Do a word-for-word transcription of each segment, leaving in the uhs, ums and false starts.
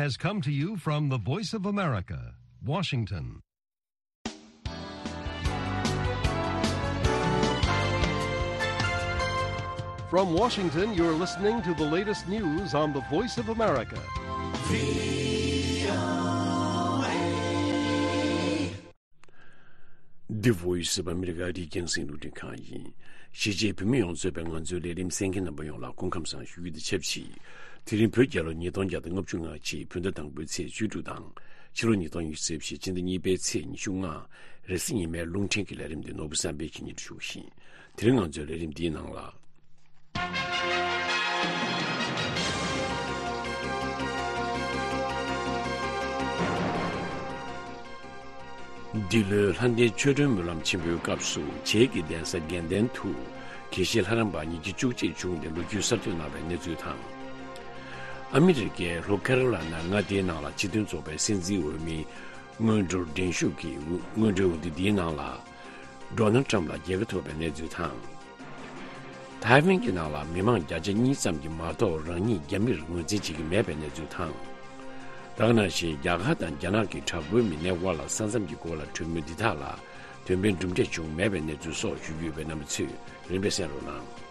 Has come to you from the Voice of America, Washington. From Washington, you're listening to the latest news on the Voice of America. The Voice of America. རྒྱང་སྲིང་རླུང་འཕྲིན་ཁང་ཡིན། གཞིས་བྱེས་བོད་མི་ཡོངས་གཙོས་པའི་ང་ཚོའི་ལས་རིམ་གསན་མཁན་རྣམ་པ་ཡོངས་ལ་སྐུ་ཁམས་བཟང་ཞུ་རྒྱུ་དང་ཆབས་ཅིག་དེ་རིང་བོད་རྒྱལ་ལོ་ཉིས་སྟོང་བརྒྱ་དང་ལྔ་བཅུ་ང་གཅིག་བོད་ཟླ་དང་པོའི་ཚེས་བཅུ་དྲུག་དང་། ཕྱི་ལོ་ཉིས་སྟོང་ཉི་ཤུ་རྩ་བཞི་སྤྱི་ཟླ་གཉིས་པའི་ཚེས་ཉི་ཤུ་ལྔ། རེས་གཟའ་ཉི་མའི་རླུང་འཕྲིན་གྱི་ལས་རིམ་འདི་ནོར་བུ་བསམ་འཕེལ་གྱིས་སྙན་སྒྲོན་ཞུ་བཞིན། དེ་རིང་ང་ཚོའི་ལས་རིམ་འདིའི་ནང་ལ། འདི་ལོའི་ལྷ་ལྡན་ཆོ་འཕྲུལ་སྨོན་ལམ་ཆེན་པོའི་སྐབས་སུ་བྱེས་ཀྱི་གདན་ས་དགེ་ལྡན་དུ་དགེ་བཤེས་ལྷ་རམས་པ་ཉིས་བརྒྱ་བཅུ་གཅིག་བྱུང་སྟེ་ལོ་རྒྱུས་གསར་གཏོད་གནང་བའི་གནས་ཚུལ་དང་། ཨ་མི་རི་ཀའི་ལྷོ་ཁེ་རོ་ལ་ན་མངའ་སྡེའི་ནང་ལ་སྤྱི་མཐུན་ཚོགས་པའི་སྲིད་འཛིན་འོས་མིའི་སྔོན་འགྲོར་འགྲན་ཞུགས་ཀྱི་སྔོན་འགྲོའི་འོས་བསྡུ་འདིའི་ནང་ལ། ཌོ་ནལ་ཊམ་ལ་རྒྱལ་ཁ་ཐོབ་པའི་གནས་ཚུལ་དང་། ཐའེ་ཝན་གྱི་ནང་ལ་མི་མང་བརྒྱ་ཆ་གཉིས་ཙམ་གྱིས་མ་གཏོགས་རང་ཉིད་རྒྱ་མིར་ངོས་འཛིན་བྱེད་ཀྱི་མེད་པའི་གནས་ཚུལ་དང་། ད་ག་ནང་བཞིན་རྒྱ་གར་དང་རྒྱ་ནག་གི་དྲག་པོའི་མི་སྣའི་དབར་ལ་ས་མཚམས་ཀྱི་སྐོར་ལ་གྲོས་མོལ་འདི་དག་ལ་དོན་ཕན་གྲུབ་འབྲས་བྱུང་མེད་པའི་གནས་ཚུལ་སོགས་ཞུ་རྒྱུ་ཡོད་པས་རྣམ་པ་ཚོས་རིམ་པས་གསན་རོགས་གནང་།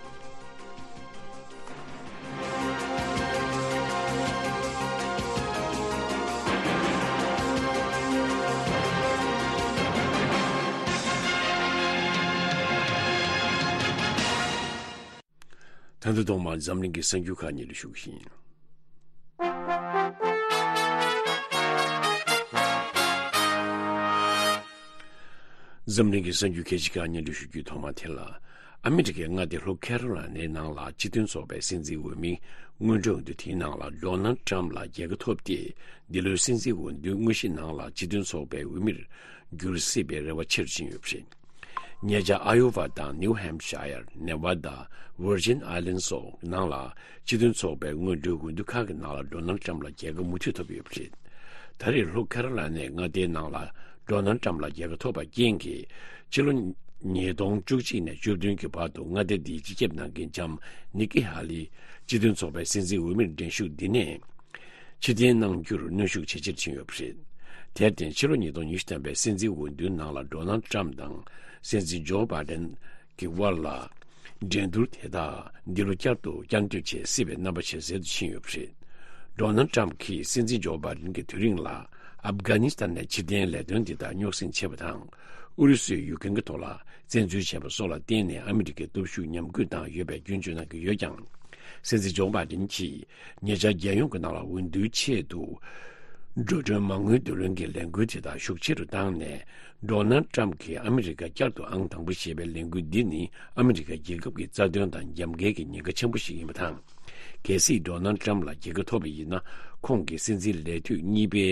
ད་ལྟ་ཐོག་མར་འཛམ་གླིང་གི་གསར་འགྱུར་ཁག་སྙན་སྒྲོན་ཞུ་གི་ཡིན། འཛམ་གླིང་གི་གསར་འགྱུར་གལ་ཆེ་ཁག་སྙན་སྒྲོན་ཞུ་རྒྱུའི་ཐོག་མ་དེ་ལ། ཨ་མི་རི་ཀའི་མངའ་སྡེ་ལྷོ་ཁེ་རོ་ལ་ནའི་ནང་ལ་སྤྱི་མཐུན་ཚོགས་པའི་སྲིད་འཛིན་འོས་མི་སྔོན་འགྲོའི་འོས་བསྡུ་དེའི་ནང་ལ་ཌོ་ནལ་ཊམ་ལ་རྒྱལ་ཁ་ཐོབ་སྟེ། འདི་ལོའི་སྲིད་འཛིན་འོས་བསྡུའི་དངོས་གཞིའི་ནང་ལ་སྤྱི་མཐུན་ཚོགས་པའི་འོས་མིར་འགྱུར་སྲིད་པའི་རེ་བ་ཆེ་རུ་ཕྱིན་ཡོད་པ་རེད། ཉེ་ཆར་ཨ་ཡོ་ཝ་དང་ནིའུ་ཧེམ་ཤ་ཡར། ནེ་ཝ་ད། ཝར་ཇིན་ཨའི་ལན་སོགས་ནང་ལ་སྤྱི་མཐུན་ཚོགས་པའི་སྔོན་འགྲོའི་འོས་བསྡུ་ཁག་གི་ནང་ལ་ཌོ་ནལ་ཊམ་ལ་རྒྱལ་ཁ་མུ་མཐུད་ཐོབ་ཡོད་པ་རེད། ད་རེས་ལྷོ་ཁེ་རོ་ལ་ནའི་མངའ་སྡེའི་ནང་ལ་ཌོ་ནལ་ཊམ་ལ་རྒྱལ་ཁ་ཐོབ་པ་རྐྱེན་གྱིས་ཕྱི་ལོ་ཉིས་སྟོང་བཅུ་གཅིག་ནས་བཅུ་བདུན་གྱི་བར་དུ་མངའ་སྡེ་འདིའི་སྤྱི་ཁྱབ་གནང་མཁན་ལྕམ་ནི་ཀི་ཧ་ལི་སྤྱི་མཐུན་ཚོགས་པའི་སྲིད་འཛིན་འོས་མིར་འགྲན་ཞུགས་འདི་ནས། ཕྱིར་འཐེན་གནང་རྒྱུར་གནོན་ཤུགས་ཇེ་ཆེར་ཕྱིན་ཡོད་པ་རེད། དེར་བརྟེན་ཕྱི་ལོ་ཉིས་སྟོང་ཉི་ཤུ་ཐམ་པའི་སྲིད་འཛིན་འོས་བསྡུའི་ནང་ལ་ཌོ་ནལ་ཊམ་དང་སྲིད་འཛིན་ཇོ་བྷའི་ཌེན་གྱི་དབར་ལ་འགྲན་བསྡུར་དེ་དག་འདི་ལོ་བསྐྱར་དུ་བསྐྱར་ཟློས་བྱེད་སྲིད་པའི་རྣམ་པ་ཇེ་གསལ་དུ་ཕྱིན་ཡོད་པ་རེད། ཌོ་ནལ་ཊམ་གྱིས་སྲིད་འཛིན་ཇོ་བྷའི་ཌེན་གྱི་དུས་རིང་ལ་ཨབ་གྷ་ནི་སི་ཐན་ནས་ཕྱིར་འཐེན་ལས་དོན་དེ་དག་རྙོག་ཟིང་ཆེ་བ་དང་། ཨུ་རུ་སུས་ཡུཀ་རེན་གྱི་ཐོག་ལ་བཙན་འཛུལ་བྱས་པ་སོགས་ལ་བརྟེན་ནས་ཨ་མི་རི་ཀའི་སྟོབས་ཤུགས་ཉམས་རྒུད་བཏང་ཡོད་པའི་སྐྱོན་བརྗོད་གནང་གི་ཡོད་ཀྱང་། སྲིད་འཛིན་ཇོ་བྷའི་ཌེན་གྱིས་ཉེ་ཆར་རྒྱལ་ཡོངས་ཀྱི་ནང་ལ་འོས་བསྡུའི་ཆེད་དུ་འགྲོ་གྲོན་མ་དངུལ་བསྡུ་ལེན་གྱི་ལས་འགུལ་དེ་དག་ཤུགས་ཆེ་རུ་བཏང་ནས། ཌོ་ནལ་ཊམ་གྱིས་ཨ་མི་རི་ཀ་བསྐྱར་དུ་ཨང་དང་པོ་ཞེས་པའི་ལས་འགུལ་འདི་ནི་ཨ་མི་རི་ཀ་རྒྱལ་ཁབ་ཀྱི་རྩ་དོན་དང་རྒྱབ་འགལ་གྱི་ཉེན་ཁ་ཆེན་པོ་ཞིག་ཡིན་པ་དང་། གལ་སྲིད་ཌོ་ནལ་ཊམ་ལ་རྒྱལ་ཁ་ཐོབ་པ་ཡིན་ན། ཁོང་གིས་སྲིད་འཛིན་ལས་དུས་གཉིས་པའི་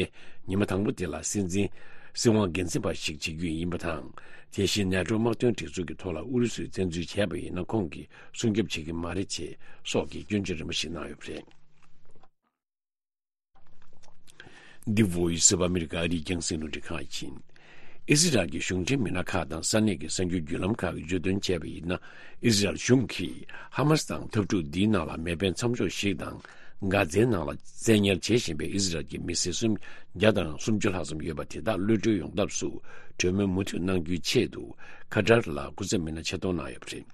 ཉི་མ་དང་པོ་དེ་ལ་སྲིད་འཛིན་སྲིད་དབང་སྒེར་འཛིན་པ་ཞིག་བྱེད་རྒྱུ་ཡིན་པ་དང་། དེ་བཞིན་ནེ་ཊོ་དམག་དོན་སྒྲིག་འཛུགས་ཀྱི་ཐོག་ལ་ཨུ་རུ་སུས་བཙན་འཛུལ་བྱས་པ་ཡིན་ན། ཁོང་གིས་སྲུང་སྐྱོབ་བྱེད་ཀྱི་མ་རེད་ཅེས་སོགས་ཀྱི་སྐྱོན་བརྗོད་རིམ་པ་ཞིག་གནང་ཡོད་པ་རེད། འདི་Voice of America ཨ་རིའི་རྒྱང་སྲིང་རླུང་འཕྲིན་ཁང་ཡིན། ཨི་ཟི་རལ་གྱི་གཞུང་འབྲེལ་མི་སྣ་ཁག་དང་ས་གནས་ཀྱི་གསར་འགྱུར་བརྒྱུད་ལམ་ཁག་གིས་བརྗོད་དོན་བྱས་པ་ཡིན་ན། ཨི་ཟི་རལ་གཞུང་གིས་ཧ་མ་སི་དང་འཐབ་འཁྲུག་འདིའི་ནང་ལ་མེ་འཕེན་མཚམས་འཇོག་ཞིག་དང་། གྷ་ཛའི་ནང་ལ་བཙན་ཉར་བྱེད་བཞིན་པའི་ཨི་ཟི་རལ་གྱི་མི་སེར་སུམ་བརྒྱ་དང་སུམ་ཅུ་ལྷག་ཙམ་ཡོད་པ་དེ་དག་གློད་གྲོལ་ཡོང་ཐབས་སུ་གྲོས་མོལ་མུ་མཐུད་གནང་རྒྱུའི་ཆེད་དུ་ཁ་ཏར་ལ་སྐུ་ཚབ་མི་སྣ་ཆེད་གཏོང་གནང་ཡོད་པ་རེད།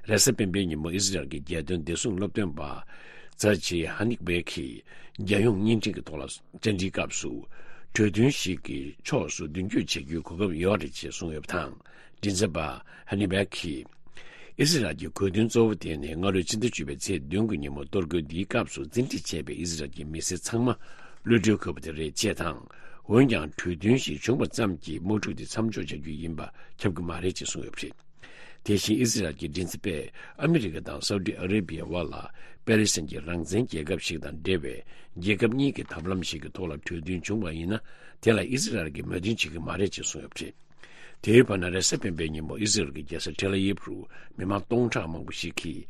རེས་གཟའ་སྤེན་པའི་ཉིན་མོ་ཨི་ཟི་རལ་གྱི་རྒྱལ་དོན་བདེ་སྲུང་སློབ་སྟོན་པ་ཛ་ཇི་ཧ་ནིག་བེ་གིས་རྒྱལ་ཡོངས་བརྙན་འཕྲིན་གྱི་ཐོག་ལ་བཅར་འདྲིའི་སྐབས་སུ། གྲོས་མཐུན་ཞིག་གི་ཕྱོགས་སུ་མདུན་སྐྱོད་བྱེད་རྒྱུའི་གོ་སྐབས་ཡོད་རེད་ཅེས་གསུངས་ཡོད་པ་དང་། མགྲིན་ཚབ་པ་ཧ་ནི་བེ་གིས། ཨི་ཟི་རལ་གྱི་གོ་མཐུན་གཙོ་བོ་དེ་ནི་སྔ་ལོའི་ཕྱི་ཟླ་བཅུ་པའི་ཚེས་བདུན་གྱི་ཉིན་མོ་གཏོར་རྒོལ་འདིའི་སྐབས་སུ་བཙན་ཁྲིད་བྱས་པའི་ཨི་ཟི་རལ་གྱི་མི་སེར་ཚང་མ་གློད་གྲོལ་དགོས་པ་དེ་རེད་ཅེས་དང་། འོན་ཀྱང་གྲོས་མཐུན་ཞིག་བྱུང་བ་ཙམ་གྱིས་དམག་འཁྲུག་དེ་མཚམས་འཇོག་བྱ་རྒྱུ་ཡིན་པ་ཁྱབ་ཀྱི་མ་རེད་ཅེས་གསུངས་ཡོད་པ་རེད། དེ་བཞིན་ཨི་ཟི་རལ་གྱི་མགྲིན་ཚབ་པས་ཨ་མི་རི་ཀ་དང་སའུ་ཏི་ཨ་རེ་བྷི་ཡའི་དབར་ལ་པེ་ལེ་སི་ཐན་གྱི་རང་བཙན་རྒྱལ་ཁབ་ཞིག་དང་འབྲེལ་བའི་རྒྱལ་ཁབ་གཉིས་ཀྱི་ཐབས་ལམ་ཞིག་གི་ཐོག་ལ་གྲོས་མཐུན་བྱུང་བ་ཡིན་ན། དེ་ལ་ཨི་ཟི་རལ་གྱིས་མོས་མཐུན་བྱེད་ཀྱི་མ་རེད་ཅེས་གསུངས་ཡོད་པ་རེད། དེའི་བར་ན་རེས་གཟའ་སྤེན་པའི་ཉིན་མོ་ཨི་ཟི་རལ་གྱི་རྒྱལ་ས་ཐེལ་ཨ་ཝིབ་རུ་མི་མང་སྟོང་ཕྲག་མང་པོ་ཞིག་གིས་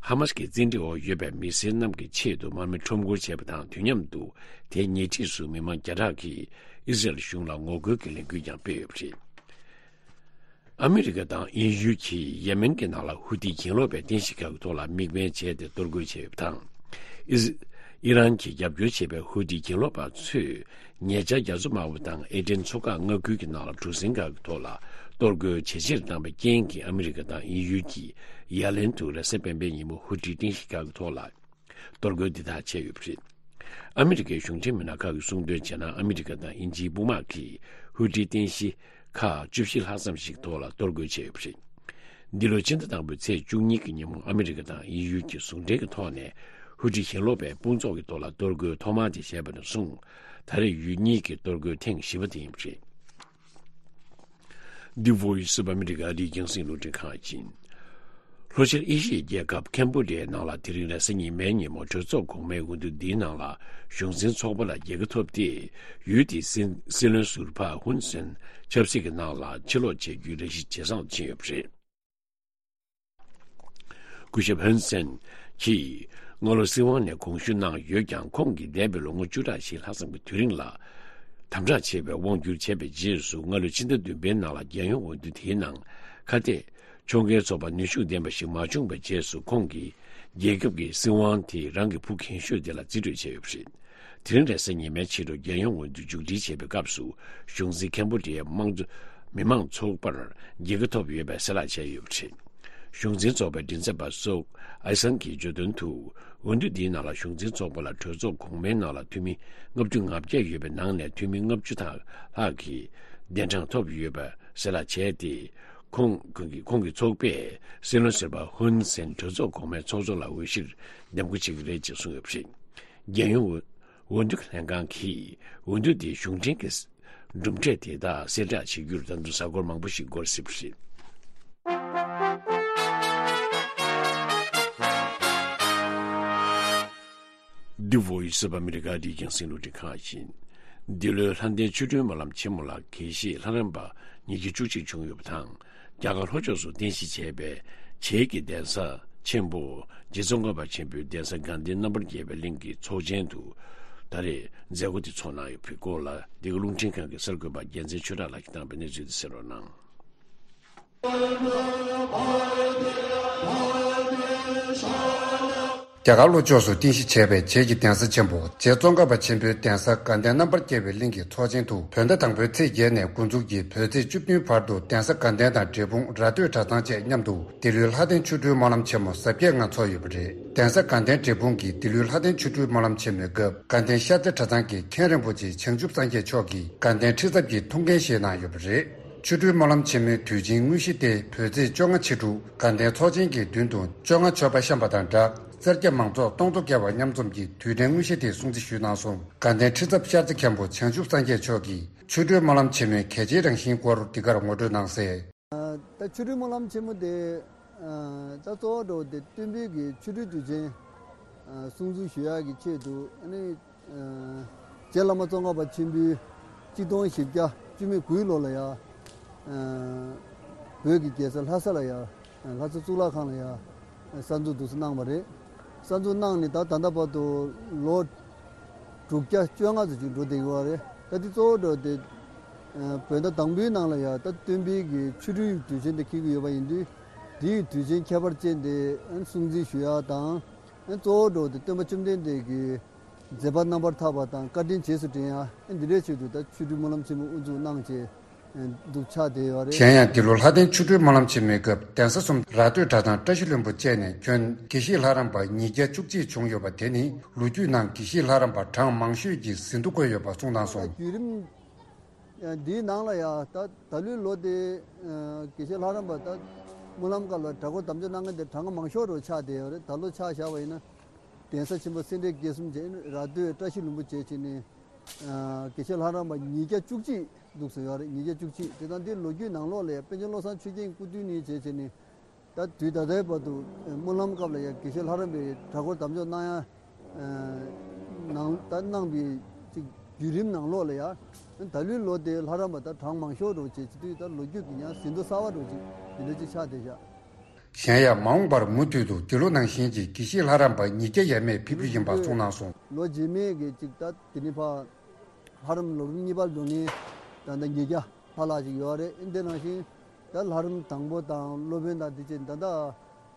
ཧ་མ་སི་ཀྱི་བཙན་ཁྲིད་འོག་ཡོད་པའི་མི་སེར་རྣམས་ཀྱི་ཆེད་དུ་དམག་མི་ཁྲོམ་སྐོར་བྱས་པ་དང་། དུས་མཉམ་དུ་དེའི་ཉེ་འཁྲིས་སུ་མི་མང་བརྒྱ་ཕྲག་གིས་ཨི་ཟི་རལ་གཞུང་ལ་ངོ་རྒོལ་གྱི་ལས་འགུལ་ཀྱང་སྤེལ་ཡོད་པ་རེད། ཨ་མི་རི་ཀ་དང་དབྱིན་ཡུལ་གྱིས་ཡེ་མེན་གྱི་ནང་ལ་ཧུ་ཐི་གྱེན་ལོག་པའི་རྟེན་གཞི་ཁག་གི་ཐོག་ལ་དམིགས་འབེན་བྱས་ཏེ་གཏོར་རྒོལ་བྱས་ཡོད་པ་དང་། ཨི་ཟི་ ཨི་རན་གྱིས་རྒྱབ་སྐྱོར་བྱས་པའི་ཧུ་ཏི་གྱེན་ལོག་པ་ཚོས་ཉེ་ཆར་རྒྱ་མཚོ་དམར་པོ་དང་ཨེ་ཏན་མཚོ་འགག་མངའ་ཁུལ་གྱི་ནང་ལ་གྲུ་གཟིངས་ཁག་གི་ཐོག་ལ་གཏོར་རྒོལ་ཇེ་ཆེར་བཏང་བའི་རྐྱེན་གྱིས་ཨ་མི་རི་ཀ་དང་དབྱིན་ཡུལ་གྱིས་ཡ་ལན་དུ་རེས་གཟའ་སྤེན་པའི་ཉིན་མོ་ཧུ་ཏི་རྟེན་གཞི་ཁག་གི་ཐོག་ལ་གཏོར་རྒོལ་འདི་དག་བྱས་ཡོད་པ་རེད། ཨ་མི་རི་ཀའི་གཞུང་འབྲེལ་མི་སྣ་ཁག་གིས་གསུངས་དོན་བྱས་ན། ཨ་མི་རི་ཀ་དང་དབྱིན་ཇིའི་དཔུང་དམག་གིས་ཧུ་ཏི་རྟེན་གཞི་ཁག་བཅུ་བཞི་ལྷག་ཙམ་ཞིག་ཐོག་ལ་གཏོར་རྒོལ་བྱས་ཡོད་པ་རེད། འདི་ལོའི་ཕྱི་ཟླ་དང་པོའི་ཚེས་བཅུ་གཉིས་ཀྱི་ཉིན་མོ་ཨ་མི་རི་ཀ་དང་དབྱིན་ཡུལ་གྱི་ཟུང་འབྲེལ་གྱི་ཐོག་ནས་ཧུ་ཏི་གྱེན་ལོག་པའི་དཔུང་ཚོགས་ཀྱི་ཐོག་ལ་གཏོར་རྒོལ་ཐོག་མ་དེ་བྱས་པ་ནས་བཟུང་། ད་རེས་ཡུལ་གཉིས་ཀྱི་གཏོར་རྒོལ་ཐེངས་བཞི་པ་དེ་ཡིན་པ་རེད། འདི་Voice of America ཨ་རིའི་རྒྱང་སྲིང་རླུང་འཕྲིན་ཁང་ཡིན། ལྷོ་ཤར་ཨེ་ཤི་ཡའི་རྒྱལ་ཁབ་ཁེམ་བྷོ་ཌི་ཡའི་ནང་ལ་དེ་རིང་རེས་གཟའ་ཉི་མའི་ཉིན་མོ་གྲོས་ཚོགས་གོང་མའི་འོས་བསྡུ་འདིའི་ནང་ལ་གཞུང་འཛིན་ཚོགས་པ་ལ་རྒྱལ་ཁ་ཐོབ་སྟེ། ཡུལ་དེའི་སྲིད་སྲིད་བློན་ཟུར་པ་ཧུན་སེན་ཆབ་སྲིད་ཀྱི་ནང་ལ་ཕྱིར་ལོག་བྱེད་རྒྱུའི་རེ་ཞིག་ཇེ་བཟང་དུ་ཕྱིན་ཡོད་པ་རེད། སྐུ་ཞབས་ཧུན་སེན་གྱིས་སྔ་ལོ་སྲིད་དབང་ནས་དགོངས་ཞུ་གནང་ཡོད་ཀྱང་། ཁོང་གིས་འདས་པའི་ལོ་ངོ་བཅུ་ཕྲག་བཞི་ལྷག་ཙམ་གྱི་དུས་རིང་ལ་དམ་དྲག་ཆེ་བའི་དབང་བསྒྱུར་བྱས་པའི་རྗེས་སུ། སྔ་ལོའི་ཕྱི་ཟླ་བདུན་པའི་ནང་ལ་རྒྱལ་ཡོངས་འོས་བསྡུ་དེའི་ནང་ཁ་གཏད་ཕྱོགས་འགལ་ཚོགས་པ་ནུས་ཤུགས་ལྡན་པ་ཞིག་མ་བྱུང་བའི་རྗེས་སུ། ཁོང་གིས་རྒྱལ་ཁབ་ཀྱི་སྲིད་དབང་དེ་རང་གི་བུ་རྒན་ཤོས་དེ་ལ་རྩིས་སྤྲོད་བྱས་ཡོད་པ་རེད། དེ་རིང་རེས་གཟའ་ཉི་མའི་ཕྱི་དྲོ་རྒྱལ་ཡོངས་འོས་བསྡུ་མཇུག་སྒྲིལ་བྱེད་པའི་སྐབས་སུ། གཞུང་འཛིན་ཁེམ་བྷོ་ཌི་ཡའི་དམངས་གཙོ་མི་དམངས་ཚོགས་པར་རྒྱལ་ཁ་ཐོབ་ཡོད་པའི་གསལ་བསྒྲགས་བྱས་ཡོད་པ་རེད། གཞུང་འཛིན་ཚོགས་པའི་མགྲིན་ཚབ་པ་སོག་ཨའི་སན་གྱིས་བརྗོད་དོན་དུ། འོས་བསྡུ་འདིའི་ནང་ལ་གཞུང་འཛིན་ཚོགས་པ་ལ་གྲོས་ཚོགས་གོང་མའི་ནང་ལ་འཐུས་མི་ལྔ་བཅུ་ང་བརྒྱད་ཡོད་པའི་ནང་ནས་འཐུས་མི་ལྔ་བཅུ་ལྷག་གིས་གདན་གྲངས་ཐོབ་ཡོད་པ་གསལ་བསྒྲགས་བྱས་ཏེ། ཁོང་ཁོང་གི་ཁོང་གི་ཚོགས་པས་སྲིད་བློན་ཟུར་པ་ཧུན་སེན་གྲོས་ཚོགས་གོང་མའི་ཚོགས་གཙོ་ལ་འོས་གཞིར་འདེམས་བསྐོ་བྱེད་ཀྱི་རེད་ཅེས་གསུངས་ཡོད་པ་རེད། རྒྱལ་ཡོངས་འོས་འོས་བསྡུ་ལྷན་ཁང་གིས་འོས་བསྡུ་དེའི་གཞུང་འབྲེལ་གྱི་གྲུབ་འབྲས་དེ་དག་གསལ་བསྒྲགས་བྱེད་རྒྱུར་ད་དུང་གཟའ་འཁོར་མང་པོ་ཞིག་འགོར་སྲིད་པ་རེད། འདི་Voice of America ཨ་རིའི་རྒྱང་སྲིང་རླུང་འཕྲིན་ཁང་ཡིན། འདི་ལོའི་ལྷ་ལྡན་ཆོ་འཕྲུལ་སྨོན་ལམ་ཆེན་མོ་ལ་དགེ་བཤེས་ལྷ་རམས་པ་ཉིས་བརྒྱ་བཅུ་གཅིག་བྱུང་ཡོད་པ་དང་། རྒྱ་གར་ལྷོ་ཕྱོགས་སུ་རྟེན་གཞི་བྱས་པའི་བྱེས་ཀྱི་གདན་ས་ཆེན་པོ་རྗེ་ཙོང་ཁ་པ་ཆེན་པོའི་གདན་ས་དགའ་ལྡན་རྣམ་པར་རྒྱལ་བའི་གླིང་གི་ཚོགས་ཆེན་དུ་ད་རེས་མཛད་སྒོ་དེ་ཚོགས་གནང་ཡོད་པའི་སྐོར་ལ། འདི་ག་རླུང་འཕྲིན་ཁང་གི་གསར་འགོད་པ་རྒྱལ་མཚན་ཆོས་གྲགས་ལགས་ཀྱིས་བཏང་བའི་གནས་ཚུལ་དེ་གསན་རོགས་གནང་། རྒྱ་གར་ལྷོ་ཕྱོགས་སུ་རྟེན་གཞི་བྱས་པའི་བྱེས་ཀྱི་གདན་ས་ཆེན་པོ་རྗེ་ཙོང་ཁ་པ་ཆེན་པོའི་གདན་ས་དགའ་ལྡན་རྣམ་པར་རྒྱལ་བའི་གླིང་གི་ཚོགས་ཆེན་དུ། བོད་ཟླ་དང་པོའི་ཚེས་བརྒྱད་ནས་འགོ་འཛུགས་ཀྱིས་བོད་ཚེས་བཅུ་བདུན་བར་དུ་གདན་ས་དགའ་ལྡན་དང་འབྲས་སྤུངས་ར་སྟོད་གྲྭ་ཚང་བཅས་མཉམ་དུ་འདི་ལོའི་ལྷ་ལྡན་ཆོ་འཕྲུལ་སྨོན་ལམ་ཆེན་མོ་གཟབ་རྒྱས་ངང་འཚོགས་ཡོད་པ་རེད། གདན་ས་དགའ་ལྡན་འབྲས་སྤུངས་ཀྱིས་འདི་ལོའི་ལྷ་ལྡན་ཆོ་འཕྲུལ་སྨོན་ལམ་ཆེན་མོའི་སྐབས། དགའ་ལྡན་ཤར་རྩེ་གྲྭ་ཚང་གི་མཁན་རིན་པོ་ཆེ་བྱང་ཆུབ་སངས་རྒྱས་མཆོག་གིས་དགའ་ལྡན་ཁྲི་འཛབ་ཀྱི་ཐུགས་འགན་བཞེས་གནང་ཡོད་པ་རེད། ཆོ་འཕྲུལ་སྨོན་ལམ་ཆེན་མོའི་དུས་ཆེན་དངོས་གཞི་སྟེ། བོད་ཚེས་བཅོ་ལྔ་ཕྱི་དྲོ་དགའ་ལྡན་ཚོགས་ཆེན་གྱི་མདུན་དུ་བཅོ་ལྔ་མཆོད་པ་བཤམས་པ་དང་སྦྲགས། སེར་སྐྱ་མང་ཚོགས་སྟོང་ཚོ་བརྒལ་བ་མཉམ་འཛོམས་ཀྱིས་དུས་དྲན་དངོས་གཞི་དེ་སྲུང་བརྩི་ཞུས་གནང་སོང་། དགའ་ལྡན་ཁྲི་འཛབ་ཤར་རྩེ་མཁན་པོ་བྱང་ཆུབ་སངས་རྒྱས་མཆོག་གིས་ཆོ་འཕྲུལ་སྨོན་ལམ་ཆེན་མོའི་གལ་ཆེའི་རང་བཞིན་སྐོར་འདི་གར་ངོ་སྤྲོད་གནང་གསལ། ད་ཆོ་འཕྲུལ་སྨོན་ལམ་ཆེན་མོ་དེ། ད་གཙོ་བོ་འགྲོ་དེ་སྟོན་པའི་གི་ཆོ་འཕྲུལ་དུས་ཆེན་སྲུང་བརྩི་ཞུ་ཡག་གི་ཆེད་དུ། ཨ་ནི། རྗེ་བླ་མ་ཙོང་ཁ་པ་ཆེན་པོའི་གཅིག་སྟོང་བཞི་བརྒྱ་བཅུ་མེད་དགུའི་ལོ་ལ་ཡ། བོད་ཀྱི་རྒྱལ་ས་ལྷ་ས་ལ་ཡ། ལྷ་ས་གཙུག་ལག་ཁང་ལ་ཡ། གསར་འཛུགས་འདུག་སེ་གནང་བ་རེད། གསར་འཛུགས་གནང་ནས་ད་ད་ལྟ་བར་དུ་ལོ་དྲུག་བརྒྱ་བཅོ་ལྔ་ཙམ་ཅིག་འགྲོ་བསྡད་ཡོད་རེད། ད་དེ་གཙོ་བོ་འགྲོ་དེ། བོད་ཟླ་དང་པོའི་ནང་ལ་ཡ་ད་སྟོན་པའི་གི་ཆོ་འཕྲུལ་དུས་ཆེན་དེ་འཁེལ་གྱི་ཡོད་པ་ཡིན་དུས། དེའི་དུས་ཆེན་ཁྱད་པར་ཅན་དེ་སྲུང་བརྩི་ཞུ་ཡག་དང་། གཙོ་བོ་འགྲོ་དེ་སྟོན་པ་བཅོམ་ལྡན་འདས་ཀྱི་མཛད་པ་རྣམ་པར་ཐར་པ་དང་བཀའ་དྲིན་རྗེས་སུ་དྲན་ཡ། འདི་འདྲའི་ཆེད་དུ་ད་ཆོ་འཕྲུལ་སྨོན་ལམ་ཆེན་མོ་དབུ་འཛུགས་གནང་བྱས་འདུག་ཆགས་བསྡད་ཡོད་རེད། གཞན་ཡང་འདི་ལོ་ལྷ་ལྡན་ཆོ་འཕྲུལ་སྨོན་ལམ་ཆེན་མོའི་སྐབས་གདན་ས་གསུམ་ར་སྟོད་གྲྭ་ཚང་བཀྲ་ཤིས་ལྷུན་པོ་བཅས་ནས་ཁྱོན་དགེ་བཤེས་ལྷ་རམས་པ་ཉིས་བརྒྱ་བཅུ་གཅིག་བྱུང་ཡོད་པ་དེ་ནི་ལོ་རྒྱུས་ནང་དགེ་བཤེས་ལྷ་རམས་པ་གྲངས་མང་ཤོས་ཀྱི་ཟིན་ཐོ་བཀོད་ཡོད་པ་གསུངས་གནང་སོང་། བརྒྱུད་རིམ་འདིའི་ནང་ལ་ཡང་ད་ད་ལོའི་ལོ་དེ་དགེ་བཤེས་ལྷ་རམས་པ་ད་སྨོན་ལམ་སྐབས་ལ་གྲྭ་སྐོར་དམ་བཅའ་གནང་མཁན་དེ་གྲངས་ཀ་མང་ཤོས་རུ་ཆགས་བསྡད་ཡོད་རེད། ད་ལོ་ཆ་བཞག་པ་ཡིན་ན་གདན་ས་ཆེན་པོ་སེ་འབྲས་དགེ་གསུམ་བྱས་ནས་ར་སྟོད་བཀྲ་ཤིས་ལྷུན་པོ་བྱས་བྱས་ནས་དགེ་བཤེས་ལྷ་རམས་པ་ཉིས་བརྒྱ་བཅུ་གཅིག་འདུག་སེ་ཡོད་རེད། ཉིས་བརྒྱ་བཅུ་གཅིག་དེ་དང་དེ་ལོ་རྒྱུས་ནང་ལོགས་ལ་ཡང་པཎ་ཆེན་བློ་བཟང་ཆོས་རྒྱན་སྐུ་དུས་ནས་བྱས་བྱས་ནས་ད་དུས་ད་ལྟའི་བར་དུ་སྨོན་ལམ་སྐབས་ལ་ཡང་དགེ་བཤེས་ལྷ་རམས་པའི་གྲྭ་སྐོར་དམ་བཅའ་གནང་ཡ། ནང་ད་གནང་བའི་ཅིག་བརྒྱུད་རིམ་ནང་ལོགས་ལ་ཡ། ད་ལོའི་ལོ་དེ་ལྷ་རམས་པ་ད་གྲངས་མང་ཤོས་འགྲོ་བྱས་ཅིག་དུས་ད་ལོ་རྒྱུས་ཀྱི་ཡང་ཟིན་ཐོ་གསར་བ་འགྲོ་ཅིག་དེ་འདྲ་ཅིག་ཆགས་བསྡད་བཞག་གཞན་ཡང་མ་འོངས་པར་མུ་མཐུད་དུ་འདི་ལོ་ནང་བཞིན་གྱི་དགེ་བཤེས་ལྷ་རམས་པ་ཉིས་བརྒྱ་ཡས་མས་ཕེབས་རྒྱུ་ཡིན་པ་གསུངས་གནང་སོང་། ལོ་རྗེས་མའི་གི་ཅིག་ད་དེ་ནི་ཕ་ལྷ་རམས་ལོ་རིམ་གཉིས་པར་འགྲོ་མཁན་ད་ལྟ་ཉིས་བརྒྱ་ལྷག་ལྷག་ཅིག་ཡོད་རེད། འདི་ནང་བཞིན་ད་ལྷ་རམས་དང་པོ་དང་སློབ་དཔོན་དང་དེ་བཅས་ད་ལྟ་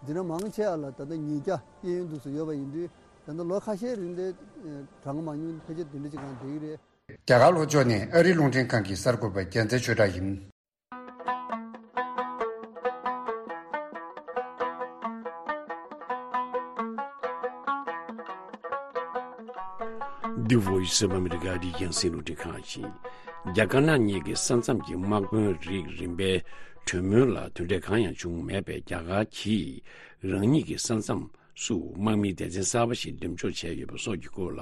འཛིན་གྲྭ་མང་ཆེ་བ་ལ་ད་ལྟ་ཉིས་བརྒྱ་སྐྱེས་ཡོན་འདུག་སེ་ཡོད་པ་ཡིན་དུས། ད་ལྟ་ལོ་ཁ་ཤས་རིང་དེ་གྲངས་མང་ཉུང་ཕལ་ཆེར་དེ་འདྲ་ཅིག་གང་བསྡད་ཀྱི་རེད། རྒྱ་གར་ལྷོ་ཕྱོགས་ནས་ཨ་རིའི་རླུང་འཕྲིན་ཁང་གི་གསར་འགོད་པ་རྒྱལ་མཚན་ཆོས་གྲགས་ཡིན། འདི་Voice of America ཨ་རིའི་རྒྱང་སྲིང་རླུང་འཕྲིན་ཁང་ཡིན། རྒྱ་དཀར་ནག་གཉིས་ཀྱི་ས་མཚམས་ཀྱི་དམག་དཔོན་རིགས་རིམ་པའི་གྲོས་མོལ་ལ་དོན་འབྲས་གང་ཡང་བྱུང་མེད་པས། རྒྱ་གར་གྱིས་རང་ཉིད་ཀྱི་ས་མཚམས་སུ་དམག་མིའི་སྡེ་ཚན་གསར་པ་ཞིག་འདེམས་འཇོག་བྱས་ཡོད་པ་སོགས་ཀྱི་སྐོར་ལ་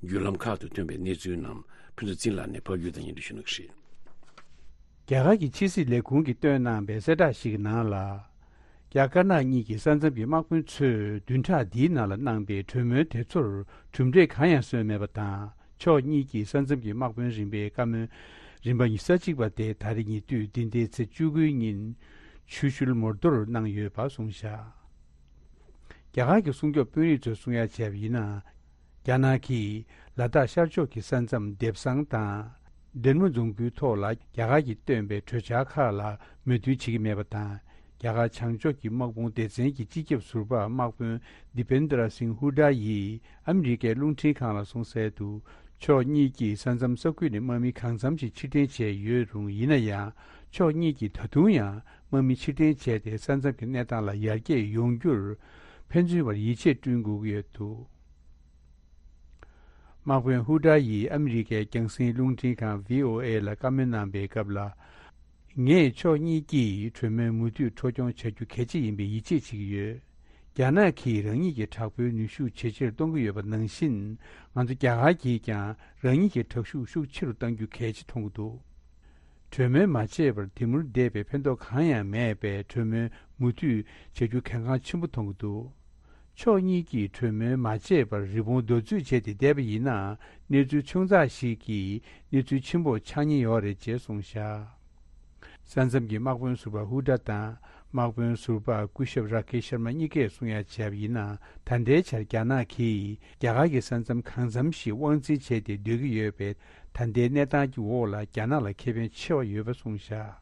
བརྒྱུད་ལམ་ཁག་ཏུ་ཐོན་པའི་གནས་ཚུལ་རྣམས་ཕུན་ཚོགས་ཚེ་རིང་ལགས་ནས་ཕབ་སྒྱུར་དང་སྙན་སྒྲོན་ཞུ་གནང་གི་རེད། རྒྱ་གར་གྱི་ཕྱི་སྲིད་ལས་ཁུངས་ཀྱིས་བཏོན་གནང་བའི་གསལ་བསྒྲགས་ཤིག་གི་ནང་ལ། རྒྱ་དཀར་ནག་གཉིས་ཀྱི་ས་མཚམས་ཀྱི་དམག་དཔོན་ཚོས་བདུན་ཕྲག་འདིའི་ནང་ལ་གནང་པའི་གྲོས་མོལ་དེ་ཚོར་གྲུབ་འབྲས་གང་ཡང་སོན་མེད་པ་དང་། ཕྱོགས་གཉིས་ཀྱི་ས་མཚམས་ཀྱི་དམག་དཔོན་རིམ་པའི་བཀའ་མོལ་རིམ་པ་ཉི་ཤུ་རྩ་གཅིག་པ་དེ་ད་རེས་ཉེ་དུས་འདི་ཟླའི་ཚེས་བཅུ་དགུའི་ཉིན་ཆུ་ཤུལ་མོལ་དོར་གནང་ཡོད་པ་གསུངས་བཞག་རྒྱ་གར་གྱི་སྲུང་སྐྱོབ་དཔོན་རིགས་ཚོས་གསུང་ཡ་བྱས་པ་ཡིན་ན། རྒྱ་ནག་གིས་ལ་དྭགས་ཤར་ཕྱོགས་ཀྱི་ས་མཚམས་འདེབས་སང་དང་། འབྲས་མོ་རྫོང་ཁུལ་ཐོག་ལ་རྒྱ་གར་གྱིས་བཏོན་པའི་གྲོས་འཆར་ཁག་ལ་མོས་མཐུན་བྱེད་ཀྱི་མེད་པ་དང་། རྒྱ་གར་བྱང་ཕྱོགས་ཀྱི་དམག་དཔུང་སྡེ་ཚན་གྱི་སྤྱི་ཁྱབ་ཟུར་པ་དམག་དཔོན་དི་པེན་དྲ་སིང་ཧུ་ཌ་ཡིས་ཨ་མི་རི་ཀའི་རླུང་འཕྲིན་ཁང་ལ་གསུངས་གསལ་དུ། ཕྱོགས་གཉིས་ཀྱིས་ས་མཚམས་ས་ཁུལ་ནས་དམག་མི་གང་འཚམ་ཞིག་ཕྱིར་འཐེན་བྱས་ཡོད་རུང་། ཡིན་ན་ཡང་ཕྱོགས་གཉིས་ཀྱིས་ད་དུང་ཡང་དམག་མི་ཕྱིར་འཐེན་བྱས་ཏེ་ས་མཚམས་ཀྱི་གནས་སྟངས་ལ་ཡར་རྒྱས་ཡོང་རྒྱུར་ཕན་ཚུན་བར་ཡིད་ཆེས་བསྐྲུན་དགོས་ཀྱི་ཡོད་འདུག་དམག་དཔོན་ཧུ་ཏྲ་ཡིས་ཨ་མི་རི་ཀའི་རྒྱང་སྲིང་རླུང་འཕྲིན་ཁང་བྷི་ཨོ་ཨེ་ལ་བཀའ་མོལ་གནང་པའི་སྐབས་ལ། ངས་ཕྱོགས་གཉིས་ཀྱིས་གྲོས་མོལ་མུ་མཐུད་འཕྲོ་སྐྱོང་བྱ་རྒྱུ་གལ་ཆེ་ཡིན་པའི་ཡིད་ཆེས་བྱེད་ཀྱི་ཡོད། རྒྱ་ནག་གིས་རང་ཉིད་ཀྱི་དྲག་པོའི་ནུས་ཤུགས་ཇེ་ཆེར་གཏོང་གི་ཡོད་པ་ནང་བཞིན། ང་ཚོ་རྒྱ་གར་གྱིས་ཀྱང་རང་ཉིད་ཀྱི་དྲག་ཤུགས་ཤུགས་ཆེ་རུ་གཏང་རྒྱུ་གལ་ཆེ་མཐོང་གི་འདུག་གྲོས་མོལ་མ་བྱས་པར་དེ་མུར་བསྡད་པས་ཕན་ཐོགས་གང་ཡང་མེད་པས། གྲོས་མོལ་མུ་མཐུད་བྱ་རྒྱུ་གལ་འགངས་ཆེན་པོ་མཐོང་གི་འདུག་ཕྱོགས་གཉིས་ཀྱིས་གྲོས་མོལ་མ་བྱས་པར་རི་བོང་རྡོ་རྫིས་བྱས་ཏེ་བསྡད་པ་ཡིན་ན། གནས་ཚུལ་ཆུང་ཙག་ཞིག་གིས་གནས་ཚུལ་ཆེན་པོ་ཆགས་ཉེན་ཡོད་རེད་ཅེས་གསུངས་བཞག་ས་མཚམས་ཀྱི་དམག་དཔོན་ཟུར་པ་ཧུ་ཏྲ་དང་དམག་དཔོན་ཟུར་པ་སྐུ་ཞབས་ར་ཁེ་ཤར་མ་གཉིས་ཀས་གསུང་ཡ་བྱས་པ་ཡིན་ན། ད་ལྟའི་ཆར་རྒྱ་ནག་གིས་རྒྱ་གར་གྱི་ས་མཚམས་གང་འཚམ་ཞིག་དབང་འཛིན་བྱས་ཏེ་སྡོད་ཀྱི་ཡོད་པས། ད་ལྟའི་གནས་སྟངས་ཀྱི་འོག་ལ་རྒྱ་ནག་ལ་ཁེ་ཕན་ཆེ་བ་ཡོད་པ་གསུངས་བཞག་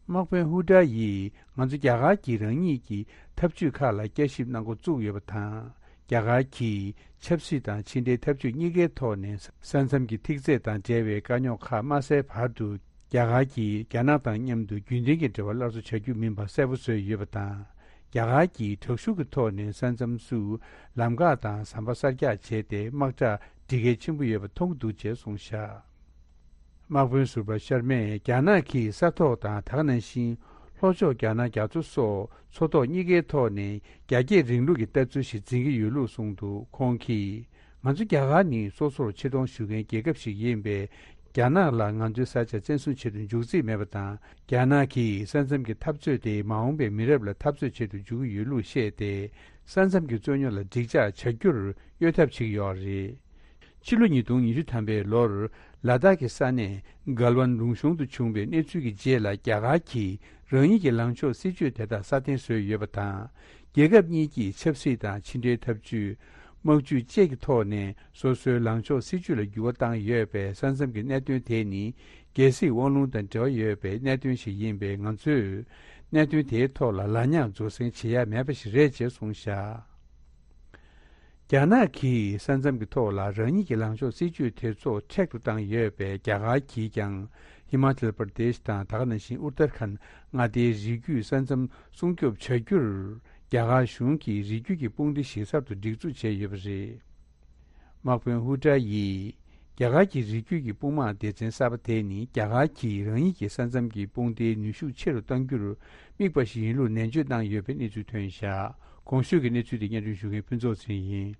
དམག་དཔོན་ཧུ་ཏྲ་ཡིས་ང་ཚོ་རྒྱ་གར་གྱིས་རང་ཉིད་ཀྱི་འཐབ་ཇུས་ཁག་ལ་བསྐྱར་ཞིབ་གནང་འགོ་བཙུགས་ཡོད་པ་དང་། རྒྱ་གར་གྱིས་ཆབ་སྲིད་དང་ཕྱི་འབྲེལ་འཐབ་ཇུས་གཉིས་ཀའི་ཐོག་ནས་ས་མཚམས་ཀྱི་ཐིག་ཚད་དང་འབྲེལ་བའི་དཀའ་རྙོག་ཁག་མ་སེལ་བར་དུ། རྒྱ་གར་གྱིས་རྒྱ་ནག་དང་མཉམ་དུ་རྒྱུན་ལྡན་གྱི་འབྲེལ་བ་སླར་གསོ་བྱ་རྒྱུ་མིན་པ་གསལ་པོ་བཟོས་ཡོད་པ་དང་། རྒྱ་གར་གྱིས་དྲག་ཤུགས་ཀྱི་ཐོག་ནས་ས་མཚམས་སུ་ལམ་འགག་དང་ཟམ་པ་གསར་རྒྱག་བྱས་ཏེ། དམག་དྲག་སྒྲིག་གལ་ཆེན་པོ་ཡོད་པ་མཐོང་གི་འདུག་ཅེས་གསུངས་བཞག་དམག་དཔོན་ཟུར་པ་ཤར་མས་རྒྱ་ནག་གིས་ས་ཐོག་དང་། ད་ག་ནང་བཞིན་ལྷོ་ཕྱོགས་རྒྱ་ནག་རྒྱ་མཚོ་སོགས་མཚོ་ཐོག་གཉིས་ཀའི་ཐོག་ནས་རྒྱ་སྐྱེད་རིང་ལུགས་ཀྱི་ལྟ་ཚུལ་ཞིག་འཛིན་གྱི་ཡོད་ལུགས་གསུངས་འདུག་ཁོང་གིས། ང་ཚོ་རྒྱ་གར་ནི་སོ་སོར་ཆེ་མཐོང་ཞུ་མཁན་རྒྱལ་ཁབ་ཞིག་ཡིན་པས། རྒྱ་ནག་ལ་ང་ཚོའི་ས་ཆ་བཙན་བཟུང་བྱེད་དུ་འཇུག་རྩིས་མེད་པ་དང་། རྒྱ་ནག་གིས་ས་མཚམས་ཀྱི་འཐབ་རྩོད་དེ་མ་འོངས་པའི་མི་རབས་ལ་འཐབ་རྩོད་བྱེད་དུ་འཇུག་གི་ཡོད་ལུགས་བཤད་དེ། ས་མཚམས་ཀྱི་རྩོད་རྙོག་ལ་འགྲིག་འཇགས་བྱ་རྒྱུར་གཡོལ་ཐབས་བྱེད་ཀྱི་ཡོད་རེད། ཕྱི་ལོ་ཉིས་སྟོང་ཉི་ཤུ་ཐམ་པའི་ལོར་ལ་དྭགས་ཀྱི་ས་གནས་གལ་ཝན་ལུང་གཤོང་དུ་བྱུང་བའི་གནས་ཚུལ་གྱི་རྗེས་ལ། རྒྱ་གར་གྱིས་རང་ཉིད་ཀྱི་ལངས་ཕྱོགས་སྲིད་ཇུས་དེ་དག་སྲ་བརྟན་བཟོས་ཡོད་པ་དང་། རྒྱལ་ཁབ་གཉིས་ཀྱིས་ཆབ་སྲིད་དང་ཕྱི་འབྲེལ་འཐབ་ཇུས། དམག་ཇུས་བཅས་ཀྱི་ཐོག་ནས་སོ་སོའི་ལངས་ཕྱོགས་སྲིད་ཇུས་ལ་འགྱུར་བ་བཏང་ཡོད་པས། ས་མཚམས་ཀྱི་གནད་དོན་དེ་ནི་རྒྱལ་སྲིད་དབང་ལུང་དང་འབྲེལ་བ་ཡོད་པའི་གནད་དོན་ཞིག་ཡིན་པས། ང་ཚོས་གནད་དོན་དེའི་ཐོག་ལ་ལ་ཉག་རྫོགས་སེང་བྱེད་ཡ་མེད་པ་ཞིག་རེད་ཅེས་གསུངས་བཞག་རྒྱ་ནག་གིས་ས་མཚམས་ཀྱི་ཐོག་ལ་རང་ཉིད་ཀྱི་ལངས་ཕྱོགས་སྲིད་ཇུས་དེ་ཚོ་མཁྲེགས་པོ་བཏང་ཡོད་པས། རྒྱ་གར་གྱིས་ཀྱང་ཧི་མ་ཅལ་པར་དེཤ་དང་། ད་ག་ནང་བཞིན་ཨུ་ཏར་ཁན་མངའ་སྡེའི་རི་རྒྱུད་ས་མཚམས་སྲུང་སྐྱོབ་བྱ་རྒྱུར། རྒྱ་གར་གཞུང་གིས་རི་རྒྱུད་ཀྱི་དཔུང་སྡེ་ཞིག་གསར་དུ་སྒྲིག་འཛུགས་བྱས་ཡོད་པ་རེད། དམག་དཔོན་ཧུ་ཀྲ་ཡིས། རྒྱ་གར་གྱི་རི་རྒྱུད་ཀྱི་དཔུང་དམག་སྡེ་ཚན་གསར་པ་དེ་ནི། རྒྱ་གར་གྱིས་རང་ཉིད་ཀྱི་ས་མཚམས་ཀྱི་དཔུང་སྡེའི་ནུས་ཤུགས་ཆེ་རུ་གཏང་རྒྱུར་དམིགས་པ་ཞིག་ཡིན་ལུགས་ནན་བརྗོད་གནང་ཡོད་པའི་གནས་ཚུལ་ཐོན་བཞག་གོང་ཞུས་ཀྱི་གནས་ཚུལ་དེ་སྙན་སྒྲོན་ཞུ་མཁན་ཕུན་ཚོགས་ཚེ་རིང་ཡིན།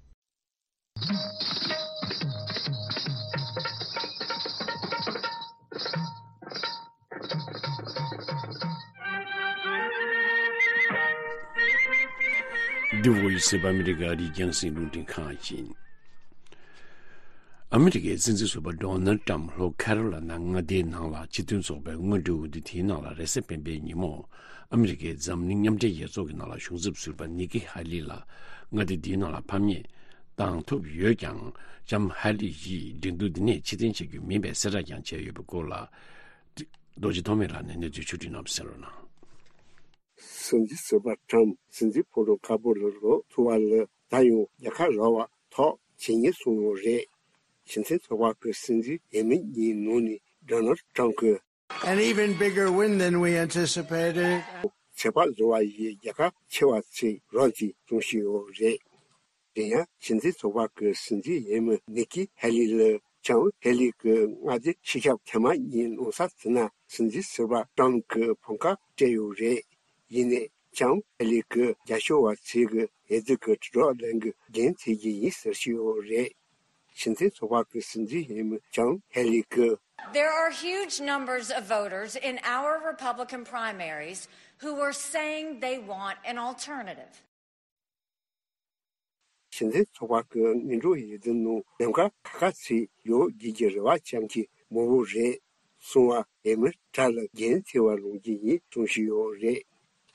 འདི་Voice of America ཨ་རིའི་རྒྱང་སྲིང་རླུང་འཕྲིན་ཁང་ཡིན། ཨ་མི་རི་ཀའི་སྲིད་འཛིན་ཟུར་པ་ཌོ་ནལ་ཏྲམ་ལྷོ་ཁ་རོ་ལ་ན་མངའ་སྡེའི་ནང་ལ་སྤྱི་མཐུན་ཚོགས་པའི་སྔོན་འགྲོའི་འོས་བསྡུ་དེའི་ནང་ལ་རེས་གཟའ་སྤེན་པའི་ཉིན་མོ། ཨ་མི་རི་ཀའི་འཛམ་གླིང་མཉམ་འབྲེལ་རྒྱལ་ཚོགས་ཀྱི་ནང་ལ་གཞུང་ཚབ་ཟུར་པ་ནི་ཀི་ཧ་ལི་ལ་མངའ་སྡེ་འདིའི་ནང་ལ་ཕམ་ཉེས་བཏང་ཐུབ་ཡོད་ཀྱང་། ལྕམ་ཧ་ལི་ཡིས་འགྲན་བསྡུར་འདི་ནས་ཕྱིར་འཐེན་བྱེད་རྒྱུ་མིན་པའི་གསལ་བསྒྲགས་ཀྱང་བྱས་ཡོད་པའི་སྐོར་ལ། རྡོ་རྗེ་ཐོགས་མེད་ལགས་ནས་གནས་ཚུལ་ཕྱོགས་སྒྲིག་གནང་བ་གསན་རོགས་གནང་། སྲིད་འཛིན་ཟུར་པ་ཀྲམ་སྲིད་འཛིན་ཕོ་བྲང་དཀར་པོ་ལ་ལོག་ཐུབ་པ་ལ། ད་ཡང་རྒྱལ་ཁ་རག་པ་ ཐོག་ཇེ་ཉེར་སོང་ཡོད་རེད། སྤྱི་མཐུན་ཚོགས་པ་གི་སྲིད་འཛིན་འོས་མི་གཉིས་ནང་ནས་ཌོ་ནལ་ཊམ་གྱིས། An even bigger win than we anticipated. ཚོད་དཔག་བཟོ་བ་ཡིས་རྒྱལ་ཁ་ཆེ་བ་ཚོས་རོགས་ཀྱིས་སྐྱོང་བཞིན་ཡོད་རེད། དེ་ཡང་སྤྱི་མཐུན་ཚོགས་པ་གི་སྲིད་འཛིན་འོས་མི་ནི་ཀི་ཧེ་ལི་ལ་ལྕམ་ཧེ་ལི་གི་མངའ་སྡེ་ཕྱི་ཁྱབ་ཐེངས་མ་གཉིས་གནང་ས་དེ་ན་སྲིད་འཛིན་ཟུར་པ་ཊམ་གྱི་ཕམ་ཁ་སྤྲད་ཡོད་རེད། ཡིན་ནའི་ལྕམ་ཧེ་ལི་གིས་རྒྱབ་སྐྱོར་བ་ཚོས་ཀྱི་འོས་བསྡུ་གི་དྲིལ་སྒྲོག་ལེན་གྱི་འགན་འཁྱེར་གྱི་ཡིན་ཟེར་བཞིན་ཡོད་རེད། སྤྱི་མཐུན་ཚོགས་པ་གི་སྲིད་འཛིན་འོས་མི་ལྕམ་ཧེ་ལི་གིས། There are huge numbers of voters in our Republican primaries who are saying they want an alternative. སྤྱི་མཐུན་ཚོགས་པ་གི་སྔོན་འགྲོ་འོས་བསྡུ་ནང་འདེམས་ཀ་ཁག་ཁག་ཚོས་ཡོད་དགོས་ཀྱི་རེ་བ་བཅངས་ཀྱི་མང་པོ་རེད་གསུངས་པ་འོས་མི་གྲས་ལ་འགན་འཁྱེར་བ་ལོངས་ཀྱི་ཡིན་གསུངས་བཞིན་ཡོད་རེད།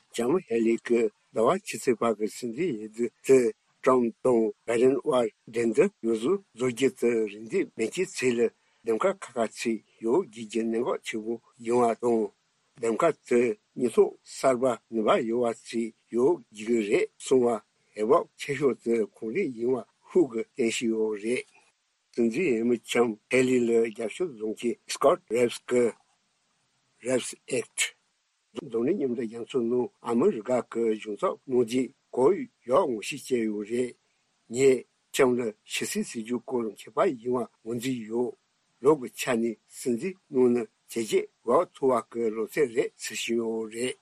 ལྕམ་ཧེ་ལི་གིས་ཟླ་བ་ཕྱི་ཚེས་པ་གི་སྲིད་འཛིན་འོས་བསྡུ་དེ་ཊམ་དང་བྷའི་ཌེན་དབར་འགྲན་བསྡུར་ཡོངས་སུ་རྫོགས་རྒྱུ་དེ་རེ་འདུན་མེད་མཁན་ཚོ་ལ་འདེམས་ཀ་ཁག་ཁག་ཚོས་ཡོད་དགོས་ཀྱི་གནད་འགག་ཆེན་པོ་ཡིན་པ་དང་། འདེམས་ཀ་དེ་སྙན་ཐོ་གསར་པ་ནུས་པ་ཡོད་པ་ཞིག་ཡོད་དགོས་ཀྱི་རེད་གསུངས་པ། འོས་བབ་ཆེ་ཤོས་དེ་ཁོང་རང་ཡིན་པ་ཤུགས་ཀྱིས་བསྟན་བཞིན་ཡོད་རེད། སྲིད་འཛིན་འོས་མི་ལྕམ་ཧེ་ལི་ལ་རྒྱབ་སྐྱོར་བཟོ་མཁན་སི་ཀོཊ་རེབས་ཀྱིས། རེབས་ཨེག་ཊི། འཛམ་གླིང་མཉམ་འབྲེལ་རྒྱལ་ཚོགས་ནང་ཨ་མི་རི་ཀ་གི་གཞུང་ཚབ་གནང་རྗེས་གོ་ཡག་ངོ་ཤེས་བྱས་ཡོད་རེད། ངས་ལྕམ་ལ་ཕྱི་སྲིད་ཟེར་རྒྱུའི་སྐོར་མཁས་པ་ཡིན་པ་ངོས་འཛིན་ཡོད། ལུགས་ཀྱི་ཆ་ནས་སྲིད་འཛིན་གནང་ན་བྱས་རྗེས་འགྲོ་ཐུབ་པ་གི་ལོ་ཚད་རེད་ཟེར་བཞིན་ཡོད་རེད།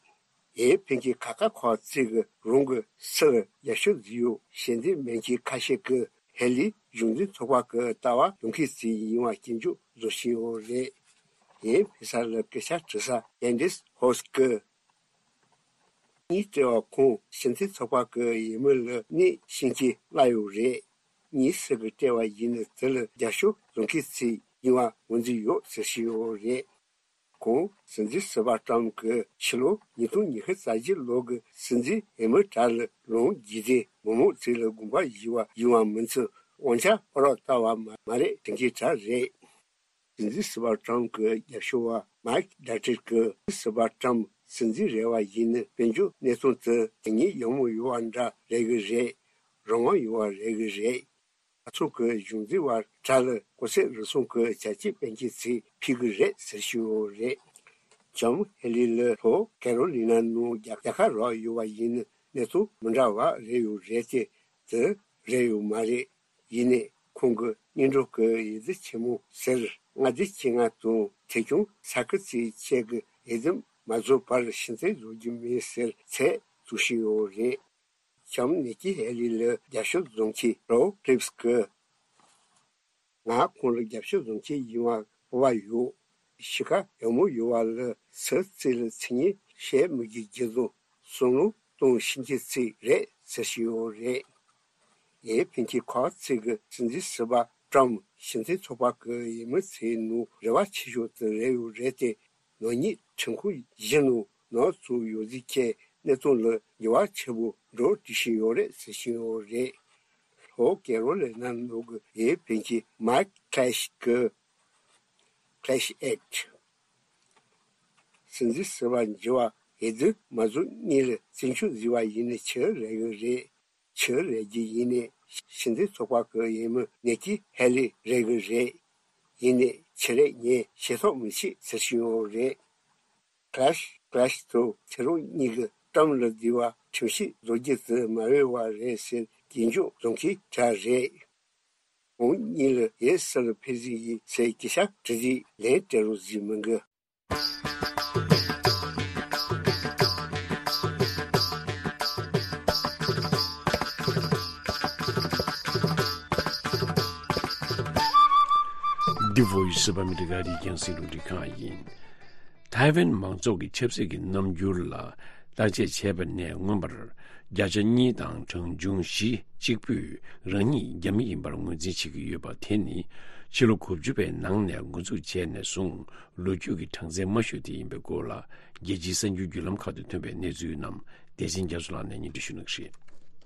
འོས་འཕེན་མཁན་ཁག་ཁག་ཁག་ཅིག་གིས་རང་གི་སྲིད་ལ་རྒྱབ་སྐྱོར་བཟོས་ཡོད། ཞལ་འདེབས་མེད་མཁན་ཁ་ཤས་ཀྱིས་ཧེ་ལི་གཞུང་འཛིན་ཚོགས་པ་གི་ལྟ་བ་ཡོད་མཁན་ཞིག་ཡིན་པ་སྐྱོན་བརྗོད་བཟོ་བཞིན་ཡོད་རེད། འོས་འཕེན་ས་ལ་སྐད་ཆ་དྲི་ས་ཀེན་ཌིས་ཧོ་སི་ཀིས། གཉིས་སྤྲད་པ་ཁོང་སྤྱི་མཐུན་ཚོགས་པ་གི་འོས་མི་ལ་གནས་ཤན་སྐྱེས་གནང་ཡོད་རེད། གཉིས་སུ་གི་སྤྲད་པ་ཡིན་ན་དེ་ལ་རྒྱབ་སྐྱོར་བཟོ་མཁན་ཞིག་ཡིན་པ་ངོས་འཛིན་ཡོད་ཟེར་བཞིན་ཡོད་རེད། ཁོང་སྲིད་འཛིན་ཟུར་པ་ཊམ་གྱིས་ཕྱི་ལོ་ཉིས་སྟོང་ཉི་ཤུ་རྩ་བཞི་ལོ་གི་སྲིད་འཛིན་འོས་མི་གྲས་ལ་ལངས་རྗེས་དེ་མི་མང་ཚོ་ལ་དགོངས་པ་བཞེས་པ་ཡིན་པ་མིན་ཚུལ་དབང་ཆ་ཨ་རོགས་ལྟ་བ་མ་མ་རེད་དྲན་མཁན་གྲས་རེད། སྲིད་འཛིན་ཟུར་པ་ཊམ་གྱི་རྒྱབ་སྐྱོར་བ་མའིག་ཌ་ཏྲིག་གིས་སྲིད་འཛིན་ཟུར་པ་ཊམ་སྲིད་འཛིན་རེད་པ་ཡིན་ན་དཔལ་འབྱོར་གནས་སྟངས་དེ་དོན་སྙིང་ཡོད་མོ་ཡོད་པ་འདྲ་རེད་གི་རེད། རང་དབང་ཡོད་པ་རེད་གི་རེད། ང་ཚོ་གི་གཞུང་འཛིན་པ་གྲས་ལ་གོ་ཚད་རེ་ཟུང་གི་བྱ་སྤྱོད་སྤེལ་མཁན་ཚོས་ཕུད་གི་རེད་ཟེར་ཞུ་ཡོད་རེད། ལྕམ་ཧེ་ལི་ལ་ལྷོ་ཀེ་རོ་ལི་ན་ནང་རྒྱལ་རྒྱལ་ཁ་རག་ཡོད་པ་ཡིན་ན་གནས་སྟངས་མི་འདྲ་བ་རེད་ཡོད་རེད་དེ། དེ་རེད་ཡོད་མ་རེད། ཡིན་ནའི་ཁོང་གི་སྔོན་འགྲོ་གི་འོས་བསྡུ་ཆེན་མོ་ཟེར་མངའ་སྡེ་བཅོ་ལྔ་དང་ཐད་སྐྱོང་ས་ཁུལ་ཚོའི་ཆེད་ཀྱི་འོས་འདེམས་མ་རྫོགས་བར་ཕྱིར་འཐེན་བཟོ་རྒྱུ་མིན་ཟེར་ཚད་བཙུགས་བཞིན་ཡོད་རེད། ལྕམ་ནི་ཀི་ཧེ་ལི་ལ་རྒྱབ་སྐྱོར་བཟོ་མཁན་རོ་ཀྲིབས་ཀྱིས། ང་ཁོང་ལ་རྒྱབ་སྐྱོར་བཟོ་མཁན་ཡིན་པ་སྤོབས་པ་ཡོད། གཤིས་ཀ་ཡག་མོ་ཡོད་པ་ལ་སུ་གཅིག་ལ་མཚན་སྙན་བཤད་མི་དགོས་རྒྱུ་དང་བསམ་བློ་གཏོང་ཤེས་མཁན་ཅིག་རེད་ཟེར་བཞིན་ཡོད་རེད། འོས་འཕེན་མཁན་ཁག་ཅིག་གིས་སྲིད་འཛིན་ཟུར་པ་ཊམ་སྤྱི་མཐུན་ཚོགས་པ་གི་འོས་མི་ཚོའི་ནང་རེ་བ་ཆེ་ཤོས་དེ་རེད་ཡོད་རེད་དེ། ནག་ཉེས་ཁྲིམས་ཁང་བཞི་ནང་ནག་བཙུགས་ཡོད་ཚུལ་གྱི་གནད་དོན་ལ་འགྱུར་བ་ཆེན་པོ་འགྲོ་བསྡད་བཞིན་ཡོད་རེད་ཟེར་བཞིན་ཡོད་རེད། ལྷོ་ཀེ་རོ་ལི་ན་ནང་གི་འོས་འཕེན་མཁན་མའིག་ཁ་ལེཤ་གིས། ཁ་ལེཤ་ཨེག་ཊི། སྲིད་འཛིན་ཟུར་པ་འགྱུར་བ་འོས་བསྡུ་མ་རྫོགས་སྔོན་ལ་བཙན་བྱོལ་བཟོས་པ་ཡིན་ན་ཆི་རེད་གི་རེད། ཆི་རེད་ཀྱི་ཡིན་ནའི་སྤྱི་མཐུན་ཚོགས་པ་གི་འོས་མི་ནི་ཀི་ཧེ་ལི་རེད་གི་རེད། ཡིན་ནའི་ཆི་རེད་ངས་ཤེས་རྟོགས་མི་བྱེད་ཟེར་བཞིན་ཡོད་རེད། ཁ་ལེཤ་ཁ་ལེཤ་དང་ཁྱེད་རང་གཉིས་ཀྱིས་ཊམ་ལ་བསྡུར་བ་ཁྲིམས་ཞིབ་བཟོ་རྒྱུ་དེ་མ་འོས་པ་རེད་ཟེར་སྐྱོན་བརྗོད་བཟོ་མཁན་གྲས་རེད། ཁོང་གཉིས་ལ་འོས་གསལ་ལ་ཕེབས་རྩིས་ཡིན་ཟེར་སྐད་ཆ་དྲི་དུས་ལན་སྤྲད་རོགས་ཟེར་མི་འགི། འདི་བོད་ཡིག་སུ་པ་མི་འདི་ག་རེ་རྒྱང་སྲིང་རུ་འདི་གང་ཡིན། ཐའེ་ཝན་མང་ཚོགས་ཀྱི་ཆབ་སྲིད་ཀྱི་རྣམ་འགྱུར་ལ་བརྟག་དཔྱད་བྱས་པ་ནས་མངོན་པར་བརྒྱ་ཆ་གཉིས་དང་གྲངས་ཆུང་བཞི་གཅིག་པུས་རང་ཉིད་རྒྱ་མི་ཡིན་པར་ངོས་འཛིན་བྱེད་ཀྱི་ཡོད་པ་དེ་ནི་ཕྱི་ལོ་དགུ་བཅུ་པའི་ནང་ནས་འགོ་འཛུགས་བྱས་ནས་བཟུང་ལོ་རྒྱུས་ཀྱི་གྲངས་ཚད་མ་ཞུ་དེ་ཡིན་པའི་སྐོར་ལ་རྒྱལ་སྤྱིའི་གསར་འགྱུར་བརྒྱུད་ལམ་ཁག་ཏུ་ཐོན་པའི་གནས་ཚུལ་རྣམས་བདེ་ཆེན་རྒྱ་མཚོ་ལགས་ནས་སྙན་སྒྲོན་ཞུ་གནང་གི་རེད།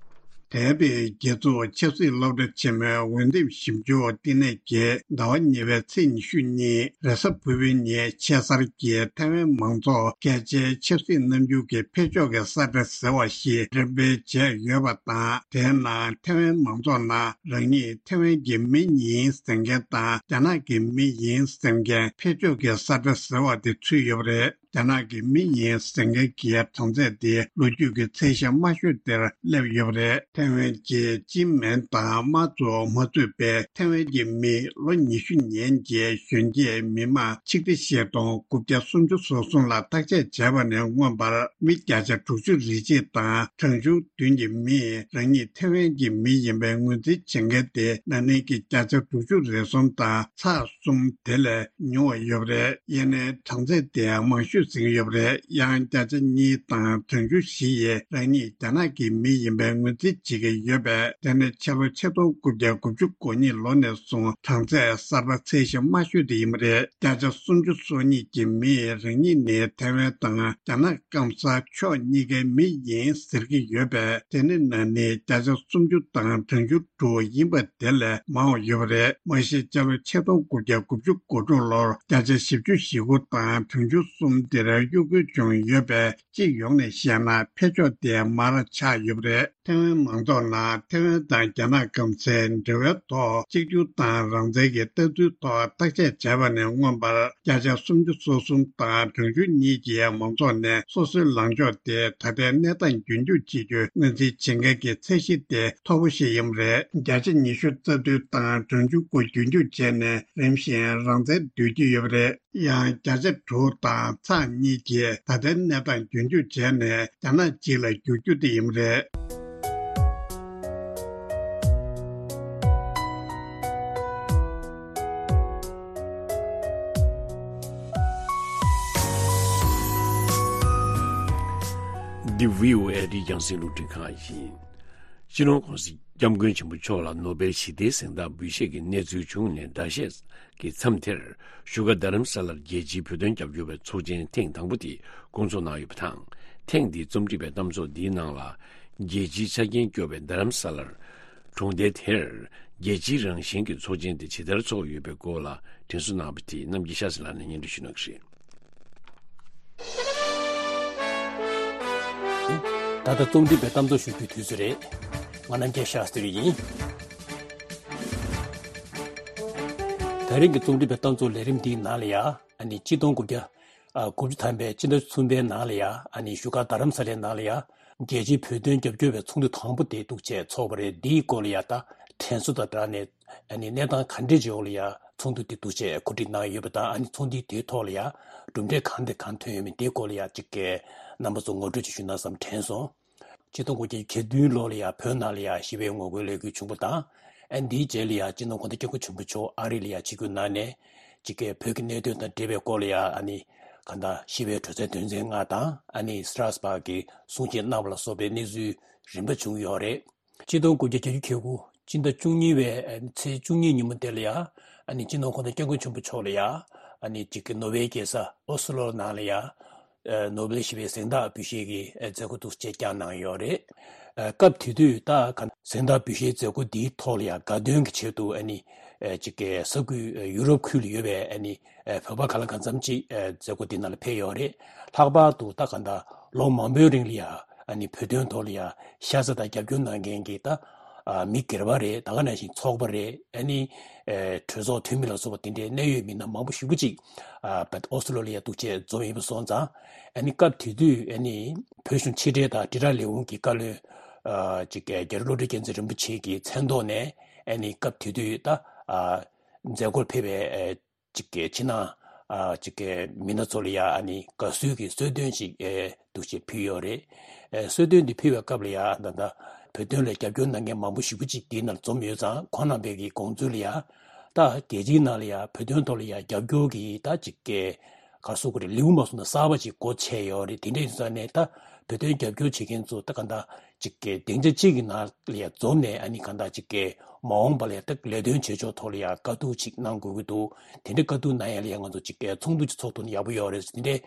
འདས་པའི་རྒྱལ་ཚོགས་ཆབ་སྲིད་སློབ་གྲྭ་ཆེན་མོའི་འོས་འདེམས་ཞིབ་འཇུག་བསྟི་གནས་ཀྱིས་ཟླ་བ་གཉིས་པའི་ཚེས་ཉི་ཤུ་གཉིས་རེས་གཟའ་ཕུར་བུའི་ཉིན་ཆེ་སར་གྱི་ཐའེ་ཝན་མང་ཚོགས་སྐད་ཆའི་ཆབ་སྲིད་རྣམ་འགྱུར་གྱི་འཕེལ་ཕྱོགས་ཀྱི་གསལ་བསྒྲགས་ཟེར་བ་ཞིག་འགྲེམས་སྤེལ་བྱས་ཡོད་པ་དང་། དེའི་ནང་ཐའེ་ཝན་མང་ཚོགས་ནང་རང་ཉིད་ཐའེ་ཝན་གྱི་མི་ཡིན་ཟེར་མཁན་དང་རྒྱ་ནག་གི་མི་ཡིན་ཟེར་མཁན་འཕེལ་ཕྱོགས་ཀྱི་གསལ་བསྒྲགས་ཟེར་བ་དེ་ཚུད་ཡོད་པ་རེད། རྒྱ་ནག་གི་མི་ཡིན་ཟེར་མཁན་གྱི་གྲངས་ཚད་དེ་ལོ་རྒྱུས་ཀྱི་ཚད་གཞི་དམའ་ཤོས་དེར་སླེབས་ཡོད་པ་རེད། ཐའེ་ཝན་གྱི་ཅིན་མེན་དང་མ་ཙུའོ་མ་གཙོས་པའི་ཐའེ་ཝན་གྱི་མི་ལོ་ཉི་ཤུ་ནང་གི་གཞོན་སྐྱེས་མི་མང་ཆིག་ཁྲི་ཕྱེད་སྟོང་དགུ་བརྒྱ་སུམ་ཅུ་སོ་གསུམ་ལ་བརྟག་དཔྱད་བྱས་པ་ནས་མངོན་པར་མི་བརྒྱ་ཆ་དྲུག་ཅུ་རེ་གཅིག་དང་གྲངས་ཆུང་བདུན་གྱི་མིས་རང་ཉིད་ཐའེ་ཝན་གྱི་མི་ཡིན་པའི་ངོས་འཛིན་བྱེད་མཁན་དེ་ན་ནིང་གི་བརྒྱ་ཆ་དྲུག་ཅུ་རེ་གསུམ་དང་ཚེག་གསུམ་དེ་ལས་ཉུང་བ་ཡོད་པ་རེད། ཡིན་ནའི་གྲངས་ཚད་དེའང་མང་ཤོས་ཟིན་ཡོད་པ་རེད། ཡང་བརྒྱ་ཆ་གཉིས་དང་གྲངས་ཆུང་བཞི་ཡིས་རང་ཉིད་རྒྱ་ནག་གི་མི་ཡིན་པའི་ངོས་འཛིན་བྱེད་ཀྱི་ཡོད་པས། དེ་ནི་ཕྱི་ལོ་ཆིག་སྟོང་དགུ་བརྒྱ་དགུ་བཅུ་གོ་གཉིས་ལོ་ནས་བཟུང་གྲངས་ཚད་གསར་པ་ཚད་གཞི་དམའ་ཤོས་དེ་ཡིན་པ་རེད། བརྒྱ་ཆ་སུམ་ཅུ་སོ་གཉིས་ཀྱི་མིས་རང་ཉིད་ནི་ཐའེ་ཝན་དང་རྒྱ་ནག་སྐམ་ས་ཕྱོགས་གཉིས་ཀའི་མི་ཡིན་ཟེར་གྱི་ཡོད་པས། དེ་ནི་ན་ནིང་བརྒྱ་ཆ་སུམ་ཅུ་དང་གྲངས་ཆུང་དྲུག་ཡིན་པ་དེ་ལས་མང་བ་ཡོད་པ་རེད། མ་གཞི་སྤྱི་ལོ་ཆིག་སྟོང་དགུ་བརྒྱ་དགུ་བཅུ་གོ་དྲུག་ལོར་བརྒྱ་ཆ་བཞི་བཅུ་ཞེ་དགུ་དང་གྲངས་ཆུང་གསུམ་དེར་གཡོ་འགུལ་བྱུང་ཡོད་པས། སྤྱི་ཡོངས་ནས་བཤད་ན་འཕེལ་ཕྱོགས་དེ་མར་ཆག་ཡོད་པ་རེད། ཐའེ་ཝན་མང་ཚོགས་ནང་ཐའེ་ཝན་དང་རྒྱ་ནག་སྐམ་སའི་འབྲེལ་བའི་ཐོག་གཅིག་གྱུར་དང་རང་བཙན་གྱི་ལྟ་ཚུལ་ཐོག་བརྟག་དཔྱད་བྱས་པ་ནས་མངོན་པར་བརྒྱ་ཆ་སུམ་ཅུ་སོ་གསུམ་དང་གྲངས་ཆུང་གཉིས་ཀྱིས་མང་ཚོགས་ནས་སོ་སོའི་ལངས་ཕྱོགས་དེ་ད་ལྟའི་གནས་སྟངས་རྒྱུན་འཁྱོངས་བྱེད་རྒྱུའི་ངོས་འཛིན་བྱེད་མཁན་གྱི་ཚད་གཞི་དེ་མཐོ་པོ་ཞིག་ཡིན་པ་རེད། བརྒྱ་ཆ་ཉི་ཤུ་རྩ་བདུན་དང་གྲངས་ཆུང་དགུ་རྒྱུན་འཁྱོངས་བྱས་ནས་རིམ་བཞིན་རང་བཙན་འདོད་ཀྱི་ཡོད་པ་རེད། ཡང་བརྒྱ་ཆ་དྲུག་དང་ཚེག་གཉིས་ཀྱིས་ད་ལྟའི་གནས་སྟངས་རྒྱུན་འཁྱོངས་བྱས་ནས་རྒྱ་ནག་གཅིག་ལ་འགྱུར་རྒྱུ་དེ་ཡིན་པ་རེད། འདི་བྷི་ཨོ་ཨེ་ཨ་རིའི་རྒྱང་སྲིང་རླུང་འཕྲིན་ཁང་ཡིན། སྤྱི་ནོར་༸གོང་ས་༸སྐྱབས་མགོན་ཆེན་པོ་མཆོག་ལ་ནོ་སྦེལ་ཞི་བདེའི་གཟེངས་རྟགས་འབུལ་བཞེས་ཀྱི་གནས་ཚུལ་བྱུང་ནས་ཟླ་ཤས་ཀྱི་མཚམས་དེར་བཞུགས་སྒར་རྡ་རམ་ས་ལར་རྒྱལ་སྤྱིའི་བོད་དོན་རྒྱབ་སྐྱོར་བའི་ཚོགས་ཆེན་ཐེངས་དང་པོ་དེ་སྐོང་ཚོགས་གནང་ཡོད་པ་དང་། ཐེངས་འདིའི་རྩོམ་སྒྲིག་པའི་གཏམ་ཚོགས་འདིའི་ནང་ལ་རྒྱལ་སྤྱིའི་ཆ་རྐྱེན་སྐྱོ་བའི་རྡ་རམ་ས་ལར་གྲོང་རྡལ་དེར་རྒྱལ་སྤྱིའི་རང་བཞིན་གྱི་ཚོགས་ཆེན་དེ་ཇི་ལྟར་ཚོགས་ཡོད་པའི་སྐོར་ལ་དྲན་གསོ་གནང་བ་དེ་རྣམ་རྒྱལ་ཤཱ་ཟི་ལགས་ནས་སྙན་སྒྲོན་ཞུ་གནང་གི་རེད། ད་ལྟ་རྩོམ་སྒྲིག་པའི་གཏམ་ཚོགས་ཞུ་རྒྱུའི་དུས་ཚོད་རེད། ང་རྣམ་རྒྱལ་ཤཱ་སྟྲི་ཡིན། ད་རིང་གི་རྩོམ་སྒྲིག་པའི་གཏམ་ཚོགས་ལས་རིམ་འདིའི་ནང་ལ་ཡ་ཨ་ནི་གཅིག་སྟོང་དགུ་བརྒྱ་ཨ་དགུ་བཅུ་ཐམ་པའི་སྤྱི་ཟླ་གསུམ་པའི་ནང་ལ་ཡ་ཨ་ནི་བཞུགས་སྒར་རྡ་རམ་ས་ལའི་ནང་ལ་ཡ་རྒྱལ་སྤྱིའི་བོད་དོན་རྒྱབ་སྐྱོར་བའི་ཚོགས་འདུ་དང་པོ་དེ་འདུག་བྱས་ཚོགས་པ་རེད། འདིའི་སྐོར་ལ་ཡ་ད་དྲན་གསོ་དང་སྦྲགས་ནས་ཨ་ནི་གནས་སྟངས་ག་འདྲས་ཅིག་འོག་ལ་ཡ་ཚོགས་འདུ་དེ་འདུག་བྱས་གོ་སྒྲིག་གནང་ཡོད་པ་དང་། ཨ་ནི་ཚོགས་འདུའི་དེའི་ཐོག་ལ་ཡ་གྲུབ་འབྲས་གང་དང་གང་ཐོན་ཡོད་མེད་དེའི་སྐོར་ལ་ཡ་གཅིག་གི་རྣམ་པ་ཚོ་ངོ་སྤྲོད་ཅིག་ཞུ་ན་བསམ་དྲན་སོང་། ཆིག་སྟོང་དགུ་བརྒྱ་གྱ་བདུན་ལོ་ལ་ཡ་བོད་ནང་ལ་ཡ་ཞི་བའི་ངོ་རྒོལ་ལས་འགུལ་བྱུང་བ་དང་། ཨ་ནི་འདིའི་རྗེས་ལ་ཡ་སྤྱི་ནོར་༸གོང་ས་༸སྐྱབས་མགོན་ཆེན་པོ་མཆོག་ཨ་རི་ལ་ཡ་ཆིབས་བསྒྱུར་གནང་ནས་གཅིག་གི་བོད་ཀྱི་གནད་དོན་དང་འབྲེལ་བའི་སྐོར་ལ་ཡ་ཨ་ནི་གང་ལྟར་ཞི་བའི་གྲོས་ཚན་དོན་ཚན་ལྔ་དང་། ཨ་ནི་སི་ཏྲ་སི་བྷག་གི་གསུང་བཤད་གནང་བ་ལ་སོགས་པའི་གནས་ཚུལ་རིམ་པ་བྱུང་ཡོད་རེད། ཆིག་སྟོང་དགུ་བརྒྱ་གྱ་བརྒྱད་ཀྱི་སྤྱི་ཟླ་བཅུ་གཉིས་པའི་ཚེས་བཅུ་གཉིས་ཉིན་མོ་དེ་ལ་ཡ་ཨ་ནི་སྤྱི་ནོར་༸གོང་ས་༸སྐྱབས་མགོན་ཆེན་པོ་མཆོག་ལ་ཡ་ཨ་ནི་གཅིག་གི་ནོར་ཝེ་རྒྱལ་ས་ཨོ་སི་ལོ་ནང་ལ་ཡ་ནོ་སྦེལ་ཞི་བའི་གཟེངས་རྟགས་འབུལ་བཞེས་ཀྱི་མཛད་སྒོ་འདུག་བྱས་བསྐྱངས་གནང་ཡོད་རེད། སྐབས་དེ་དུས་ད་ག་གཟེངས་རྟགས་འབུལ་བཞེས་མཛད་སྒོ་འདིའི་ཐོག་ལ་ཡ་དགའ་སྟོན་གྱི་ཆེད་དུ་ཨ་ནི་གཅིག་གི་ས་ཁུལ་ཡུ་རོབ་ཁུལ་ལ་ཡོད་པའི་ཨ་ནི་བོད་པ་གང་ལ་གང་འཚམ་ཅིག་མཛད་སྒོ་འདི་ནང་ལ་ཕེབས་ཡོད་རེད། ལྷག་པར་དུ་ད་ག་ད་ལོ་མང་པོའི་རིང་ལ་ཡ་ཨ་ནི་བོད་དོན་ཐོག་ལ་ཡ་ཤ་ཚ་དང་རྒྱབ་སྐྱོར་གནང་མཁན་གྱི་ད་མི་སྒེར་པ་རེད། ད་ག་ནང་བཞིན་ཚོགས་པ་རེད། ཨ་ནི་གྲོས་ཚོགས་འཐུས་མི་ལ་སོགས་པ་དེ་འདྲའི་གནད་ཡོད་མི་སྣ་མང་པོ་ཞེ་པོ་ཅིག་ཨོ་སི་ལོ་ལ་ཡ་འདུག་བྱས་འཛོམས་ཡོད་པ་སོང་ཙང་། ཨ་ནི་སྐབས་དེ་དུས་ཨ་ནི་བོད་གཞུང་ཕྱི་དྲིལ་དང་དྲིལ་བསྒྲགས་ལས་ཁུངས་ཀྱི་བཀའ་བློན་ཅིག་རྒྱ་རི་བློ་གྲོས་རྒྱལ་མཚན་རིན་པོ་ཆེ་གི་མཚན་ཐོག་ནས་ཨ་ནི་སྐབས་དེ་དུས་ད་མཛད་སྒོར་ཕེབས་པའི་ཅིག་གི་ཕྱི་ནང་ཨ་ཅིག་གི་མི་སྣ་ཚོ་ལ་ཡ་ཨ་ནི་དགའ་བསུའི་གི་གསོལ་སྟོན་ཅིག་ཨེ་འདུག་བྱས་ཕུལ་ཡོད་རེད། ཨེ་གསོལ་སྟོན་འདི་ཕུལ་བའི་སྐབས་ལ་ཡ་ད་ལྟ་བོད་དོན་ལ་རྒྱབ་སྐྱོར་གནང་མཁན་མང་པོ་ཞེ་པོ་ཅིག་འདིའི་ནང་འཛོམས་ཡོད་ཙང་། ཁོང་རྣམ་པའི་གི་དགོངས་ཚུལ་ལ་ཡ་ད་རྒྱལ་སྤྱིའི་ནང་ལ་ཡ་བོད་དོན་ཐོག་ལ་ཡ་རྒྱབ་སྐྱོར་གི་ད་ཅིག་གི་ག་རེ་ཟེར་དགོས་རེད། ལེའུ་མ་སོང་ན་གསར་པ་ཅིག་སྒོ་ཕྱེ་ཡོད་རེད། དེ་འདྲ་ཡིན་ཙང་ནས་ད་བོད་དོན་རྒྱབ་སྐྱོར་བྱེད་མཁན་ཚོ་ད་ག་ད་ཅིག་གི་སྡིངས་ཆ་གཅིག་གི་ནང་ལ་ཡ་འཛོམས་ནས་ཨ་ནི་གང་ལྟར་ཅིག་གི་མ་འོངས་པ་ལ་ཡ་ད་ལས་དོན་བྱེད་ཕྱོགས་ཐོག་ལ་ཡ་དཀའ་སྡུག་ཅིག་གནང་དགོས་ཀྱི་འདུག་དེ་འདྲའི་དཀའ་སྡུག་གནང་ཡ་ལ་ཡ་ང་ཚོ་ཅིག་གི་ཚོགས་འདུ་ཅིག་ཚོགས་ཐུབ་ན་ཡག་པོ་ཡོད་རེད་ཟེར་དེ་འདྲའི་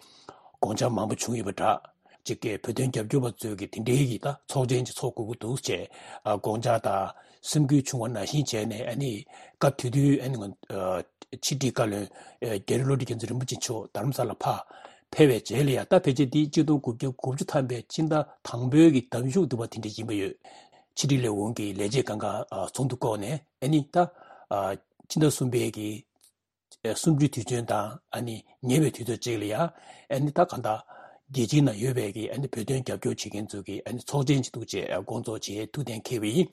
དགོངས་འཆར་མང་པོ་བྱུང་ཡོད་པ་འདྲ། ཅིག་གི་བོད་དོན་རྒྱབ་སྐྱོར་བ་ཚོས་ཀྱི་དེ་འདྲའི་གི་ད་ཚོགས་ཆེན་ཅིག་ཚོགས་དགོས་ཀྱི་འདུག་ཅེས་ཨ་དགོངས་འཆར་དང་སེམས་འགུལ་བྱུང་བ་ནང་བཞིན་བྱས་ནས། ཨ་ནི་སྐབས་དེ་དུས་ཨ་ནི་ང་ཨ་ཕྱི་དྲིལ་བཀའ་བློན་ཨ་རྒྱ་རི་བློ་གྲོས་རྒྱལ་མཚན་རིན་པོ་ཆེ་མཆོག་རྡ་རམ་ས་ལ་ཕར་ཕེབས་པའི་རྗེས་ལ་ཡ། ད་ཕལ་ཆེར་འདི་ཆིག་སྟོང་དགུ་བརྒྱ་དགུ་བཅུ་ཐམ་པའི་ཕྱི་ཟླ་དང་པོའི་གི་ཟླ་མཇུག་དུ་བ་དེ་འདྲ་ཡིན་པ་ཡོད། ཕྱི་དྲིལ་ལས་ཁུངས་ཀྱི་ལས་བྱེད་སྒང་ག་ཨ་ཚོགས་འདུ་བསྐོངས་ནས། ཨ་ནི་ད་ཨ་ཕྱི་ཟླ་གསུམ་པའི་གི་ཨ་གསུམ་བཅུའི་དུས་ཆེན་དང་ཨ་ནི་ཉེ་བའི་དུས་ཚོད་ཅིག་ལ་ཡ། ཨ་ནི་ད་གང་ལྟར་རྒྱལ་སྤྱིའི་ནང་ཡོད་པའི་གི་ཨ་ནི་བོད་དོན་རྒྱབ་སྐྱོར་བྱེད་མཁན་ཚོ་གི་ཨ་ནི་ཚོགས་ཆེན་ཅིག་འདུག་ཅེས་ཨ་བསྐོང་ཚོགས་བྱས་ཐུགས་གཏན་འཁེལ་བ་ཡིན།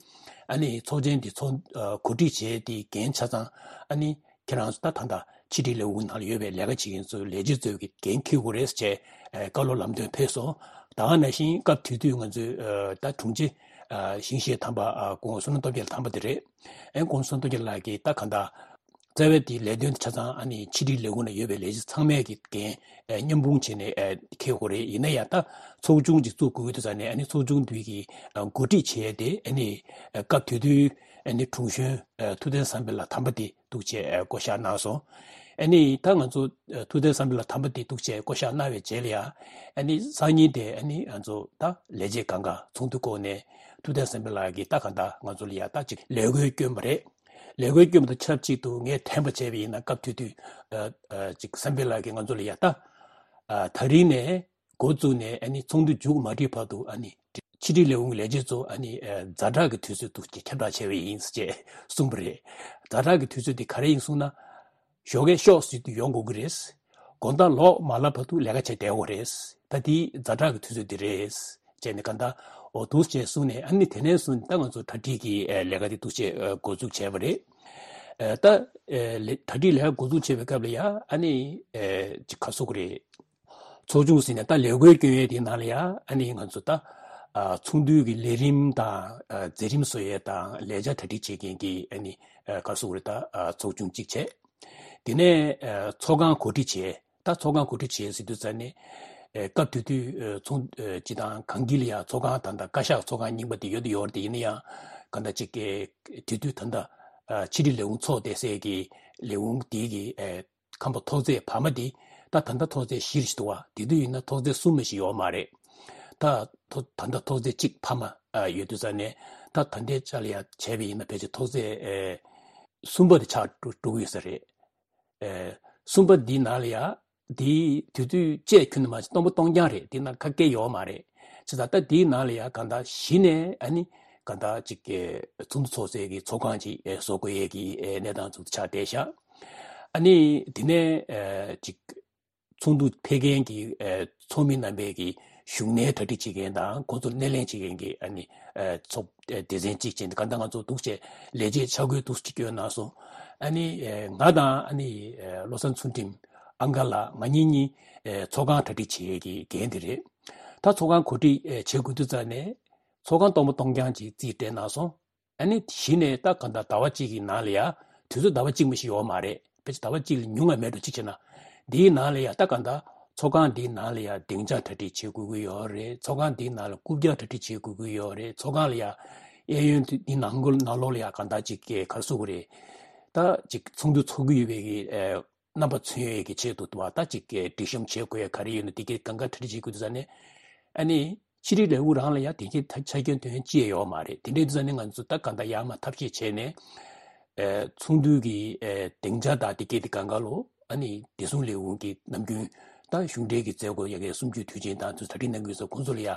ཨ་ནི་ཚོགས་ཆེན་འདི་ཚོགས་ཨ་གོ་སྒྲིག་བྱས་ཏེ་འགན་ཆ་ཚང་ཨ་ནི་ཁྱེད་རང་ཚོ་ད་ད་ལྟ་ཕྱི་དྲིལ་ལས་ཁུངས་ནང་ལ་ཡོད་པའི་ལས་ཀ་བྱེད་མཁན་ཚོ་ལས་བྱེད་ཚོ་གི་འགན་འཁྱེར་དགོས་རེད་ཅེས་ཨ་བཀའ་སློབ་ལམ་སྟོན་ཕེབས་སོང་། ད་ག་ནང་བཞིན་སྐབས་དེ་དུས་ང་ཚོའི་ཨ་ད་དྲུང་ཆེ་ཨ་ཞིང་གཤེགས་དམ་པ་ཨ་༸གོང་ས་བསོད་ནམས་སྟོབས་རྒྱལ་དམ་པ་དེ་རེད། ཨེ་༸གོང་ས་བསོད་ནམས་སྟོབས་རྒྱལ་ལགས་ཀྱིས་ད་གང་ལྟར་རྩ་བའི་དེའི་ལས་དོན་ཆ་ཚང་ཨ་ནི་ཕྱི་དྲིལ་ལས་ཁུངས་ནང་ཡོད་པའི་ལས་བྱེད་ཚང་མས་ཀྱི་འགན་ཨེ་མཉམ་སྤུངས་བྱས་ནས་ཨེ་འཁྱེར་དགོས་རེད། ཡིན་ན་ཡང་ད་ཚོགས་ཆུང་ཅིག་བཙུགས་དགོས་ཀྱི་འདུག་ཟེར་ནས། ཨ་ནི་ཚོགས་ཆུང་དེ་གི་ཨ་འགོ་ཁྲིད་བྱས་ཏེ། ཨ་ནི་ཨ་སྐབས་དེ་དུས་ཨ་ནི་དྲུང་གཞོན་ཨ་ཐུབ་བསྟན་བསམ་འཕེལ་ལགས་དམ་པ་དེ་འདུག་ཅེས་ཨ་བསྐོ་བཞག་གནང་སོང་། ཨ་ནི་ད་ང་ཚོ་ཨ་ཐུབ་བསྟན་བསམ་འཕེལ་ལགས་དམ་པ་དེ་འདུག་ཅེས་བསྐོ་བཞག་གནང་བའི་རྗེས་ལ་ཡ། ཨ་ནི་སང་ཉིན་དེ་ཨ་ནི་ང་ཚོ་ད་ལས་བྱེད་སྒང་ག་ཚོགས་འདུ་བསྐོངས་ནས། ཐུབ་བསྟན་བསམ་འཕེལ་ལགས་ཀྱིས་ད་གང་ལྟར་ང་ཚོ་ལ་ཡ་ད་ཅིག་ལས་འགུལ་བསྐྱོན་པ་རེད། ལས་འགུལ་བསྐྱོན་པ་དང་ཆབས་ཅིག་ཏུ་ངས་དྲན་པ་བྱས་པ་ཡིན་ན། སྐབས་དེ་དུས་ཨ་ཨ་ཅིག་བསམ་འཕེལ་ལགས་ཀྱིས་ང་ཚོ་ལ་ཡ་ད་ཨ་ད་རིང་ནས་འགོ་བཙུགས་ནས་ཨ་ནི་ཚོགས་འདུ་མཇུག་མ་སྒྲིལ་བར་དུ། ཨ་ནི་ཕྱི་དྲིལ་ལས་ཁུངས་ཀྱི་ལས་བྱེད་ཚོ་ཨ་ནི་ཨ་ཛ་དྲག་གི་དུས་ཚོད་དུ་ཁྱབ་བསྒྲགས་བྱས་པ་ཡིན་ཅེས་གསུངས་པ་རེད། ཛ་དྲག་གི་དུས་ཚོད་དེ་ག་རེ་ཡིན་གསུངས་ན། ཞོགས་ཀས་ཤོག་ཟེར་དུས་ཡོང་དགོས་ཀྱི་རེད། དགོང་དག་ལོག་མ་ལབ་བར་དུ་ལས་ཀ་བྱས་བསྡད་དགོས་རེད། ད་དེ་ཛ་དྲག་གི་དུས་ཚོད་དེ་རེད་ཅེས་ནས་གང་ལྟར་འོ་འདུག་ཅེས་གསུངས་ནས། ཨ་ནི་དེ་ནས་བཟུང་ད་ང་ཚོ་གྲ་སྒྲིག་གི་ཨེ་ལས་ཀ་དེ་འདུག་ཅེས་ཨེ་འགོ་འཛུགས་བྱས་པ་རེད། ཨེ་ད་ཨེ་ལས་གྲ་སྒྲིག་ལས་ཀ་འགོ་འཛུགས་བྱས་པའི་སྐབས་ལ་ཡ། ཨ་ནི་ཨེ་ཅིག་ག་ཟེར་དགོས་རེད། ཚོགས་ཆུང་ཟེར་ནས་ད་ལས་འགུལ་བསྐྱོན་ཡས་དེའི་ནང་ལ་ཡ། ཨ་ནི་ང་ཚོ་ད་ཨ་ཚོགས་འདུའི་གི་ལས་རིམ་དང་ཨ་མཛད་རིམ་བཟོ་ཡས་དང་ལས་འཆར་གྲ་སྒྲིག་བྱེད་མཁན་གྱི་ཨ་ནི་ཨ་ག་ཟེར་དགོས་རེད། ད་ཨ་ཚོགས་ཆུང་གཅིག་བྱས། དེ་ནས་ཨ་ཚོགས་ཁང་གོ་སྒྲིག་བྱས། ད་ཚོགས་ཁང་གོ་སྒྲིག་བྱས་ཟེར་དུས་ཙ་ནས་ཨ་སྐབས་དེ་དུས་ཨ་ཚོགས་ཨ་སྤྱི་བཏང་གངས་སྐྱིད་ལ་ཡ་ཚོགས་ཁང་ད་ལྟ་བཀའ་ཤག་ཚོགས་ཁང་རྙིང་པ་དེ་ཡོད་དུ་ཡོད་རེད། དེ་ཡིན་ན་ཡང་གང་ལྟར་ཅིག་གི་དེ་དུས་ད་ལྟ་ཨ་ཕྱི་དྲིལ་ལས་ཁུངས་ཚོགས་བསྡད་སའི་གི་ལས་ཁུངས་དེའི་གི་ཨ་ཁང་པ་ཐོག་བརྩེགས་བར་མ་དེ། ད་ད་ལྟ་ཐོག་བརྩེགས་བཞི་རེ་ཞིག་འདུག་བ། དེ་དུས་ཡིན་ན་ཐོག་བརྩེགས་གསུམ་ཞིག་ཡོད་མ་རེད། ད་ཐོ་ད་ལྟ་ཐོག་བརྩེགས་གཅིག་ཕ་མ་ཨ་ཡོད་དུས་ཙ་ནས། ད་ད་ལྟའི་ཆ་ལ་ཡ་བྱས་པ་ཡིན་ན་ཕལ་ཆེར་ཐོག་བརྩེགས་ཨེ་གསུམ་པ་དེ་ཆགས་འགྲོ་འགྲོ་གི་ཡོད་ས་རེད། ཨེ་གསུམ་པ་འདིའི་ནང་ལ་ཡ། དེའི་དུས་ཚོད་བཅས་ཁྱོན་ནས་མ་བྱས་སྟོང་པ་སྟོང་རྐྱང་རེད། དེ་ནང་ཁ་སྐད་ཡོད་མ་རེད། བྱས་ཙང་ད་དེའི་ནང་ལ་ཡ་གང་ལྟར་གཞི་ནས་ཨ་ནི་གང་ལྟར་ཅིག་གི་ཚོགས་འདུ་ཚོགས་སའི་གི་ཚོགས་ཁང་ཅིག་ཨེ་བཟོ་དགོས་ཡས་ཀྱི་ཨེ་གནས་སྟངས་ཚོ་ཆགས་བསྡད་ཤག་ཨ་ནི་དེ་ནས་ཨེ་ཅིག་ཚོགས་འདུ་ཕེབས་མཁན་གྱི་ཨེ་ཚོགས་མི་རྣམ་པས་ཀྱི་བཞུགས་གནས་གྲ་སྒྲིག་བྱེད་མཁན་དང་ཁོང་ཚོར་སྣེ་ལེན་བྱེད་མཁན་གྱི་ཨ་ནི་ཨེ་ཚོགས་ཨེ་སྡེ་ཚན་གཅིག་བྱས་ནས། གང་ལྟར་ང་ཚོ་འདུག་བྱས་ལས་བྱེད་ཆ་བགོས་འདུག་ཅིག་བསྐྱོན་གནང་སོང་། ཨ་ནི་ཨེ་ང་དང་ཨ་ནི་ཨེ་བློ་བཟང་ཚུལ་ཁྲིམས་ཨང་ག་ལགས་ང་གཉིས་གཉིས་ཨེ་ཚོགས་ཁང་གྲ་སྒྲིག་བྱེད་ཡས་ཀྱི་འགན་དེ་རེད། ད་ཚོགས་ཁང་གོ་སྒྲིག་ཨེ་བྱེད་དགོས་དུས་ཙ་ནས་ཚོགས་ཁང་སྟོང་པ་སྟོང་རྐྱང་ཅིག་རྩིས་སྤྲད་གནང་སོང་། ཨ་ནི་གཞི་ནས་ད་གང་ལྟར་ཟླ་བ་གཅིག་གི་ནང་ལ་ཡ། དུས་ཚོད་ཟླ་བ་གཅིག་མ་ཞིག་ཡོད་མ་རེད། ཕལ་ཆེར་ཟླ་བ་གཅིག་ལས་ཉུང་བ་མེད་འགྲོ་གཅིག་བྱས་ན། འདིའི་ནང་ལ་ཡ་ད་གང་ལྟར་ཚོགས་ཁང་འདིའི་ནང་ལ་ཡ་སྡིངས་ཆ་གྲ་སྒྲིག་བྱེད་དགོས་ཀྱི་ཡོད་རེད། ཚོགས་ཁང་འདིའི་ནང་ལ་རྐུབ་བཀྱག་གྲ་སྒྲིག་བྱེད་དགོས་ཀྱི་ཡོད་རེད། ཚོགས་ཁང་ལ་ཡ་གཡས་གཡོན་དེ་འདི་ནང་ཁུལ་ནང་ལོགས་ལ་ཡ་གང་ལྟར་ཅིག་གི་ག་རེ་ཟེར་དགོས་རེད། ད་ཅིག་ཚོགས་འདུ་ཚོགས་ཀྱི་ཡོད་པའི་གི་ཨེ་རྣམ་པ་མཚོན་ཡས་ཀྱི་ཆེད་དུ་དུ་བ་ད་ཅིག་གི་སྒྲིག་གཤོམ་བྱེད་དགོས་ཡ་ག་རེ་ཡོད་ན་དེ་གའི་གང་ག་གྲ་སྒྲིག་བྱེད་དགོས་དུས་ཙ་ནས། ཨ་ནི་ཕྱི་དྲིལ་ལས་ཁུངས་རང་ལ་ཡ་དེ་གའི་ད་ཆ་རྐྱེན་དོན་ཅི་ཡང་ཡོད་མ་རེད། དེ་འདྲའི་དུས་ཙ་ནས་ང་ཚོ་ད་གང་ལྟར་ཡར་མར་ཐབས་ཤེས་བྱས་ནས་ཨེ་ཚོགས་འདུའི་གི་ཨེ་སྡིངས་ཆ་དང་དེ་གའི་དེ་གང་ག་ལོ། ཨ་ནི་བདེ་སྲུང་ལས་ཁུངས་ཀྱི་ནམ་རྒྱུན་ད་གཞུང་འབྲེལ་གྱི་མཛད་སྒོ་ཡ་གའི་གསུམ་བཅུའི་དུས་ཆེན་དང་དུས་གྲ་སྒྲིག་གནང་གི་ཡོད་ས་ཁོང་ཚོ་ལ་ཡ་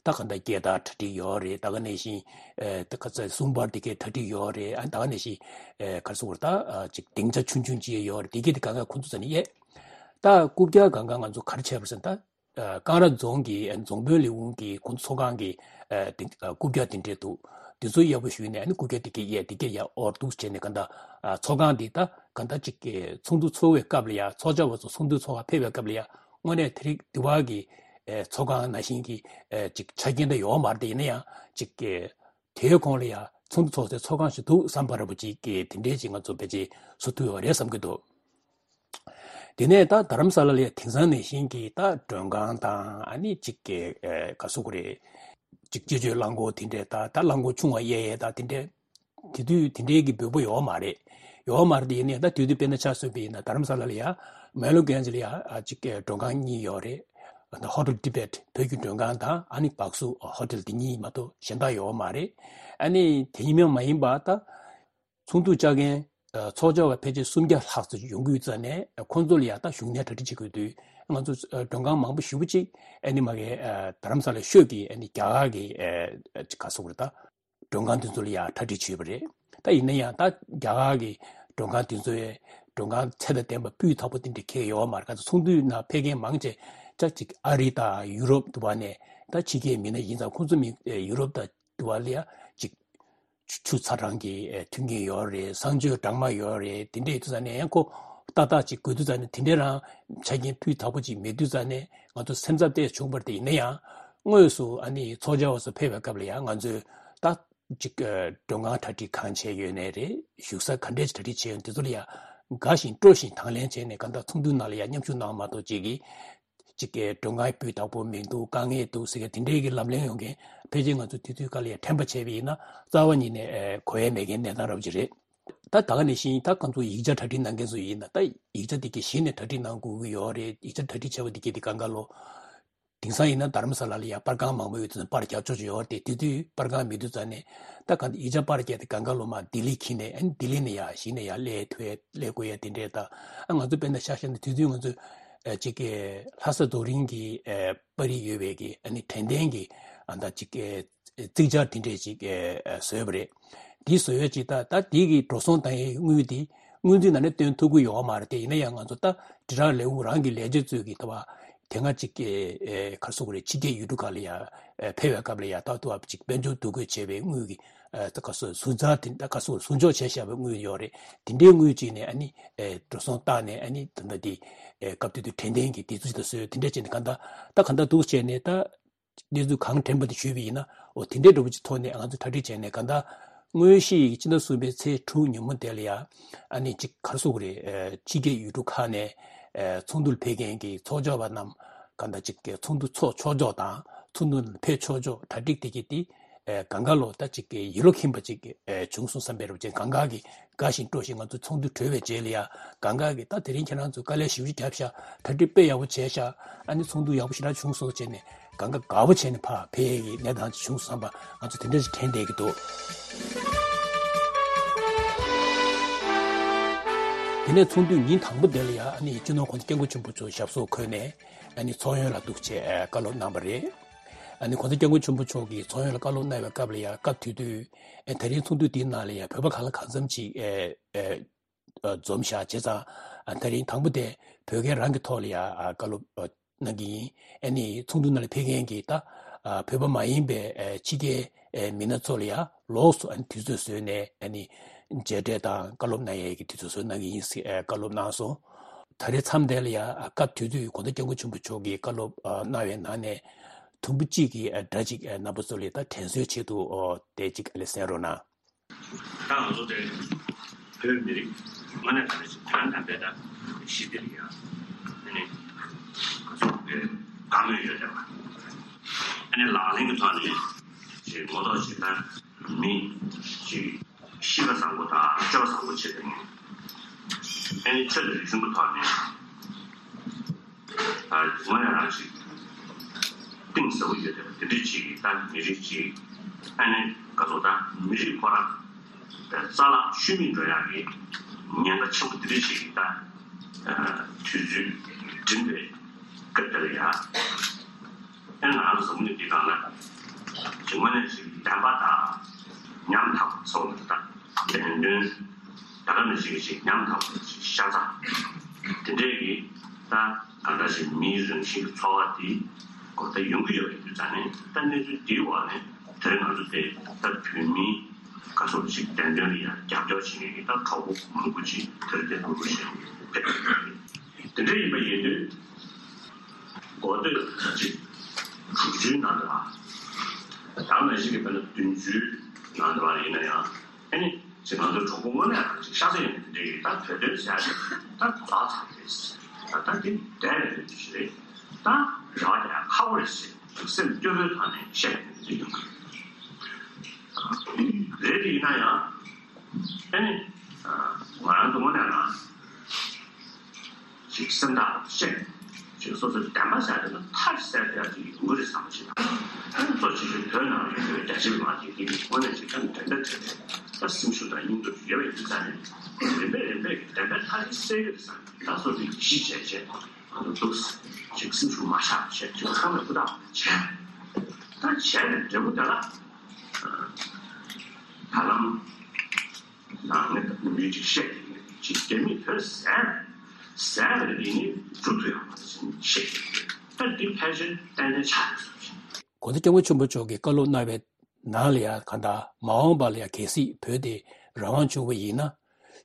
ད་གང་ལྟར་སྐད་བརྡ་གྲ་སྒྲིག་ཡོད་རེད། ད་ག་ནང་བཞིན་ཨེ་ད་ག་ཚོད་གསུང་པར་དེ་གའི་གྲ་སྒྲིག་ཡོད་རེད། ཨ་ད་ག་ནང་བཞིན་ཨེ་ག་རེ་ཟེར་དགོས་རེད། ད་ཨ་ཅིག་སྡིངས་ཆ་ཆུང་ཆུང་ཅིག་ཡོད་རེད། དེ་གའི་དེ་གང་ག་ཁོང་ཚོ་ཟེར་ནས་ཡས། ད་རྐུབ་བཀྱག་གང་ག་ང་ཚོ་ག་རེ་བྱས་པ་ཟེར་ན། ད་ཀང་ར་རྫོང་གི་རྫོང་དཔོན་ལས་ཁུངས་ཀྱི་ཁོང་ཚོ་ཚོགས་ཁང་གི་ཨ་དེ་ཨ་རྐུབ་བཀྱག་དེ་འདྲས་འདུག་དེ་ཚོ་ཡག་པོ་ཞུས་ནས། ཨ་ནི་རྐུབ་བཀྱག་དེ་གས་ཡས་དེ་གས་ཡར་དབོར་འདུག་བྱས་ནས། གང་ལྟར་ཨ་ཚོགས་ཁང་དེ་ད་གང་ལྟར་ཅིག་གི་ཚོགས་འདུ་ཚོགས་པའི་སྐབས་ལ་ཡ། ཚོགས་བཅར་བ་ཚོ་ཚོགས་འདུ་ཚོགས་པར་ཕེབས་པའི་སྐབས་ལ་ཡ། དངོས་གནས་དེ་རིང་དེ་བར་གྱི་ཨ་ཚོགས་ཁང་ནང་བཞིན་གྱི་ཨ་ཅིག་ཆ་རྐྱེན་ད་ཡོད་མ་རེད། དེ་ཡིན་ན་ཡང་ཅིག་གི་དེའི་གོང་ལ་ཡ་ཚོགས་འདུ་ཚོགས་སའི་ཚོགས་ཁང་ཞིག་འདུག་བསམ་པ་འདྲ་པོ་ཅིག་གི་དེ་འདྲས་ཅིག་ང་ཚོ་ཕལ་ཆེར་བཟོ་ཐུབ་ཡོད་རེད་བསམ་གྱི་འདུག་དེ་ནས་ད་རྡ་རམ་ས་ལ་ལ་ཡ་དེང་སང་ནང་བཞིན་གྱི་ད་མགྲོན་ཁང་དང་། ཨ་ནི་ཅིག་གི་ཨེ་ག་རེ་ཟེར་དགོས་རེད། ཅིག་སྤྱི་སྤྱོད་རླངས་འཁོར་དེ་འདྲས་ད་ད་རླངས་འཁོར་ཆུང་བ་གཡར་ཡས་ད་དེ་འདྲས། དེ་དུས་དེ་འདྲས་ཀྱི་འབོད་པ་ཡོད་མ་རེད། ཡོད་མ་རེད། དེ་ཡིན་ནའི་ད་དུས་དུས་དཔེར་ན་ཆ་བཞག་པ་ཡིན་ན་རྡ་རམ་ས་ལ་ལ་ཡ་མེ་ལོ་གན་ཇི་ལ་ཡ་ཨ་ཅིག་གི་མགྲོན་ཁང་གཉིས་ཡོད་རེད། ད་ཧོ་ཊེལ་ཊི་བེཊ་བོད་ཀྱི་མགྲོན་ཁང་དང་ཨ་ནི་བྷག་སུ་ཧོ་ཊེལ་འདི་གཉིས་མ་གཏོགས་གཞན་དག་ཡོད་མ་རེད། ཨ་ནི་དེ་གཉིས་མ་ཡིན་པ་ད་ཚོགས་འདུ་བཅར་མཁན་ཚོགས་བཅར་བ་ཕལ་ཆེར་སུམ་བརྒྱ་ལྷག་ཙམ་ཡོང་གི་ཡོད་ཙང་ནས་ཁོང་ཚོ་ལ་ཡང་ད་བཞུགས་གནས་གྲ་སྒྲིག་བྱེད་དགོས་དུས་ང་ཚོ་མགྲོན་ཁང་མང་པོ་ཞེ་པོ་ཅིག་ཨ་ནི་མ་གི་རྡ་རམ་ས་ལ་ཤོད་ཀྱི་ཨ་ནི་རྒྱ་གར་གྱི་ག་སོག་རེད་ད། མགྲོན་ཁང་དེ་ཚོ་ལ་ཡང་གྲ་སྒྲིག་བྱས་པ་རེད། ད་ཡིན་ན་ཡང་ད་རྒྱ་གར་གྱི་མགྲོན་ཁང་དེ་ཚོའི་མགྲོན་ཁང་ཚད་དང་ལྡན་པ་སྤུས་དག་པོ་དེ་འདྲ་ཁེལ་ཡོད་མ་རེད། ག་ཚོད་ཚོགས་འདུའི་ནང་ཕེབས་མཁན་མང་ཆེ་ཅག་ཅིག་ཨ་རི་དང་ཡུ་རོབ་དུ་བ་ནས་ད་ཕྱི་རྒྱལ་མི་སྣ་ཡིན་ཙང་ཁོང་ཚོ་མི་ཡུ་རོབ་དང་དུ་བ་ལ་ཡང་ཅིག་ཆུ་ཚ་གྲང་གི་མཐུན་རྐྱེན་ཡོད་རེད། གསང་སྤྱོད་གྲང་མ་ཡོད་རེད། དེ་འདྲ་ཡོད་དུས་ཙང་ནས་ཡང་ཁོ་ཏག་ཏག་ཅིག་དགོས་དུས་ཙང་ནས་དེ་འདྲའི་རང་ཆ་རྐྱེན་སྤུས་དག་པོ་ཅིག་མེད་དུས་ཙང་ནས་ང་ཚོ་སེམས་འཚབ་ཏོག་ཙམ་བྱུང་བ་རེད། དེ་ཡིན་ན་ཡང་དངོས་སུ་ཨ་ནི་ཚོགས་བཅར་བ་ཚོ་ཕེབས་པའི་སྐབས་ལ་ཡང་ང་ཚོས་ད་ཅིག་མགྲོན་ཁང་གྲ་སྒྲིག་གང་བྱས་ཡོད་ནའི་རེད། བཞུགས་ས་ག་འདྲས་གྲ་སྒྲིག་བྱས་ཡོད་དེ་ཚོ་ལ་ཡང་དགའ་བཞིན་སྤྲོ་བཞིན་དང་ལེན་བྱས་ནས་གང་ལྟར་ཚོགས་འདུའི་ནང་ལ་ཡང་མཉམ་ཞུགས་གནང་མ་གཏོགས་ཅིག་གིས་ཅིག་གི་མགྲོན་ཁང་སྤུས་དག་པོ་མི་འདུག་དཀའ་ངལ་འདུག་ཟེར་མཁན་དེ་འདྲའི་གི་ལབ་གླེང་ཡོང་མཁན་ཕལ་ཆེར་ང་ཚོ་དུས་ཚོད་སྐབས་ལ་ཡང་དྲན་པ་བྱས་པ་ཡིན་ན་རྩ་བ་ཉིད་ནས་གོ་ཡ་མེད་མཁན་གནས་སྟངས་རབ་ཅིག་རེད། ད་ད་ག་ནང་བཞིན་ད་ང་ཚོ་ཡིག་ཆ་གྲ་སྒྲིག་གནང་མཁན་ཚོ་ཡིན་ན་ད་ཡིག་ཆ་དེ་གི་གཞི་ནས་གྲ་སྒྲིག་གནང་དགོས་ཀྱི་ཡོད་རེད། ཡིག་ཆ་གྲ་སྒྲིག་བྱས་པ་དེ་གི་དེ་གང་ག་ལོ། དེང་སང་ཡིན་ན་རྡ་རམ་ས་ལ་ལ་ཡ་པར་ཁང་མང་པོ་ཡོད་དུས་པར་རྒྱག་ཆོག་ཆོག་ཡོད་རེད་དེ། དེ་དུས་པར་ཁང་མེད་དུས་ཙང་ནས་ད་གང་ཡིག་ཆ་པར་རྒྱག་དེ་གང་ག་ལོ་མ་ལྡི་ལི་འཁྱེར་ནས་ཨ་ནི་ལྡི་ལི་ནས་ཡ་གཞི་ནས་ཡ་སླེབས་ཐུབ་ཡ་སླེབས་དགོས་ཡ་དེ་འདྲས་ད། ཨ་ང་ཚོ་དཔེར་ན་ཤག་ཤག་ནས་དུས་ཚོད་ང་ཚོ་ཨ་ཅིག་གི་ལྷ་ས་རྡོ་རིང་གི་ཨ་པར་རིས་ཡོད་པའི་གི་ཨ་ནི་དྲན་རྟེན་གི་ཨ་ད་ཅིག་གི་རྩིག་ཆར་དེ་འདྲས་ཅིག་ཨ་བཟོས་པ་རེད། དེ་བཟོ་ཡ་ཅིག་ད་ད་དེ་གི་འགྲོ་སོང་བཏང་ཡའི་དངུལ་དེ་སྔོན་རྩིས་ནང་ནས་བཏོན་ཐུབ་ཀྱི་ཡོད་མ་རེད་དེ། ཡིན་ན་ཡང་ང་ཚོ་ད་དྲིལ་བསྒྲགས་ལས་ཁུངས་རང་གི་ལས་བྱེད་ཚོས་ཀྱི་ད་བ་དེ་སྔ་ཅིག་གི་ཨེ་ག་རེ་ཟེར་དགོས་རེད། ཕྱི་རྒྱལ་ཡུལ་གྲུ་ཁག་ལ་ཡ་ཨེ་ཕེབས་པའི་སྐབས་ལ་ཡ་ད་དུ་བ་ཅིག་དཔལ་འབྱོར་འདུ་འགོད་བྱས་པའི་དངུལ་གྱི་ཨེ་ད་ག་རེ་ཟེར་ཟུར་འཛར་དེ་ད་ག་རེ་ཟེར་དགོས་རེད། ཟུར་འཇོག་བྱས་བཞག་པའི་དངུལ་ཡོད་རེད། དེ་འདྲའི་དངུལ་ཅིག་ནས་ཨ་ནི་ཨེ་འགྲོ་སོང་བཏང་ནས་ཨ་ནི་ད་ལྟ་དེ་ཨེ་སྐབས་དེ་དུས་དྲན་རྟེན་གྱི་དེ་ཚོ་ཅིག་ད་བཟོས་དེ་འདྲ་བྱས་ནས་གང་ལྟར་ད་གང་ལྟར་འདུག་བྱས་ནས་ད། གནས་ཚུལ་གང་དྲན་པ་དེ་ཞུས་པ་ཡིན་ན། འོ་དེ་འདྲའི་འདྲ་པོ་ཅིག་ཐོག་ནས་ང་ཚོ་གྲ་སྒྲིག་བྱས་ནས་གང་ལྟར་དངོས་གཞི་ཡི་སྤྱི་ཟླ་གསུམ་པའི་ཚེས་དྲུག་ཉིན་མོ་དེ་ལ་ཡ་ཨ་ནི་ཅིག་ག་རེ་ཟེར་དགོས་རེད། ཨ་ཕྱི་རྒྱལ་ཡུལ་གྲུ་ཁག་ནས་ཨ་ཚོགས་འདུར་ཕེབས་མཁན་གྱི་ཚོགས་བཅར་བ་རྣམས་གང་ལྟར་ཅིག་གི་ཚོགས་འདུ་ཚོགས་ཆོག་ཆོག་དང་ཚོགས་འདུ་ཕེབས་ཆོག་ཆོག་གྲ་སྒྲིག་དེ་གི་དེ་ཨ་གང་ག་ལོ་ད་ཅིག་གི་ཡིད་བློ་ཁེངས་པ་ཅིག་ཨ་བྱུང་སོང་བསམ་པའི་རབ་ཅན་གང་ག་གི་དགའ་ཞིང་སྤྲོ་ཞིང་ང་ཚོ་ཚོགས་འདུ་གྲོལ་བའི་རྗེས་ལ་ཡ་གང་ག་གི་ད་དེ་རིང་ཁྱེད་རང་ཚོ་དཀའ་ལས་ཞེ་པོ་ཅིག་བརྒྱབ་ཤག་གྲ་སྒྲིག་དཔེ་ཡག་པོ་བྱས་ཤག་ཨ་ནི་ཚོགས་འདུ་ཡག་པོ་ཞེ་དྲག་བྱུང་སོང་བྱས་ནས་གང་ག་དགའ་པོ་བྱས་ནས་ཕར་ཕེབས་ཡས་ཀྱི་གནས་སྟངས་ཅིག་བྱུང་སོང་བསམ་པ་ང་ཚོ་དེ་འདྲ་ཞིག་དྲན་བསྡད་ཀྱི་འདུག་དེ་ནས་ཚོགས་འདུའི་ཉིན་དང་པོ་དེ་ལ་ཡ་ཨ་ནི་སྤྱི་ནོར་གོང་ས་སྐྱབས་མགོན་ཆེན་པོ་མཆོག་ཞབས་སོར་འཁོད་ནས་ཨ་ནི་ཚོགས་ཡོན་ལ་འདུག་ཅེས་བཀའ་སློབ་གནང་བ་རེད། ཨ་ནི་གོང་ས་སྐྱབས་མགོན་ཆེན་པོ་མཆོག་གིས་ཚོགས་ཡོན་ལ་བཀའ་སློབ་གནང་བའི་སྐབས་ལ་ཡ་སྐབས་དེ་དུས་ཨ་དེ་རིང་ཚོགས་འདུ་དེའི་ནང་ལ་ཡ་བོད་པ་གང་ལ་གང་འཚམ་ཅིག་ཨ་ཨ། འཛོམས་བཞག་བྱས་ཙང་། ད་རིང་དང་པོ་དེ་བོད་སྐད་རང་གི་ཐོག་ལ་ཡ་བཀའ་སློབ་གནང་གི་ཡིན། ཨ་ནི་ཚོགས་འདུ་ནང་ལ་ཕེབས་མཁན་གྱི་ད་བོད་པ་མ་ཡིན་པའི་ཕྱི་རྒྱལ་མི་སྣ་ཚོ་ལ་ཡ་ལོགས་སུ་ཨ་ནི་དུས་ཚོད་བཟོས་ནས་ཨ་ནི་མཇལ་འཕྲད་དང་བཀའ་སློབ་གནང་ཡས་ཀྱི་དུས་ཚོད་བཟོས་གནང་གི་ཡིན་ཟེར་བཀའ་སློབ་གནང་སོང་། ད་རེས་མཚམས་དེ་ལ་ཡ་སྐབས་དེ་དུས་གོང་ས་སྐྱབས་མགོན་ཆེན་པོ་མཆོག་གིས་བཀའ་སློབ་གནང་བའི་ནང་ནས་དུམ་བུ་གཅིག་གི་སྒྲ་གཅིག་རྣམ་པ་ཚོ་ལ་ད་དྲན་གསོའི་ཆེད་དུ་དེ་གཅིག་ཨ་ལས་གསན་རོགས་གནང་། ད་ང་ཚོ་དེ་བོད་མི་རིགས་དངོས་གནས་དྲང་གནས་ཞིག་དོན་དམ་པའི་ད་ཞི་བདེ་ལ་ཡང་ཨ་ནི་ང་ཚོ་བོད་དགའ་མོས་ཡོད་བསྡད་པ། ཨ་ནི་ལག་ལེན་གྱི་ཐོག་ནས་ཞིག་ངོ་ཐོག་ཞིག་ད་མི་ཞིག་ཤི་ཁ་བཟང་པོ་དང་སྤྱོད་པ་བཟང་པོ་བྱེད་པའི་ཨ་ནི་ཆོས་དང་རིག་གཞུང་གི་ཐོག་ནས། དངོས་གནས་རང་ཞིག་གཏིང་ཟབ་པོ་ཡོད་དེ་དེ་འདྲའི་ཅིག་ད་མི་རིགས་ཅིག་ཨ་ནི་ག་ཚོད་ད་མི་རིགས་ཁོ་རང་རྩ་བརླག་ཤུལ་མིན་འགྲོ་ཡག་གི་ཉེན་ཁ་ཆེན་པོ་དེ་འདྲའི་ཅིག་ད་དུས་ཚོད་འགྲིམ་པའི་སྐབས་དེ་ལ་ཡ་ཨ་ནི་ང་རང་ཚོ་བཟང་མོ་ནི་འདི་གང་ན་ཅིག་དངོས་གནས་ཅིག་བདེན་པ་དང་ཉམ་ཐག་ཚོགས་ད་བདེན་དོན། ད་ག་ནང་བཞིན་ཞིག་ཉམ་ཐག་པ་ཞིག་ཤ་ཚ། དེ་འདྲས་ཀྱི་ད་ག་འདྲ་ཞིག་མིའི་རང་བཞིན་གྱི་འཚོ་བ་དེ་གོ་ད་ཡོང་གི་ཡོད་པའི་དུས་ཙམ་ནས་ད་གནས་ཚུལ་འདིའི་འོག་ནས་དེ་རིང་ང་ཚོ་དེ་ད་བོད་མིའི་ག་སོགས་ཞིག་བདེན་དོན་ལ་ཡང་རྒྱབ་སྐྱོར་བྱེད་མཁན་གྱི་ད་གྲོགས་པོ་མང་པོ་ཅིག་དེར་དེ་ལུ་རུ་ཞིག་ཕེབས་ཡོད་རེད། དེ་འདྲ་ཡིན་པ་ཡིན་དུས་གོ་ཐོས་ཅིག་དྲུག་ཅུའི་ནང་དུ་ལ་ད་ག་ནང་བཞིན་གྱི་དཔེར་ན་བདུན་ཅུའི་ནང་དུ་ལ་ཡིན་ན་ཡང་། ཨ་ནི་ཅིག་ང་ཚོ་གྲོགས་པོ་དངོས་གནས་རང་ཅིག་ཤ་ཚ་ཡོད་ནི་དེ་འདྲའི་ད་བོད་དོན་ཟེར་ཡ་དེ་ད་གོ་ལག་ཚ་རེད། ད་ད་དེ་འདྲ་རེད་ཞེས་རེད། ད་རེ་བ་རྒྱག་ཡ་ཁག་པོ་རེད་ཞེས་སེམས་སྐྱོ་བོའི་ཐོག་ནས་བཤད་ཡོང་གི་རེད། དེ་ཡིན་ན་ཡང་ཨ་ནི་ང་རང་ཚོ་དངོས་གནས་རང་ཅིག་སེམས་ཐག་བཤད། ཅིག་སོ་སོའི་བདེན་པ་ཟེར་དེ་ལ་མཐའ་གསལ་ཡག་ཅིག་ཡོང་གི་རེད་བསམ་པ་ཞིག་དང་། གཙོ་ཆེ་ཤོས་བོད་ནང་ལ་ཡོད་པའི་རྒྱ་ཆེ་མི་མང་དེ་དེ་ནི་དངོས་གནས་ཅིག་ཀྱང་འགྲན་ཟླ་བྲལ་བའི་ད་སེམས་ཤུགས་དང་སྙིང་སྟོབས་ཡོད་པ་ཡིན་ཙང་ནས། རིམ་པས་རིམ་པས་བདེན་པའི་མཐའ་དེ་གསལ་གི་རེད་བསམ་པའི་ད་སོ་སོའི་ཡིད་ཆེས་བྱས་བྱས་ང་ཚོ་འདུག་ཅིག་སེམས་ཤུགས་མ་ཆག་བྱས་ཅིག་ཚང་མས་ཧུར་ཐག་བྱས། ད་བྱས་ནས་འབྲས་བུ་དེ་ལ་ད་ལམ། ནང་ནས་མི་ཅིག་བཤད་ཅིག་རྒྱ་མིས་བོད་ཟས་ཟས་རེད་དེ་ནི་འཇུ་ཐུབ་ཡག་མ་རེད་ཟེར་ནས་བཤད་ཅིག་ད་འདི་ཕལ་ཆེར་ཏན་ཏན་ཆགས་ཡོད་ཟེར། གོང་ས་སྐྱབས་མགོན་ཆེན་པོ་མཆོག་གིས་བཀའ་སློབ་གནང་བའི་ནང་ལ་ཡང་གང་ལྟར་མ་འོངས་པ་ལ་ཡང་གལ་སྲིད་བོད་དེ་རང་དབང་བྱུང་བ་ཡིན་ན།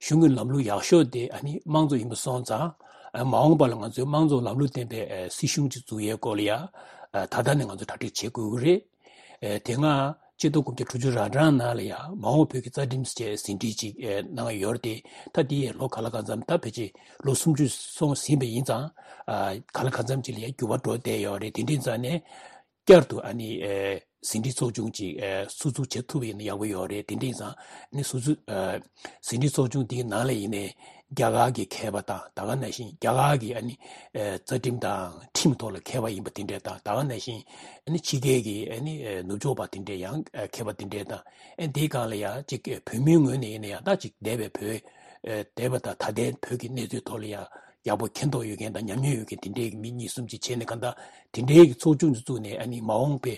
གཞུང་གི་ལམ་ལུགས་ཡག་ཤོས་དེ་ཨ་ནི་དམངས་གཙོ་ཡིན་པ་སོང་ཙང་། མ་འོངས་པ་ལ་ང་ཚོས་དམངས་གཙོ་ལམ་ལུགས་ལྡན་པའི་སྲིད་གཞུང་ཅིག་འཛུགས་ཡས་སྐོར་ལ་ཡང་ད་ལྟ་ནས་ང་ཚོ་གྲ་སྒྲིག་བྱེད་དགོས་ཀྱི་རེད། ཨེ། དེ་སྔ་ཆིག་སྟོང་དགུ་བརྒྱ་དྲུག་ཅུ་རེ་གྲངས་ནང་ལ་ཡང་མ་འོངས་བོད་ཀྱི་རྩ་ཁྲིམས་ཅེས་ཟིན་བྲིས་ཅིག་ཨེ། གནང་ཡོད་རེད་དེ། ད་དེ་ཡས་ལོ་ག་ལ་གང་འཚམ་ད་ཕལ་ཆེར་ལོ་སུམ་ཅུ་སོང་ཟིན་པ་ཡིན་ཙང་། ཨ། ག་ལ་གང་འཚམ་ཅིག་ལ་ཡང་འགྱུར་བ་འགྲོ་བསྡད་ཡོད་རེད། དེ་འདྲ་ཡིན་ཙང་ནས་བསྐྱར་དུ་ཨ་ནི་ཨེ། ཟིན་བྲིས་ཚོགས་ཆུང་ཅིག་ཨེ། སུ་འཛུགས་བྱེད་ཐུབ་པ་ཡིན་ན་ཡག་པོ་ཡོད་རེད། དེ་འདྲ་ཡིན་ཙང་ཨ་ནི་སུ་འཛུགས་ཨེ། ཟིན་བྲིས་ཚོགས་ཆུང་དེའི་ནང་ལ་ཡིན་ནའི་རྒྱ་གར་གྱི་མཁས་པ་དང་ད་ག་ནང་བཞིན་རྒྱ་གར་གྱི་ཨ་ནི་ཨེ། རྩ་ཁྲིམས་དང་ཁྲིམས་ཐོག་ལ་མཁས་པ་ཡིན་པ་དེ་འདྲ་དང་ད་ག་ནང་བཞིན་ཨ་ནི་ཕྱི་རྒྱལ་གྱི་ཨ་ནི་ཨེ། ནུབ་ཕྱོགས་པ་དེ་འདྲ་ཡང་ཨེ། མཁས་པ་དེ་འདྲ་དང་ཨེ། དེའི་སྒང་ལ་ཡང་ཅིག་ཨེ། བོད་མིའི་ངོས་ནས་ཡིན་ན་ཡང་ད་ཅིག་འདས་པའི་བོད་ཨེ། འདས་པ་དང་ད་ལྟའི་བོད་ཀྱི་གནས་ཚུལ་ཐོག་ལ་ཡང་ཡག་པོ་མཁྱེན་རྟོགས་ཡོད་མཁན་དང་ཉམས་མྱོང་ཡོད་མཁན་དེ་འདྲའི་མི་གཉིས་གསུམ་ཅིག་བྱས་ནས་གང་ལྟར་དེ་འདྲའི་གི་ཚོགས་ཆུང་ཅིག་བཙུགས་ནས་ཨ་ནི་མ་འོངས་པའི་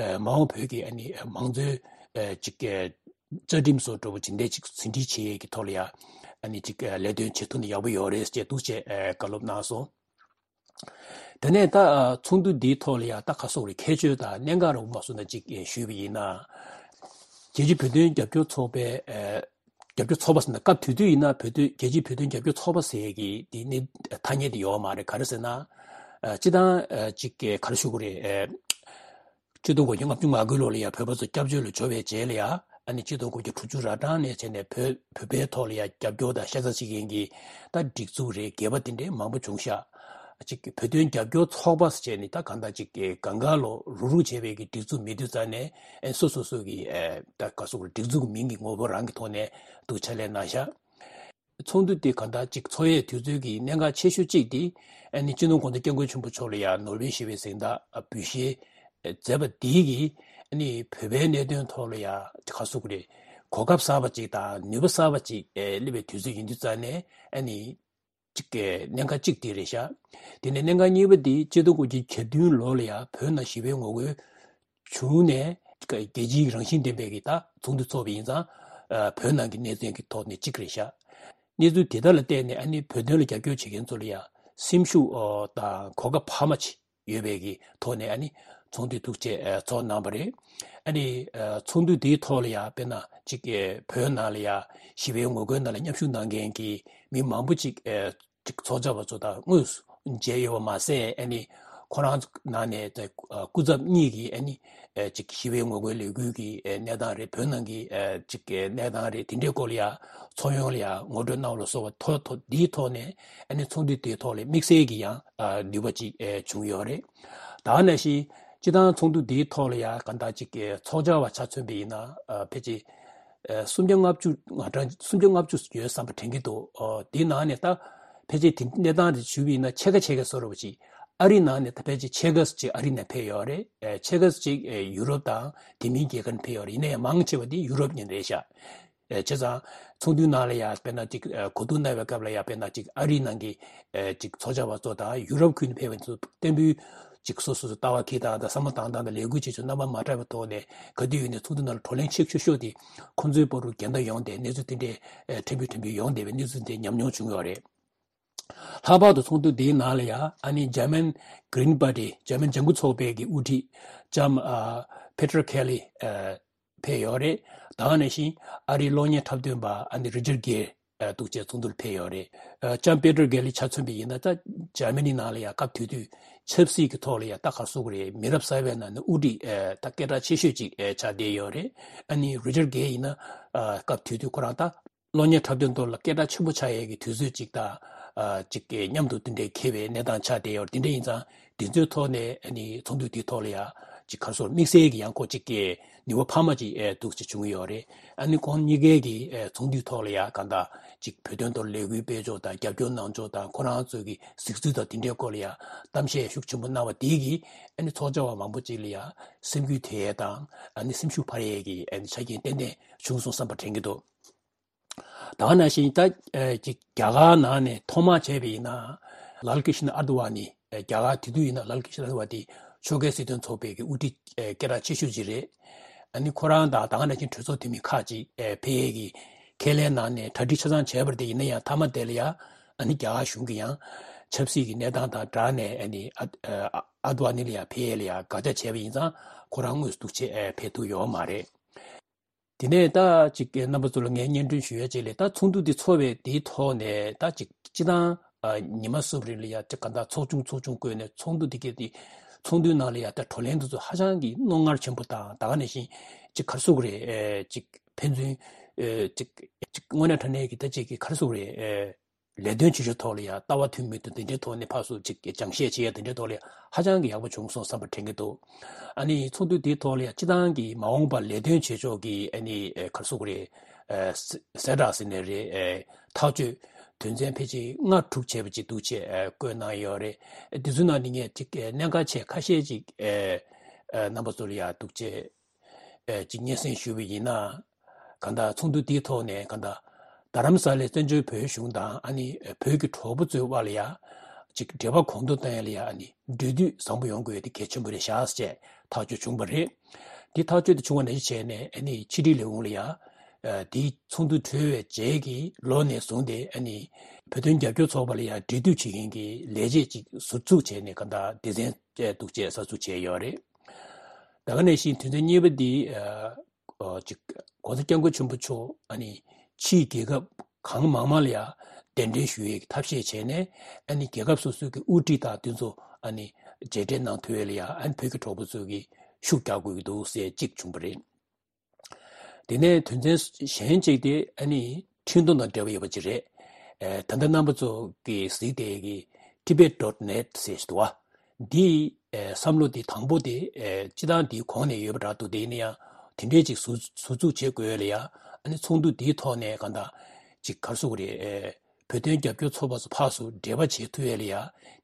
ཨེ། མ་འོངས་བོད་ཀྱི་ཨ་ནི་མང་གཙོའི་ཨེ། ཅིག་ཨེ། རྩ་ཁྲིམས་སོགས་འདྲ་པོ་ཇི་འདྲའི་ཅིག་ཟིན་བྲིས་བྱེད་ཡས་ཀྱི་ཐོག་ལ་ཡང་ཨ་ནི་ཅིག་ཨེ། ལས་དོན་བྱེད་ཐུབ་ན་ཡག་པོ་ཡོད་རེད་ཅེས་འདུག་ཅེས་ཨེ། བཀའ་སློབ་གནང་སོང་། དེ་ནས་ད་ཨ། ཚོགས་འདུ་འདིའི་ཐོག་ལ་ཡང་ད་ག་སོགས་རེད། ཁྱད་ཆོས་དང་གནད་འགག་རོབ་མ་སོང་ན་ཅིག་ཨེ། ཞུས་པ་ཡིན་ན། རྒྱལ་སྤྱིའི་བོད་དོན་རྒྱབ་སྐྱོར་ཚོགས་པའི་ཨེ། རྒྱབ་སྐྱོར་ཚོགས་པ་ཟེར་ན་སྐབས་དེ་དུས་ཡིན་ན་བོད་དོན་རྒྱལ་སྤྱིའི་བོད་དོན་རྒྱབ་སྐྱོར་ཚོགས་པ་ཟེར་གྱི་དེ་ནི་ཐ་སྙད་དེ་ཡོད་མ་རེད། ག་རེ་ཟེར་ན། ཨ། སྤྱིར་བཏང་ཨ། ཅིག་ག་རེ་ཞུ་དགོས་རེད། ཨ། ཆིག་སྟོང་དགུ་བརྒྱ་ལྔ་བཅུ་ང་དགུ་ལོ་ལ་ཡང་བོད་པ་ཚོ་སྐྱབས་བཅོལ་ལ་འབྱོར་བའི་རྗེས་ལ་ཡང་ཨ་ནི་ཆིག་སྟོང་དགུ་བརྒྱ་དྲུག་ཅུ་རེ་གྲངས་ནས་བྱས་ནས་བོད་བོད་པའི་ཐོག་ལ་ཡང་རྒྱབ་སྐྱོར་དང་ཤ་ཚ་བྱེད་མཁན་གྱི་ད་སྒྲིག་འཛུགས་རེད། སྒེར་པ་དེ་འདྲའི་མང་པོ་བྱུང་ཤག་ཅིག་བོད་དོན་རྒྱབ་སྐྱོར་ཚོགས་པ་ཟེར་བྱས་ནས་ད་གང་ལྟར་ཅིག་གང་ག་ལོ་རུག་རུག་བྱས་པའི་གི་སྒྲིག་འཛུགས་མེད་དུས་ཙང་ནས་ཨ་ནི་སོ་སོ་སོ་གི་ཨ། ད་ག་སོགས་སྒྲིག་འཛུགས་མིང་གི་ངོ་བོ་རང་གི་ཐོག་ནས་འདུག་ཕྱག་ལས་གནང་ཤག་ཚོགས་འདུ་དེ་གང་ལྟར་ཅིག་ཚོགས་ཡས་དུས་ཚོད་ཀྱི་གནད་འགག་ཆེ་ཤོས་གཅིག་དེ་ཨ་ནི་སྤྱི་ནོར་༸གོང་ས་༸སྐྱབས་མགོན་ཆེན་པོ་མཆོག་ལ་ཡང་ནོ་བེལ་ཞི་བའི་གཟེངས་རྟགས་འབུལ་བཞེས་མཛད་པ་དེ་གིས་ཨ་ནི་བོད་པའི་གནད་དོན་ཐོག་ལ་ཡང་ག་ཟེར་དགོས་རེད། གོ་སྐབས་གསར་པ་ཅིག་དང་ནུས་པ་གསར་པ་ཅིག་སླེབས་པའི་དུས་ཚོད་ཡིན་དུས་ཙང་ནས་ཨ་ནི་གཅིག་གི་གནད་འགག་གཅིག་དེ་རེད་ཤག་དེ་ནས་གནད་འགག་གཉིས་པ་དེ་ཆིག་སྟོང་དགུ་བརྒྱ་གྱ་བདུན་ལོ་ལ་ཡང་བོད་ནང་ཞི་བའི་ངོ་རྒོལ་བྱུང་ནས་རྒྱལ་སྤྱིའི་རང་བཞིན་ལྡན་པའི་གི་ད་ཚོགས་འདུ་ཚོགས་པ་ཡིན་ཙང་། ཨ། བོད་ནང་གི་གནས་ཚུལ་གྱི་ཐོག་ནས་གཅིག་རེད་ཤག་གནས་ཚུལ་དེ་དག་ལ་བལྟས་ནས་ཨ་ནི་བོད་དོན་ལ་རྒྱབ་སྐྱོར་བྱེད་མཁན་ཚོ་ལ་ཡང་སེམས་ཤུགས་དང་གོ་སྐབས་འཕར་མ་ཅིག་ཡོད་པའི་གི་ཐོག་ནས་ཨ་ནི་ཚོགས་འདུ་འདུག་ཅེས་ཚོགས་གནང་བ་རེད། ཨ་ནི་ཚོགས་འདུ་དེའི་ཐོག་ལ་ཡང་དཔེར་ན་ཅིག་བོད་ནང་ལ་ཡང་ཞི་བའི་ངོ་རྒོལ་ནང་ལ་མཉམ་ཞུགས་གནང་མཁན་གྱི་མི་མང་པོ་ཅིག་ཅིག་ཚོགས་བཅར་བ་ཚོ་དང་དངོས་སུ་མཇལ་ཡོད་པ་མ་ཟད། ཨ་ནི་ཁོ་རང་ནང་ནས་སྐུ་ཚབ་གཉིས་ཀྱིས་ཨ་ནི་ཅིག་ཞི་བའི་ངོ་རྒོལ་ལས་འགུལ་གྱི་གནས་སྟངས་རེད། བོད་ནང་གི་ཅིག་གནས་སྟངས་རེད། དེ་འདྲའི་སྐོར་ལ་ཡང་ཚོགས་ཡོངས་ལ་ཡང་ངོ་སྤྲོད་གནང་བ་ལ་སོགས་པ་ཐོག་ཐོག་འདིའི་ཐོག་ནས་ཨ་ནི་ཚོགས་འདུ་དེའི་ཐོག་ལ་དམིགས་བསལ་གྱི་ཡང་ནུས་པ་ཅིག་བྱུང་ཡོད་རེད། ད་ག་ནང་བཞིན་སྤྱིར་བཏང་ཚོགས་འདུ་འདིའི་ཐོག་ལ་ཡང་གང་ལྟར་ཅིག་ཚོགས་བཅར་བ་ཆ་མཚོན་པ་ཡིན་ན་ཕལ་ཆེར་ཨ། སུམ་བརྒྱ་ལྔ་བཅུ་ང་གྲངས་སུམ་བརྒྱ་ལྔ་བཅུ་ཡོད་བསམ་པ་དྲན་གྱི་འདུག་ཨོ། དེའི་ནང་ནས་ད་ཕལ་ཆེར་དེ་གནས་སྟངས་དེ་ཞུས་པ་ཡིན་ན་ཕྱེད་ཀ་ཕྱེད་ཀ་བཟོ་འདྲ་པོ་ཅིག་ཨ་རི་ནང་ནས་ད་ཕལ་ཆེར་ཕྱེད་ཀ་ཅིག་ཨ་རི་ནས་ཕེབས་ཡོད་རེད། ཨེ། ཕྱེད་ཀ་ཅིག་ཨེ། ཡུ་རོབ་དང་དེ་མིན་རྒྱལ་ཁབ་ནས་ཕེབས་ཡོད་རེད། ཡིན་ན་ཡང་མང་ཆེ་བ་དེ་ཡུ་རོབ་ཉིད་རེད་ཤག་ཨེ། བྱས་ཙང་ཚོགས་འདུའི་ནང་ལ་ཡང་དཔེར་ན་ཅིག་ཨེ། གོ་བསྡུར་གནང་བའི་སྐབས་ལ་ཡང་དཔེར་ན་ཅིག་ཨ་རི་ནང་གི་ཨེ། ཅིག་ཚོགས་བཅར་བ་ཚོ་དང་ཡུ་རོབ་ཁུལ་ནས་ཕེབས་པ་ཚོ་སྟོན་པའི་ཅིག་སོ་སོ་སོ་ལྟ་བ་ཁྱེར་སྟངས་དང་བསམ་བློ་བཏང་སྟངས་དང་ལས་འགུལ་བྱེད་ཕྱོགས་རྣམ་པ་མ་འདྲ་བའི་ཐོག་ནས་ག་དུས་ཡིན་ནའི་ཚོགས་འདུ་ནང་ལ་བགྲོ་གླེང་ཆེ་ཤོས་ཤོས་དེ་ཁོང་ཚོའི་བར་དུ་འགལ་ཟླ་ཡོང་སྟེ་གནས་ཚུལ་དེ་འདྲའི་ཕྲན་བུ་ཕྲན་བུ་ཡོང་བསྡད་པའི་གནས་ཚུལ་དེ་ཉམས་མྱོང་བྱུང་ཡོད་རེད། ལྷག་པར་དུ་ཚོགས་འདུ་འདིའི་ནང་ལ་ཡང་ཨ་ནི་German Green Party German ལྗང་ཁུ་ཚོགས་པའི་གི་དབུ་ཁྲིད་ལྕམ་ཨ། Petra Kelly ཨ། ཕེབས་ཡོད་རེད། ད་ག་ནང་བཞིན་ཨ་རིའི་གློག་བརྙན་འཁྲབ་སྟོན་པ་ཨ་ནི་Roger Gay ཨ། འདུག་ཅེས་ཚོགས་འདུར་ཕེབས་ཡོད་རེད། ཨ། ལྕམ་Petra Kelly ཆ་མཚོན་པ་ཡིན་ན་ད་འཇར་མ་ནི་ནང་ལ་ཡང་སྐབས་དེ་དུས་ཆབ་སྲིད་ཀྱི་ཐོག་ལ་ཡང་ད་ག་རེ་ཟེར་དགོས་རེད། མི་རབས་གསར་པའི་ནང་ནས་དབུ་ཁྲིད་ཨ། ད་སྐད་གྲགས་ཆེ་ཤོས་ཅིག་ཨ། ཆགས་བསྡད་ཡོད་རེད། ཨ་ནི་Roger Gay ཡིན་ན་ཨ། སྐབས་དེ་དུས་ཁོ་རང་ད་གློག་བརྙན་འཁྲབ་སྟོན་ཐོག་ལ་སྐད་གྲགས་ཆེན་པོ་ཆགས་ཡས་ཀྱི་དུས་ཚོད་ཅིག་དང་ཨ། ཅིག་གི་མཉམ་དུ་དེ་འདྲའི་འཁེལ་བའི་གནས་སྟངས་ཆགས་བསྡད་ཡོད་རེད། དེ་འདྲ་ཡིན་ཙང་དེ་ཚོའི་ཐོག་ནས་ཨ་ནི་ཚོགས་འདུ་དེའི་ཐོག་ལ་ཡང་ ཅིག་ག་རེ་ཟེར་དམིགས་བསལ་གྱི་ཡང་ཁོ་ཅིག་གི་ནུས་པ་འཕར་མ་ཅིག་ཨེ་འདུག་ཅིག་བྱུང་ཡོད་རེད། ཨ་ནི་ཁོང་གཉིས་ཀའི་གི་ཨེ་ཚོགས་འདུའི་ཐོག་ལ་ཡང་གང་ལྟར་ཅིག་བོད་དོན་ཐོག་ལས་འགུལ་སྤེལ་ཕྱོགས་དང་རྒྱབ་སྐྱོར་གནང་ཕྱོགས་དང་ཁོ་རང་ཚོའི་གི་གཟིགས་ཚུལ་དང་དེ་འདྲའི་སྐོར་ལ་ཡང་གཏམ་བཤད་ཤུགས་ཆེན་པོ་གནང་བ་དེ་གིས་ཨ་ནི་ཚོགས་བཅར་བ་མང་པོ་ཅིག་ལ་ཡང་སེམས་འགུལ་ཐེབས་ཡས་དང་ཨ་ནི་སེམས་ཤུགས་འཕར་ཡས་ཀྱི་ཨ་ནི་ཆ་རྐྱེན་ཏན་ཏན་བྱུང་སོང་བསམ་པ་དྲན་གྱི་འདུག། ད་ག་ནང་བཞིན་ད་ཨེ་ཅིག་རྒྱ་གར་ནང་ནས་ཐོག་མར་བྱས་པ་ཡིན་ན་ལཱལ་ཀྲིཤ་ན་ཨར་དི་ཝ་ནི་ཨེ་རྒྱ་གར་དེ་དུས་ཡིན་ན་ལཱལ་ཀྲིཤ་ན་ཨར་དི་ཝ་དེ་ཕྱོགས་འགལ་སྲིད་དོན་ཚོགས་པའི་གི་དབུ་ཁྲིད་ཨེ་སྐད་གྲགས་ཆེ་ཤོས་ཅིག་རེད། ཨ་ནི་ཁོ་རང་དང་ད་ག་ནང་བཞིན་གྲོས་ཚོགས་འཐུས་མི་ཁག་ཅིག་ཨེ་ཕེབས་ཡས་ཀྱི་ཁས་ལེན་གནང་ནས་གྲ་སྒྲིག་ཆ་ཚང་བྱས་པ་རེད། དེ་ཡིན་ན་ཡང་མཐའ་མ་དེ་ལ་ཡང་ཨ་ནི་རྒྱ་གར་གཞུང་གིས་ཡང་ཆབ་སྲིད་ཀྱི་གནས་སྟངས་དང་སྦྲགས་ནས་ཨ་ནི་ཨ་ཨ་ཨར་དི་ཝ་ནི་ལ་ཡང་ཕེབས་ཡས་ལ་ཡང་དགག་བྱ་བྱས་པ་ཡིན་ཙང་ཁོ་རང་དངོས་སུ་འདུག་བྱས་ཨེ་ཕེབས་ཐུབ་ཡོད་མ་རེད། དེ་ནས་ད་ཅིག་རྣམ་པ་ཚོ་ལ་ངས་སྙན་སྒྲོན་ཞུ་ཡ་ཅིག་ལས། ད་ཚོགས་འདུ་འདི་ཚོགས་པའི་དེའི་ཐོག་ནས་ད་ཅིག་སྤྱི་བཏང་ཨ་ཉི་མ་གསུམ་རིང་ལ་ཡ་ཅིག་ག་འདྲ་ཚོགས་ཆུང་ཚོགས་ཆུང་བསྐོས་ནས་ཚོགས་འདུ་འདི་གའི་དེ་ཚོགས་འདུའི་ནང་ལ་ཡ་ད་བགྲོ་གླེང་འདི་ཚོ་ཧ་ཅང་གི་རྣོ་ངར་ཆེན་པོ་དང་ད་ག་ནང་བཞིན་ཅིག་ག་རེ་ཟེར་དགོས་རེད། ཨེ་ཅིག་ཕན་ཚུན་ཨེ་ཅིག་ཅིག་དངོས་གནས་དྲང་གནས་ཀྱི་ད་ཅིག་གི་ག་རེ་ཟེར་དགོས་རེད། ཨེ་ལས་དོན་བྱེད་ཕྱོགས་ཐོག་ལ་ཡང་ལྟ་བ་མཐུན་མིན་དང་དེ་འདྲའི་ཐོག་ནས་ཕར་ཚུར་ཅིག་སྦྱང་བཤད་བྱེད་ཡ་དེ་འདྲའི་ཐོག་ལ་ཡང་ཧ་ཅང་གི་ཡག་པོ་བྱུང་སོང་བསམ་པ་དྲན་གྱི་འདུག། ཨ་ནི་ཚོགས་འདུ་དེའི་ཐོག་ལ་ཡང་སྤྱི་བཏང་གི་མ་འོངས་པར་ལས་དོན་བྱེད་ཕྱོགས་ཀྱི་ཨ་ནི་ཨེ་ག་རེ་ཟེར་དགོས་རེད། ཨེ་གསལ་གསལ་བསྒྲགས་ཟེར་ནའི་རེད། ཨེ་ཐག་གཅོད་དོན་ཚན་ཕལ་ཆེར་ལྔ་དྲུག་བྱས་པ་ཅིག་འདུག་བྱས་ཨེ་བཀོད་གནང་ཡོད་རེད། ཨེ་དེ་ཚོའི་ནང་ནས་ངས་ཅིག་ཨེ་གནད་འགག་ཆེ་ཁ་ཤས་ཅིག་ཨེ་ཨེ་རྣམ་པ་ཚོ་ལ་ཡང་འདུག་བྱས། ཨེ་ཅིག་སྙན་སེང་ཞུས་པ་ཡིན་ན། གང་ལྟར་ཚོགས་འདུ་དེའི་ཐོག་ནས་གང་ལྟར་རྡ་རམ་ས་ལའི་བཙན་བྱོལ་བོད་གཞུང་དང་ཨ་ནི་བོད་ཀྱི་གྲོགས་པོ་ཚོའི་དབར་ལ་ཡ་ཅིག་འབྲེལ་བ་གོང་མཐོར་གཏོང་ཡ་ལ་ཡ་ཨ་ནི་འབྲེལ་མཐུད་བཟང་པོ་ཡོང་དགོས་ཡ་དེ་གལ་ཆེན་པོ་རེད་ཤག་ཅེས་ཐག་གཅོད་བྱུང་བ་རེད། དེ་ཐག་གཅོད་དེ་བྱུང་བ་ནང་བཞིན་བྱས་ནས་ཨ་ནི་ཕྱི་དྲིལ་ལས་ཁུངས་ལ་ཡ་ཨ་དེའི་ཚོགས་འདུ་གྲོལ་བའི་རྗེས་ཀྱི་ལོ་ནས་བཟུང་སྟེ་ཨ་ནི་བོད་དོན་རྒྱབ་སྐྱོར་ཚོགས་པ་ལ་ཡ་འབྲེལ་མཐུད་བྱེད་མཁན་གྱི་ལས་བྱེད་ཅིག་ཟུར་བཙུགས་བྱས་ནས་གང་ལྟར་སྡེ་ཚན་བཅས་འདུག་ཅེས་གསར་འཛུགས་བྱས་ཡོད་རེད། ད་ག་ནང་བཞིན་དོན་ཚན་གཉིས་པ་འདི་ཨ་ཨོ་ཅིག་༸གོང་ས་༸སྐྱབས་མགོན་ཆེན་པོ་མཆོག་ཨ་ནི་ཕྱིའི་རྒྱལ་ཁབ་གང་མང་མང་ལ་ཡང་གདན་འདྲེན་ཞུ་ཡས་ཀྱི་ཐབས་ཤེས་བྱས་ནས་ཨ་ནི་རྒྱལ་ཁབ་སོ་སོའི་གི་དབུ་ཁྲིད་དང་དེ་ཚོ་ཨ་ནི་མཇལ་འཕྲད་གནང་ཐུབ་ཡས་ལ་ཡང་ཨ་ནི་བོད་ཀྱི་གྲོགས་པོ་ཚོས་ཀྱི་ཤུགས་རྒྱག་དགོས་ཀྱི་འདུག་ཟེར་གཅིག་བྱུང་བ་རེད། དེ་ནས་དོན་ཚན་གཞན་གཅིག་དེ་ཨ་ནི་འཕྲིན་གཏོང་དང་འབྲེལ་བ་ཡོད་པ་ཅིག་རེད། ཨེ་ད་ལྟ་རྣམ་པ་ཚོ་གིས་གཟིགས་བསྡད་ཀྱི་Tibet dot net ཟེར་ཞིག་འདུག་བ། འདི་ཨེ་བསམ་བློ་དེ་དང་པོ་དེ་ཨེ་སྤྱི་བཏང་དེའི་གོང་ནས་ཡོད་པ་འདྲ་འདུག། དེ་ཡིན་ན་ཡང་དེ་འདྲས་ཅིག་ཟུར་ཟུར་འཛུགས་བྱེད་དགོས་ལ་ཡ་ཨ་ནི་ཚོགས་འདུ་དེའི་ཐོག་ནས་གང་ལྟར་ཅིག་ག་རེ་ཟེར་དགོས་རེད། ཨེ་བོད་དོན་རྒྱབ་སྐྱོར་ཚོགས་པ་ཚོ་ཕར་ཚུར་འབྲེལ་བ་བྱེད་ཐུབ་ཡས་ལ་ཡ་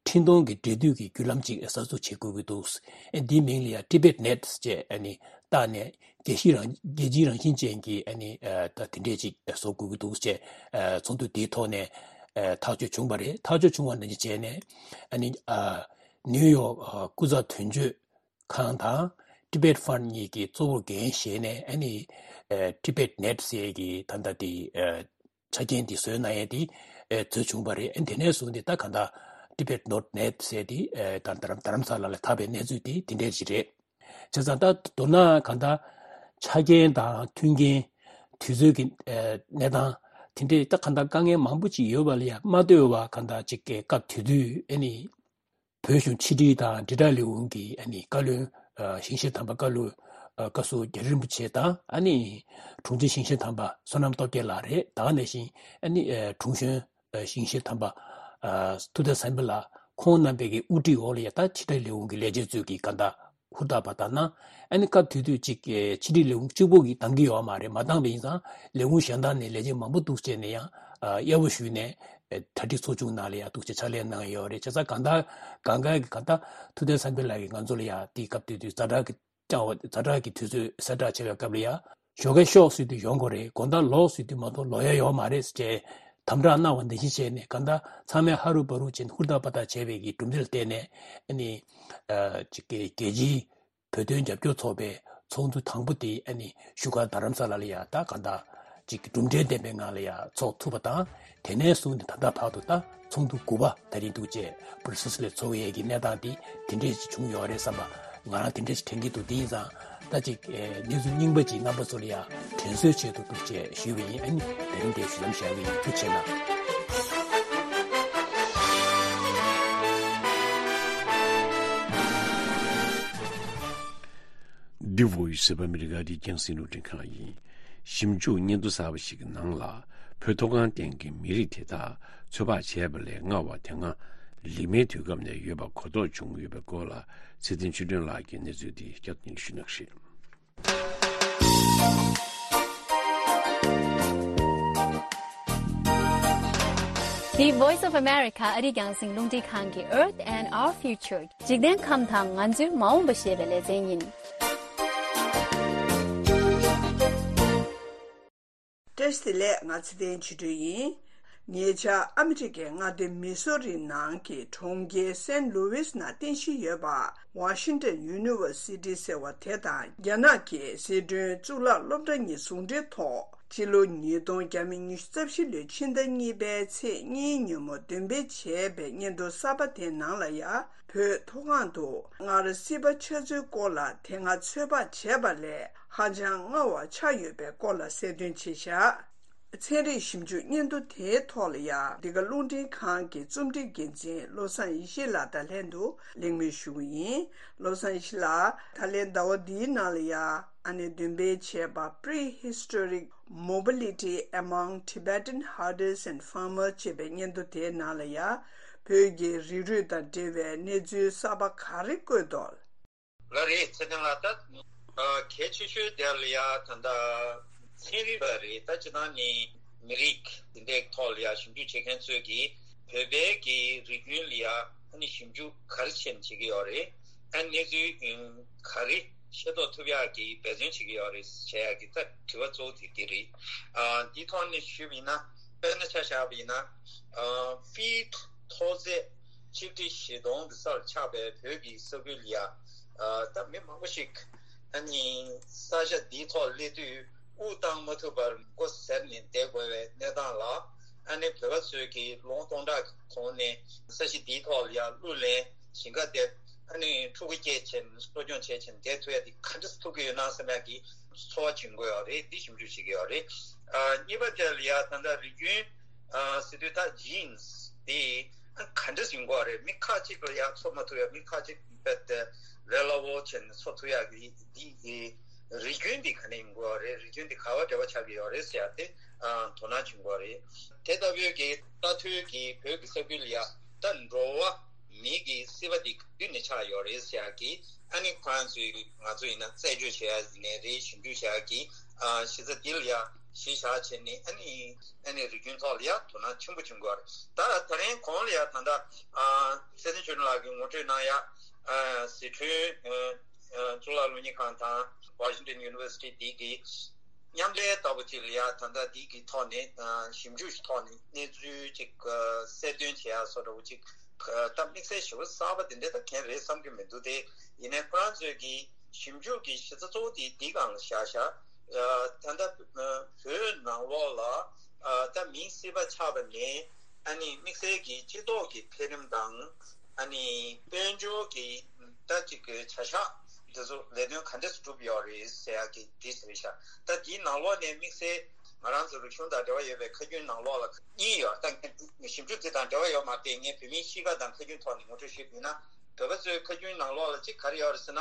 འཕྲིན་གཏོང་གི་འབྲེལ་མཐུད་ཀྱི་བརྒྱུད་ལམ་ཅིག་གསར་འཛུགས་བྱེད་དགོས་ཀྱི་འདུག། ཨེ་འདིའི་མིང་ལ་ཡ་Tibet Net ཅེས་ཨ་ནི་བཏགས་ནས་རྒྱལ་སྤྱི་རང་རྒྱལ་སྤྱིའི་རང་བཞིན་ཅན་གྱི་ཨ་ནི་ཨ་ད་དེ་འདྲས་ཅིག་བཟོ་དགོས་ཀྱི་འདུག་ཅེས་ཨ་ཚོགས་འདུ་དེའི་ཐོག་ནས་ཨ་ཐག་གཅོད་བྱུང་བ་རེད། ཐག་གཅོད་བྱུང་བ་ནང་བཞིན་བྱས་ནས་ཨ་ནི་ཨ་ནིའུ་ཡོག་ཨ་སྐུ་ཚབ་དོན་གཅོད་ཁང་དང་Tibet Fund གཉིས་ཀྱིས་གཙོ་བོར་འགན་བཞེས་ནས་ཨ་ནི་ཨ་Tibet Net ཟེར་གྱི་ད་ལྟ་དེ་ཨ་ཆ་རྐྱེན་དེ་བཟོས་གནང་ཡས་དེ་ཨེ་བཟོས་བྱུང་བ་རེད། ཨེ་དེ་ནས་བཟུང་སྟེ་ད་གང་ལྟར་Tibet dot net ཟེར་དེ་ཨེ་ད་རྡ་རམ་རྡ་རམ་ས་ལ་ལ་དར་བའི་གནས་ཚུལ་དེ་དེ་འདྲས་ཞིག་རེད། བྱས་ཙང་ད་མདོར་ན་གང་ལྟར་ཆ་རྐྱེན་དང་མཐུན་རྐྱེན་དུས་ཚོད་ཀྱི་ཨེ་གནས་སྟངས་དེ་འདྲས་ད་གང་ལྟར་དཀའ་ངལ་མང་པོ་ཅིག་ཡོད་པ་ལ་ཡང་མ་ལྟོས་པ་གང་ལྟར་ཅིག་གི་སྐབས་དེ་དུས་ཨེ་ནི། བོད་གཞུང་ཕྱི་དྲིལ་དང་དྲིལ་བསྒྲགས་ལས་ཁུངས་ཀྱི་ཨ་ནི་བཀའ་བློན་ཨ་ཞིང་གཤེགས་དམ་པ་བཀའ་བློན་ཨ་བཀའ་ཟུར་རྒྱ་རི་རིན་པོ་ཆེ་དང་ཨ་ནི་དྲུང་ཆེ་ཞིང་གཤེགས་དམ་པ་བསོད་ནམས་སྟོབས་རྒྱལ་ལགས་རེད། ད་ག་ནང་བཞིན་ཨ་ནི་ཨ་དྲུང་གཞོན་ཨ་ཞིང་གཤེགས་དམ་པ་ཨ་ཐུབ་བསྟན་བསམ་འཕེལ་ལགས་ཁོང་རྣམ་པའི་གི་དབུ་ཁྲིད་འོག་ལ་ཡ་ད་ཕྱི་དྲིལ་ལས་ཁུངས་ཀྱི་ལས་བྱེད་ཚོས་ཀྱི་ག་འདྲ་ཧུར་ཐག་པ་ལྟར་ན་ཨ་ནི་སྐབས་དེ་དུས་གཅིག་ཨེ་ཕྱི་དྲིལ་ལས་ཁུངས་གཅིག་པོ་གིས་འདང་གི་ཡོད་མ་རེད། མ་འདང་བ་ཡིན་ཙང་ལས་ཁུངས་གཞན་དག་ནས་ལས་བྱེད་མང་པོ་འདུག་བྱས་ནས་ཡང་ཨ་དབྱེ་བ་ཞུས་ནས་ཨེ་གྲ་སྒྲིག་ཚོགས་ཆུང་ནང་ལ་ཡང་འདུག་བྱས་ཕྱག་ལས་གནང་ཡོད་རེད། བྱས་ཙང་གང་ལྟར་གང་ག་གི་གང་ལྟར་ཐུབ་བསྟན་བསམ་འཕེལ་ལགས་ཀྱིས་ང་ཚོ་ལ་ཡང་དེའི་སྐབས་དེ་དུས་ཛ་དྲག་གི་ཀྱང་ཛ་དྲག་གི་དུས་ཚོད་གསལ་བསྒྲགས་བྱས་པའི་སྐབས་ལ་ཡང་ཞོགས་ཀས་ཤོག་ཟེར་དུས་ཡོང་དགོས་རེད། དགོང་དག་ལོག་ཟེར་དུས་མ་གཏོགས་ལོག་ཡ་ཡོད་མ་རེད་ཟེར་བྱས་དམ་དྲག་གནང་བ་ནང་བཞིན་བྱས་ནས་གང་ལྟར་ཚང་མས་ཧ་རུ་བ་རུ་བྱས་ནས་ཧུར་ཐག་པ་ཐག་བྱས་པའི་གི་གྲུབ་འབྲས་ལ་བརྟེན་ནས་ཨ་ནི་ཨ་ཅིག་གི་རྒྱལ་སྤྱིའི་བོད་དོན་རྒྱབ་སྐྱོར་ཚོགས་པའི་ཚོགས་འདུ་དང་པོ་དེ་ཨ་ནི་བཞུགས་སྒར་རྡ་རམ་ས་ལ་ལ་ཡ་ད་གང་ལྟར་ཅིག་གི་གྲུབ་འབྲས་ལྡན་པའི་ངང་ལ་ཡ་ཚོགས་ཐུབ་པ་དང་། དེ་ནས་བཟུང་ནས་ད་ལྟ་བར་དུ་ད་ཚོགས་འདུ་དགུ་པ་དེ་རིང་འདུག་བྱས་སྦྲ་སེལ་སི་ལ་ཚོགས་ཡས་ཀྱི་གནས་སྟངས་དེ་དེ་འདྲས་ཅིག་བྱུང་ཡོད་རེད་བསམ་པ་ང་རང་དེ་འདྲས་ཅིག་དྲན་གྱི་འདུག། དེ་ཡིན་ཙང་ད་ཅིག་ཨེ་གནས་ཚུལ་རྙིང་པ་ཅིག་རྣམ་པ་ཚོ་ལ་ཡ་དྲན་གསོའི་ཆེད་དུ་འདུག་བྱས་ཞུས་པ་ཡིན། ཨ་ནི་དེ་རིང་འདིར་ཞུ་ལམ་བཞག་གི་ཡིན། ཐུགས་རྗེ་གནང་། འདི་བོད་ཡིག་གསར་པ་ཨ་མི་རི་ཀ་རིགས་རྒྱང་སྲིང་རླུང་འཕྲིན་ཁང་ཡིན། ཞིབ་འཇུག་སྙན་ཐོ་གསར་པ་ཞིག་གི་ནང་ལ་བོད་མཐོ་སྒང་སྟེང་གི་མི་རིགས་དེ་དག་ཚོད་དཔག་བྱས་པ་ལས་སྔ་བ་དེ་སྔ་ ལི་མའི་དུས་སྐབས་ནས་ཡོད་པ་གོ་རྟོགས་བྱུང་ཡོད་པའི་སྐོར་ལ་ཚེ་བརྟན་ཆོས་སྒྲོན་ལགས་ཀྱིས་གནས་ཚུལ་འདི་བསྐྱར་དུ་སྙན་སྒྲོན་ཞུ་གནང་གི་རེད། འདི་Voice of America ཨ་རིའི་རྒྱང་སྲིང་རླུང་འཕྲིན་ཁང་གི Earth and Our Future འཇིག་རྟེན་ཁམས་དང་ང་ཚོའི་མ་འོངས་པ་ཞེས་པའི་ལེ་ཚན་ཡིན། བཀྲ་ཤིས་བདེ་ལེགས། ང་ཚེ་བརྟན་ཆོས་སྒྲོན་ཡིན། ཉེ་ཆར་ཨ་མི་རི་ཀའི་མངའ་སྡེ་མི་སོ་རི་ནང་གི་གྲོང་ཁྱེར་སན་ལུ་ཝིས་ནང་རྟེན་གཞི་ཡོད་པ་Washington University ཟེར་བ་དེ་དང་རྒྱ་ནག་གི་ཟི་ཁྲོན་གཙུག་ལག་སློབ་གྲྭ་གཉིས་ཟུང་འབྲེལ་ཐོག་ཕྱི་ལོ་ཉིས་སྟོང་ཉི་ཤུ་རྩ་བཞི་ལོའི་ཕྱི་ཟླ་གཉིས་པའི་ཚེས་གཉིས་ཉིན་མོ་འདོན་སྤེལ་བྱས་པའི་སྙན་ཐོ་གསར་པ་དེའི་ནང་ལ་ཡང་། བོད་མཐོ་སྒང་དུ་སྔར་སྲིད་པ་ཆགས་ཚུལ་སྐོར་ལ་དེ་སྔ་ཚོད་དཔག་བྱས་པ་ལས་ཧ་ཅང་སྔ་བ་ཆགས་ཡོད་པའི་སྐོར་ལ་གསལ་སྟོན་བྱས་བཞག་ཚན་རིག་ཞིབ་འཇུག་སྙན་ཐོ་དེའི་ཐོག་ལ་ཡང་འདི་ག་རླུང་འཕྲིན་ཁང་གི་རྩོམ་སྒྲིག་འགན་འཛིན་བློ་བཟང་ཡེ་ཤེས་ལགས་དང་ལྷན་དུ་གླེང་མོལ་ཞུ་གི་ཡིན། བློ་བཟང་ཡེ་ཤེས་ལགས། ད་ལན་ཟླ་བ་འདིའི་ནང་ལ་ཡང་ཨ་ནེ་འདོན་སྤེལ་བྱས་པ་Prehistoric Mobility Among Tibetan Herders and Farmers ཅེས་པའི་སྙན་ཐོ་དེའི་ནང་ལ་ཡང་བོད་ཀྱི་རིགས་རུས་དང་འབྲེལ་བའི་གནས་ཚུལ་གསར་པ་ག་རེ་བཀོད་འདུག་ལགས་རེད། ཚེ་བརྟན་ལགས། ད་གལ་ཆེ་ཤོས་དེ་ལ་ཡང་ད་ལྟ་ཚན་རིག་པ་རེད། ད་སྤྱིར་བཏང་ནི་མི་རིགས་དེ་འདྲའི་ཐོག་ལ་ཡང་ཞིབ་འཇུག་བྱེད་མཁན་ཚོས་ཀྱིས་བོད་པའི་གི་རིགས་རྒྱུན་ལ་ཡང་ཨ་ནི་ཞིབ་འཇུག་ག་རེ་བྱས་ནས་བྱེད་ཀྱི་ཡོད་རེད། ཨ་ནི་གནས་ཚུལ་ག་རེ་ཤེས་རྟོགས་ཐུབ་ཡག་གི་འབད་བརྩོན་བྱེད་ཀྱི་ཡོད་རེད་བྱེད་ཡག་གི་ད་དྲི་བ་གཙོ་བོ་དེ་དེ་རེད། ཨ་འདི་ཐོག་ནས་ཞུས་པ་ཡིན་ན། དཔེར་ན་ཆ་བཞག་པ་ཡིན་ན། ཨ་ཕིཊ་མཐོ་ཚད་ཆིག་ཁྲི་བཞི་སྟོང་གི་སར་ཆགས་པའི་བོད་ཀྱི་ས་ཁུལ་ལ་ཡ། ཨ་ད་མི་མང་པོ་ཞིག་ཨ་ནི་ས་ཆ་འདིའི་ཐོག་སླེབས་དུས་དབུགས་བཏང་མ་ཐུབ་པར་མགོ་ཟེར་ནས་བསྡད་དགོས་པའི་གནས་སྟངས་ལ། ཨ་ནི་བོད་པ་ཚོས་ཀྱིས་ལོ་ངོ་སྟོང་ཕྲག་གི་གོང་ནས་ས་གཞི་འདིའི་ཐོག་ལ་ཡ་གླུ་ལེན། ཞིང་ཁ་འདེབས། ཨ་ནི་ཕྲུ་གུ་སྐྱེས་བྱས་ནས་གསོ་སྐྱོང་བྱས་བྱས་ནས་བསྡད་ཐུབ་ཡ་དེ་ག་འདྲ་ཐུབ་ཀྱི་ཡོད་ན་བསམ་ཡ་གི་ཚོར་བ་བྱུང་གི་ཡོད་རེད། འདི་ཞིབ་འཇུག་བྱེད་ཀྱི་ཡོད་རེད། ཨ་གཉིས་པ་དེ་ལ་ཡ་ད་ལྟ་རིགས་རྒྱུན་ཨ་ཟེར་དུས་ད་ཇིན་སི་དེ་ག་འདྲ་ཡིན་དགོས་རེད། མི་ཁ་ཅིག་ལ་ཡ་ཚོར་མ་ཐུབ་ཡ། མི་ཁ་ཅིག་རྦད་དེ་ལས་སླ་བོ་བྱས་ནས་ཚོར་ཐུབ་ཡ་གི་འདི་གི་རིགས་རྒྱུན་འདི་ག་འདྲ་ཡིན་དགོས་རེད། རིགས་རྒྱུན་འདི་ག་བ་འབྲེལ་བ་ཆགས་ཀྱི་ཡོད་རེད་ཟེར་ཡ་དེ་ཨ་དོ་སྣང་བྱུང་དགོས་རེད། དེ་ལྟ་བུའི་གི་ལྟ་ཐུལ་གྱི་བོད་ཀྱི་ས་ཁུལ་ལ་ཡ་ད་འགྲོ་བ་མི་གི་སྲིད་པ་འདི་ག་དུས་ནས་ཆགས་ཡོད་རེད་ཟེར་ཡག་གི་ཨ་ནི་ཁོ་རང་ཚོས་ང་ཚོ་ཡིན་ན་རྩད་གཅོད་བྱེད་ཡག་ཡིན་ནའི་རེད། ཞིབ་འཇུག་བྱེད་ཡག་གི་ཨ་གཞི་རྩ་འདི་ལ་ཡ་གཞི་བཞག་བྱས་ནས་ཨ་ནི་ཨ་ནི་རིགས་རྒྱུན་ཐོག་ལ་ཡ་དོ་སྣང་ཆེན་པོ་བྱུང་དགོས་རེད། ད་ད་རིང་གོང་ལ་ཡ་ད་ལྟ་ཨ་ཚེ་བརྟན་ཆོས་སྒྲོན་ལགས་ཀྱིས་ངོ་སྤྲོད་གནང་ཡ་ཨ་ཟི་ཁྲོན་ཨ་གཙུག་ལག་སློབ་གཉེར་ཁང་དང་Washington University འདི་གི་མཉམ་ལས་ལྟ་བུ་ཅིག་ལ་ཡ་ད་ལྟ་འདི་གི་ཐོག་ནས་ཨ་ཞིབ་འཇུག་ཐོག་ནས་གནས་ཚུལ་ཅིག་ཨ་གསལ་སྟོན་བྱེད་ཡ་བཟོ་འདྲ་བོ་ཅིག་ཨ་ད་དམིགས་བསལ་ཞེ་པོ་གསར་པ་དེ་འདྲ་ད་གང་རེད་བསམ་གྱི་མི་འདུག་སྟེ། ཡིན་ནའི་ཁོ་རང་ཚོས་ཀྱི་ཞིབ་འཇུག་གི་གཞི་རྩ་གཙོ་བོ་དེ་འདི་སྒང་ལ་བཞག་བཞག་ཨ་ད་ལྟ་ཨ་བོད་ནང་ལོགས་ལ་ཨ་ད་མིའི་སྲིད་པ་ཆགས་པ་ནས་ཨ་ནི་དམིགས་བསལ་གྱི་སྤྱི་ཚོགས་ཀྱི་འཕེལ་རིམ་དང་། ཨ་ནི་དཔལ་འབྱོར་གྱི་ད་ཅིག་གི་བྱ་གཞག་འདི་ཚོ་ལས་དོན་ག་འདྲས་སྒྲུབ་ཡོད་རེད་ཟེར་ཡག་གི་འདི་ཟེར་བཞག་ད་འདིའི་ནང་ལོགས་ནས་དམིགས་བསལ་ང་རང་ཚོ་རིག་གཞུང་དང་འབྲེལ་བ་ཡོད་པའི་ཁ་རྒྱུན་ནང་ལོགས་ལ་གཉིས་ཡོད། ད་ངས་ཞིབ་འཇུག་འདི་དང་འབྲེལ་བ་ཡོད་མ་རེད། ངས་བོད་མིའི་གཤིས་ཀ་དང་ཁ་རྒྱུན་ཐོག་ནས་ངོ་སྤྲོད་ཞུས་པ་ཡིན་ན། བོད་པ་ཚོའི་ཁ་རྒྱུན་ནང་ལོགས་ལ་གཅིག་ག་རེ་ཡོད་རེད་ཟེར་ན།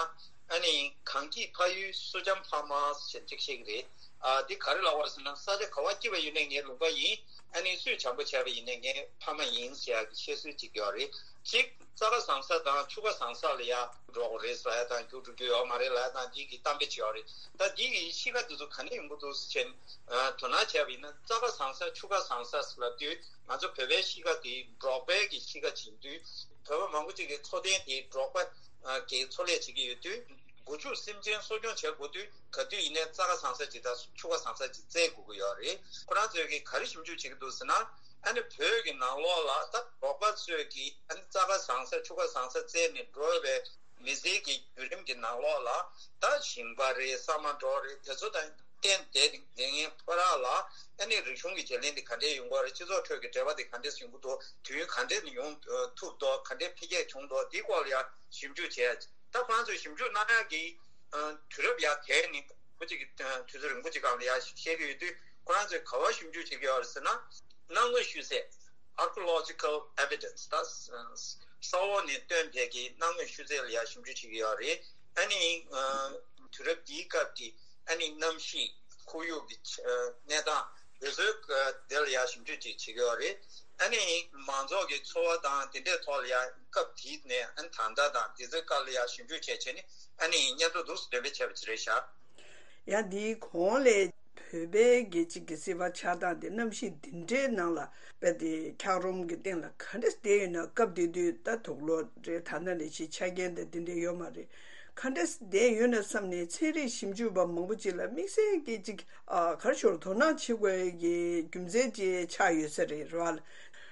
ཨ་ནི་གངས་སྐྱིད་ཕ་ཡུལ་སུ་འཇམ་ཕ་མ་ཞེས་གཅིག་བཤད་ཀྱི་རེད། ཨ་འདི་ག་རེ་ལབ་པ་རེད་ཟེར་ན། ས་ཆ་ག་བ་སྐྱིད་པ་ཡིན་ནའི་ངའི་ལུང་པ་ཡིན། ཨ་ནི་སུས་བྱམས་པོ་བྱས་པ་ཡིན་ནའི་ངའི་ཕ་མ་ཡིན་ཟེར་ཡག་གི་བཤད་སྲོལ་གཅིག་ཡོད་རེད། གཅིག་རྩྭ་ཁ་བཟང་ས་དང་ཆུ་ཁ་བཟང་ས་ལ་ཡ་འགྲོ་དགོས་རེད་ཟེར་ཡ་དང་རྒྱུགས་འགྲོ་རྒྱུ་ཡོད་མ་རེད་ལབ་ཡ་དང་འདི་གི་གཏམ་དཔེ་ཅིག་ཡོད་རེད། ད་འདི་གི་གཤིས་ཀ་འདི་ཚོ་ག་ནས་ཡོང་གི་འདུག་ཟེར་ན། ཨ་དོ་སྣང་བྱས་པ་ཡིན་ན་རྩྭ་ཁ་བཟང་ས་ཆུ་ཁ་བཟང་ས་ཟེར་ལབ་དུས་ང་ཚོ་བོད་པའི་གཤིས་ཀ་དེ་འབྲོག་པའི་གི་གཤིས་ཀ་ཡིན་དུས། བོད་པ་མང་པོ་ཅིག་གི་འཚོ་རྟེན་དེ་འབྲོག་པ་ཨ་གི་འཚོ་ལས་བྱེད་ཀྱི་ཡོད་དུས། སྒོ་ཕྱུགས་སེམས་ཅན་གསོ་སྐྱོང་བྱེད་དགོས་དུས་ག་དུས་ཡིན་ནའི་རྩྭ་ཁ་བཟང་ས་ཅིག་དང་ཆུ་ཁ་བཟང་ས་ཅིག་བཙལ་དགོས་ཀྱི་ཡོད་རེད། ཁོ་རང་ཚོས་ཀྱིས་ག་རེ་ཞིབ་འཇུག་བྱེད་ཀྱི་འདུག་ཟེར་ན། ཨ་ནི་བོད་ཀྱི་ནང་ལོགས་ལ་ད་འབྲོག་པ་ཚོས་ཀྱིས་ཨ་ནི་རྩྭ་ཁ་བཟང་ས་ཆུ་ཁ་བཟང་ས་བཙལ་ནས་འགྲོ་བའི་མི་ཚེའི་གི་བརྒྱུད་རིམ་གྱི་ནང་ལོགས་ལ། ད་ཞིང་པ་རེད། ཟ་མ་འདྲ་རེད། དེ་ཚོ་དང་གཏན་བསྡད་བསྡད་མཁན་ཕོ་བྲང་ལ་ཨ་ནི་རིག་གཞུང་གི་བརྗེ་ལེན་དེ་ག་འདྲས་ཡོང་གི་རེད། སྤྱི་ཚོགས་ཁྲོད་ཀྱི་འབྲེལ་བ་དེ་ག་འདྲས་ཡོང་གི་འདུག་དུས་ཡུན་ག་འདྲས་ནས་ཡོང་ཐུབ་འདུག་ག་འདྲས་འཕེལ་རྒྱས་བྱུང་འདུག་འདིའི་སྐོར་ལ་ཡང་ཞིབ་འཇུག་བྱས། ད་ཁོ་རང་ཚོས་ཞིབ་འཇུག་གནང་ཡག་གི་ཨ་དུས་རབས་ཡར་དེད་ནས་ཁོ་གཅིག་གི་ཨ་དུས་ཚོད་རིང་པོ་གཅིག་སྒང་ལ་ཡར་བཤད་ཀྱི་ཡོད་དུས། ཁོ་རང་ཚོས་ག་བར་ཞིབ་འཇུག་བྱེད་ཀྱི་ཡོད་རེད་ཟེར་ན། སྣང་ངོའི་ཤུལ་རྫས། Archaeological Evidence། ད་ས་འོག་ནས་བཏོན་པའི་གི་སྣང་ངོའི་ཤུལ་རྫས་ལ་ཡར་ཞིབ་འཇུག་བྱེད་ཀྱི་ཡོད་རེད། ཨ་ནི་ཨ་དུས་རབས་འདིའི་སྐབས་ཀྱི་ཨ་ནི་གནམ་གཤིས། ཁོར་ཡུག་གི་ཨ་གནས་སྟངས་དེ་ཚོའི་ཨ་དེ་ལ་ཡར་ཞིབ་འཇུག་ཅིག་བྱེད་ཀྱི་ཡོད་རེད། ཨ་ནི་མང་ཚོགས་ཀྱི་འཚོ་བ་དང་དེ་འདྲའི་ཐོག་ལ་ཡང་སྐབས་དེ་ནས་ཨ་ནི་ད་ལྟ་དང་དེ་ཚོའི་སྐབས་ལ་ཡང་ཞིབ་འཇུག་བྱས་བྱས་ནས་ཨ་ནི་སྙན་ཐོ་འདུག་སེ་འདོན་སྤེལ་བྱས་པ་ཅིག་རེད་ཤག་ཡང་འདིའི་གོང་ལས་བོད་པའི་རྒྱལ་སྤྱི་གི་སྲིད་པ་ཆགས་སྟངས་དེ་གནམ་གཤིས་འདི་འདྲའི་ནང་ལ་དཔེ་དེ་འཁྱགས་རོམ་གྱི་སྟེང་ལ་ག་འདྲ་བསྡད་ཡོད་ན། སྐབས་དེ་དུས་ད་དུག་ལོག་རེད། ད་ལྟ་ནས་ཕྱིན་ཆ་རྐྱེན་དང་དེ་འདྲ་ཡོད་མ་རེད། ག་འདྲ་བསྡད་ཡོད་ན་བསམ་ནས་ཚན་རིག་ཞིབ་འཇུག་པ་མང་པོ་ཅིག་ལ་དམིགས་བསལ་གྱི་ཅིག་ཨ་ག་རེ་ཞུ་དགོས་རེད། དོ་སྣང་བྱེད་དགོས་ཀྱི་རྒྱུ་མཚན་ཅིག་ཆགས་ཡོད་ས་རེད། རེད་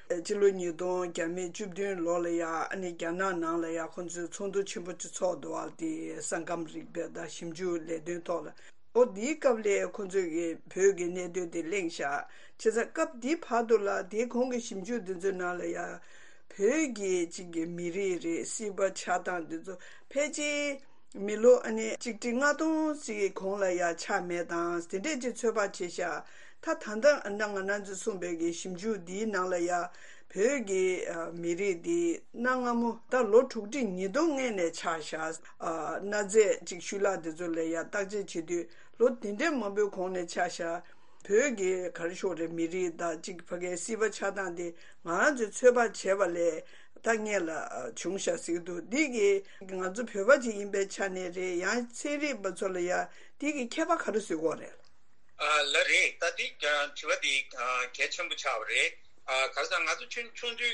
བ། སྤྱི་ལོ་ཉིས་སྟོང་བརྒྱ་མེད་བཅུ་བདུན་ལོ་ལ་ཡ་ཨ་ནི་རྒྱ་ནག་ནང་ལ་ཡ་ཁོང་ཚོས་ཚོགས་འདུ་ཆེན་པོ་ཅིག་ཚོགས་འདུག་བ། དེ་ས་ཁམས་རིག་པ་དང་ཞིབ་འཇུག་ལས་དོན་ཐོག་ལ། ཨོ་དེའི་སྐབས་ལས་ཁོང་ཚོས་ཀྱི་བོད་ཀྱི་གནད་དོན་དེ་གླེང་བཞག་བྱས་ཙང་སྐབས་དེའི་བར་དུ་ལ་དེའི་གོང་གི་ཞིབ་འཇུག་དེ་ཚོའི་ནང་ལ་ཡ་བོད་ཀྱི་གཅིག་གི་མི་རིགས་རེད། སྲིད་པ་ཆགས་སྟངས་དེ་ཚོ་ཕལ་ཆེར་མི་ལོ་ཨ་ནི་གཅིག་ཁྲི་ལྔ་སྟོང་ཅིག་གོང་ལ་ཡ་ཆགས་མེད་དང་དེ་འདྲས་ཅིག་ཚོད་དཔག་བྱས་ཤག་ད་ད་ལྟ་ཨ་ནི་ང་རང་ཚོས་གསུངས་པའི་གི་ཞིབ་འཇུག་འདིའི་ནང་ལ་ཡ་བོད་ཀྱི་ཨ་མི་རིགས་འདི་གནའ་སྔ་མོ་ད་ལོ་དྲུག་ཁྲི་ཉིས་སྟོང་སྔོན་ནས་ཆགས་ཤག་ཨ་གནའ་རྫས་ཅིག་ཤུལ་ལྷག་དེ་ཚོ་ལ་ཡ་བརྟག་དཔྱད་བྱེད་དུས་ལོ་དེ་འདྲས་མང་པོའི་གོང་ནས་ཆགས་ཤག་བོད་ཀྱི་ག་རེ་ཞུ་དགོས་རེད། མི་རིགས་དང་གཅིག་ཕ་གིའི་སྲིད་པ་ཆགས་སྟངས་དེ་ང་རང་ཚོས་ཚོད་དཔག་བྱས་པ་ལས་ད་སྔོན་ལ་ཨ་བྱུང་ཤག་ཟེར་གྱི་འདུག་འདི་གིས་ང་ཚོ་བོད་པ་ཅིག་ཡིན་པའི་ཆ་ནས་རེད། ཡང་ཚན་རིག་པ་ཚོ་ལ་ཡ་འདི་གིས་ཁྱད་པར་ག་རེ་བཟོ་གི་ཡོད་རེད། ཨ་ལགས་རེད། ད་འདི་ཨ་དྲི་བ་འདི་ཨ་གལ་ཆེན་པོ་ཆགས་པ་རེད། ཨ་ག་རེ་ཟེར་ན་ང་ཚོ་ཆུང་ཆུང་དུས་